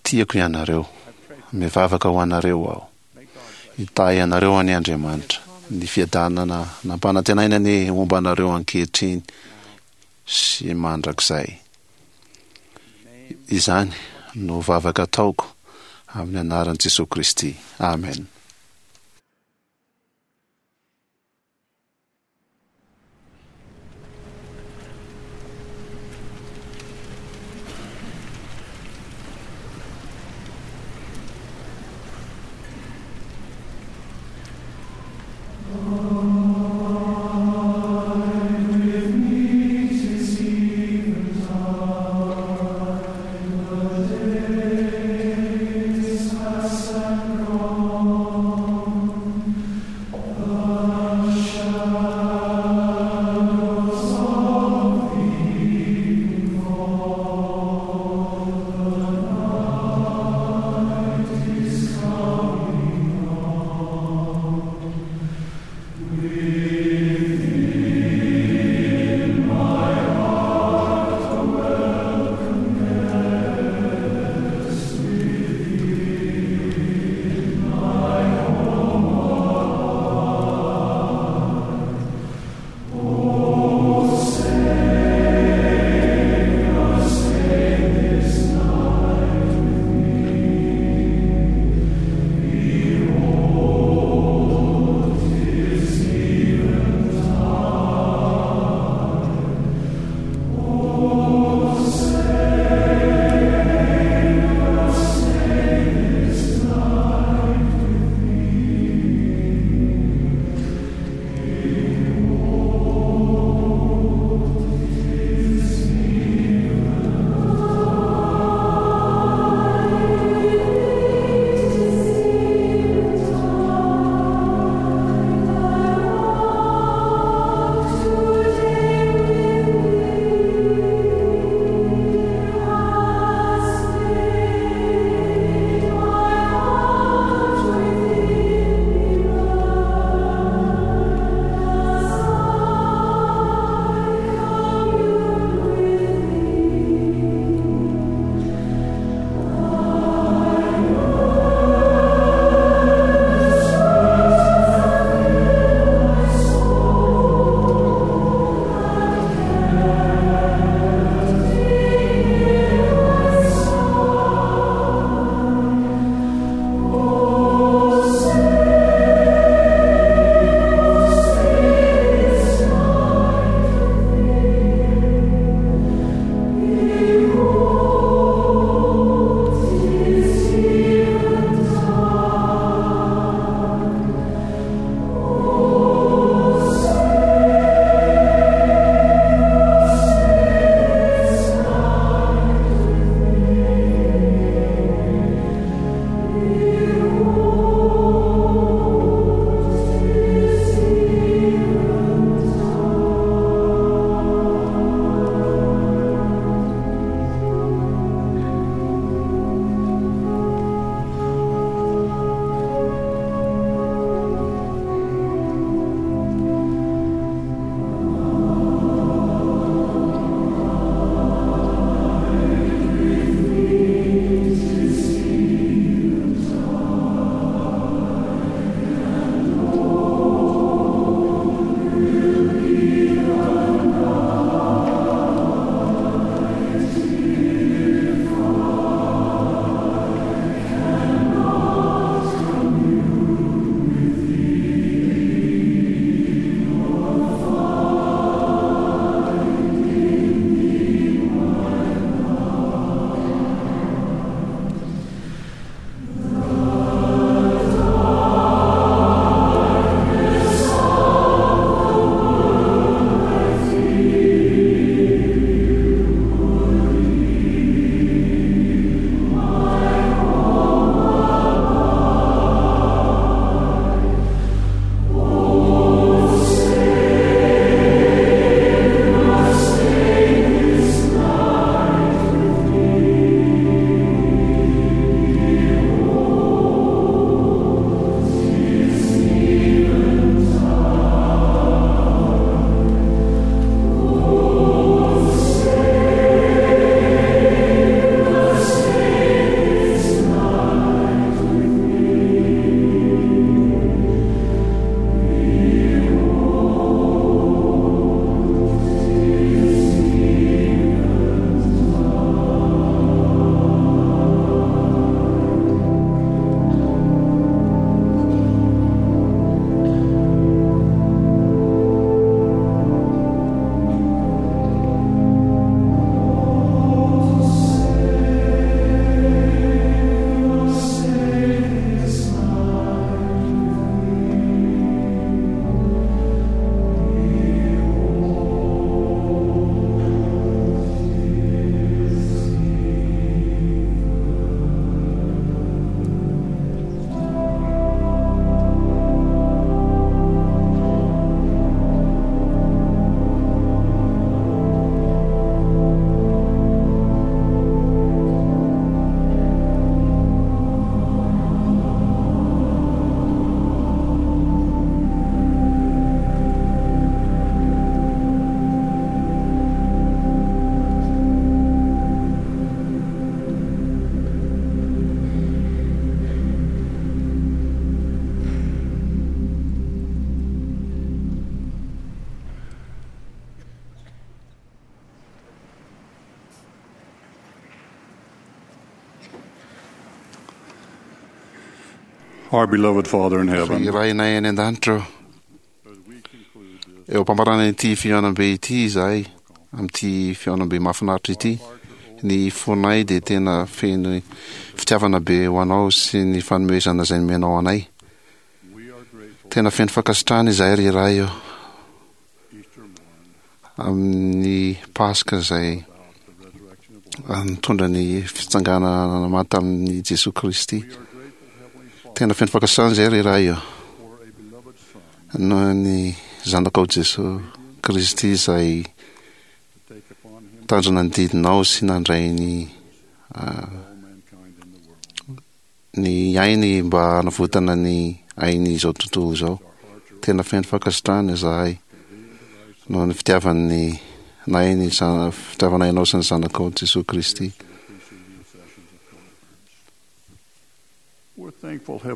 Tiako ianareo. Mivavaka ho anareo aho. Hitahy anareo anie Andriamanitra. Ny fiadanana nampanantenainy anie homba anareo ankehitriny sy mandrakizay. Izany no vavaka ataoko amin'ny anaran'i Jesoa Kristy. Amen. Our beloved Father in heaven, Ry Rainay any an-danitra ô, eo am-pamaranana ity fihaonambe ity izahay, amin'ity fihaonambe mahafinaritra ity, ny fonay dia tena feno fitiavana be ho Anao sy ny fanomezana izay nomenao anay. Tena feno fankasitrahana izahay ry Ray ô, amin'ny Paska izay nitondra ny fitsanganana maty tamin'i Jesoa Kristy. Tena feno fankasitrahana izahay ry Ray ô, noho ny Zanakao Jesoa Kristy izay nitandrina ny didinao sy nandray ny ny ainy mba hanavotana ny ain'izao tontolo izao. Tena feno fankasitrahana izahay noho ny fitiavan'ny nay ny fitiavanay anao sy ny zanakao Jesoa Kristy.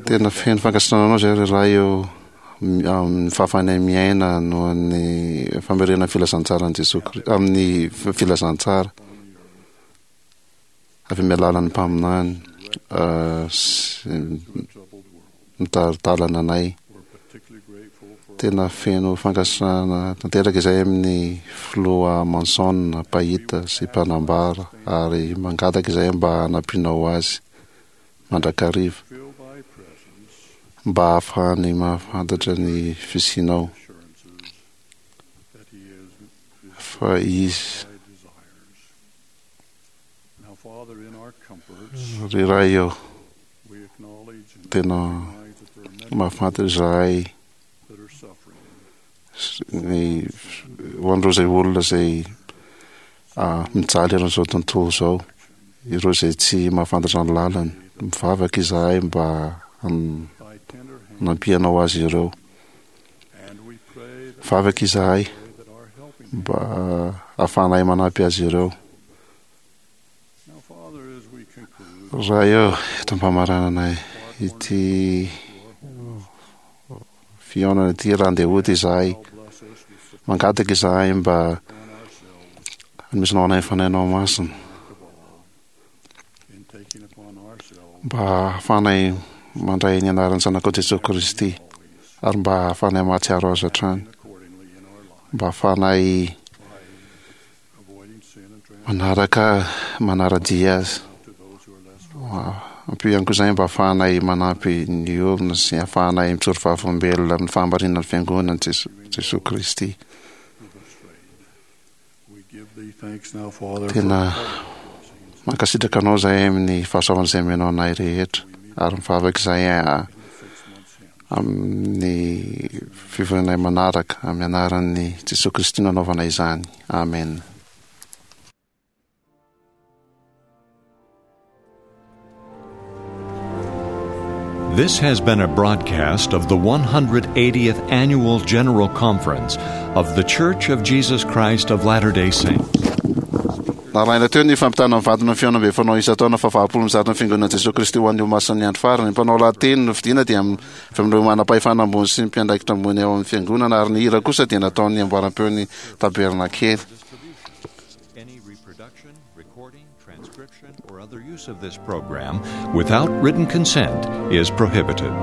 Tena feno fankasitrahana anao izahay ry Ray ô amin'ny fahafahanay miaina noho ny famerenana ny filazantsaran'i Jesoa Kristy amin'ny filazantsara. Avy amin'ny alalan'ny mpaminany sy mitari-dalana anay. Tena feno fankasitrahana tanteraka izay amin'ny filoha Manson, mpahita sy mpanambara, ary mangataka izay mba hanampianao azy mandrakariva mba hahafahany mahafantatra ny fisianao fa izy Ry Ray ô, tena mahafantatra izahay ny ho an'ireo izay olona izay mijaly eran'izao tontolo izao, ireo izay tsy mahafantatra ny lalany. Mivavaka izahay mba hanampianao azy ireo. Mivavaka izahay mba hahafahanay manampy azy ireo. Ray ô, eto am-pamaranana ity fihaonana ity raha andeha hody izahay, mangataka izahay mba hanomezanao anay ny Fanahinao Masina, mba hahafahanay mandray ny anaran'ny Zanakao Jesoa Kristy, ary mba hahafahanay mahatsiaro Azy hatrany, mba hahafahanay manaraka manara-dia Azy. Ampio ihany koa izay mba hahafahanay manampy ny olona sy hahafahanay mijoro vavolombelona amin'ny fahamarinan'ny Fiangonana Jesoa Kristy. Tena mankasitraka anao izahay amin'ny fahasoavana izay omenao anay rehetra ary mivavaka izahay amin'ny fivorianay manaraka amin'ny anaran'i Jesoa Kristy no anaovana izany. Amen. This has been a broadcast of the 180th Annual General Conference of The Church of Jesus Christ of Latter-day Saints. Narahina teo ny fampitana mivantana ny fihaonambe fanao isan-taona faha-valopolo amby zato ny Fiangonan'i Jesoa Kristy ho an'ny Olomasin'ny Andro Farany. Ny mpanao lahateny nofidina dia avy amin'ireo manam-pahefana ambony sy ny mpiandraikitra ambony ao amin'ny Fiangonana ary ny hira kosa dia nataon'ny amboaram-peon'ny Tabernakely. Any reproduction, recording, transcription, or other use of this program without written consent is prohibited.